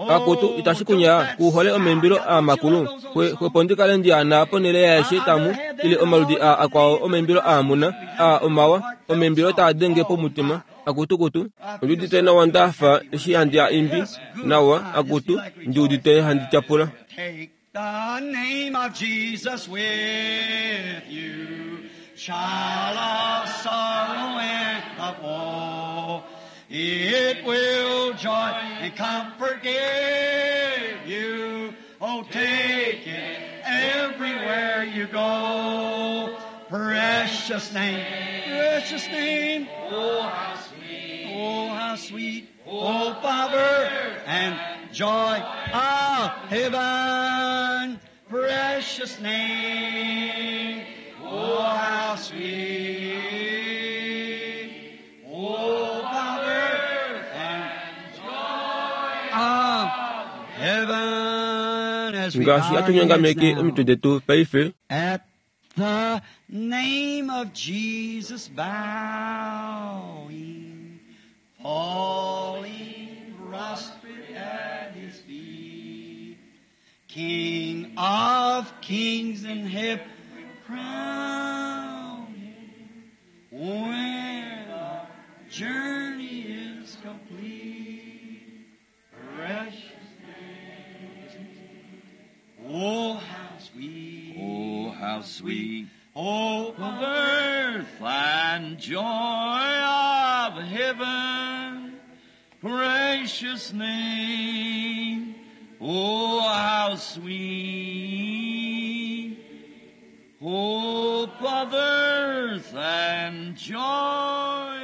Akutu itashi kunya kuhole omaimbilo aamakulu hwepo ndikale ndiana ponele yaeshe tamu ili omaludi a akwao omaimbilo aamuna a omawa omaimbilo taadenge pomutima akutukutu ondiudite nawa ndafa eshi handi a imbi nawa akutu ndiudite handi tyapula Take the name of Jesus with you, child of sorrow and of woe. It will joy and comfort give you. Oh, take it everywhere you go. Precious name, precious name. Oh, how sweet. Oh, how sweet. Oh, Father, and joy of heaven. Precious name. Oh, how sweet. Oh, Father, and joy of heaven. As we ngaashi bow our heads atunyongameke now. omitwe detu paife At the name of Jesus bowing, falling prostrate at his feet, King of kings and heaven crowned, when our journey is complete, precious name. Oh, how sweet. Oh, how sweet Oh, of earth and joy of heaven, precious name. Oh, how sweet hope of earth and joy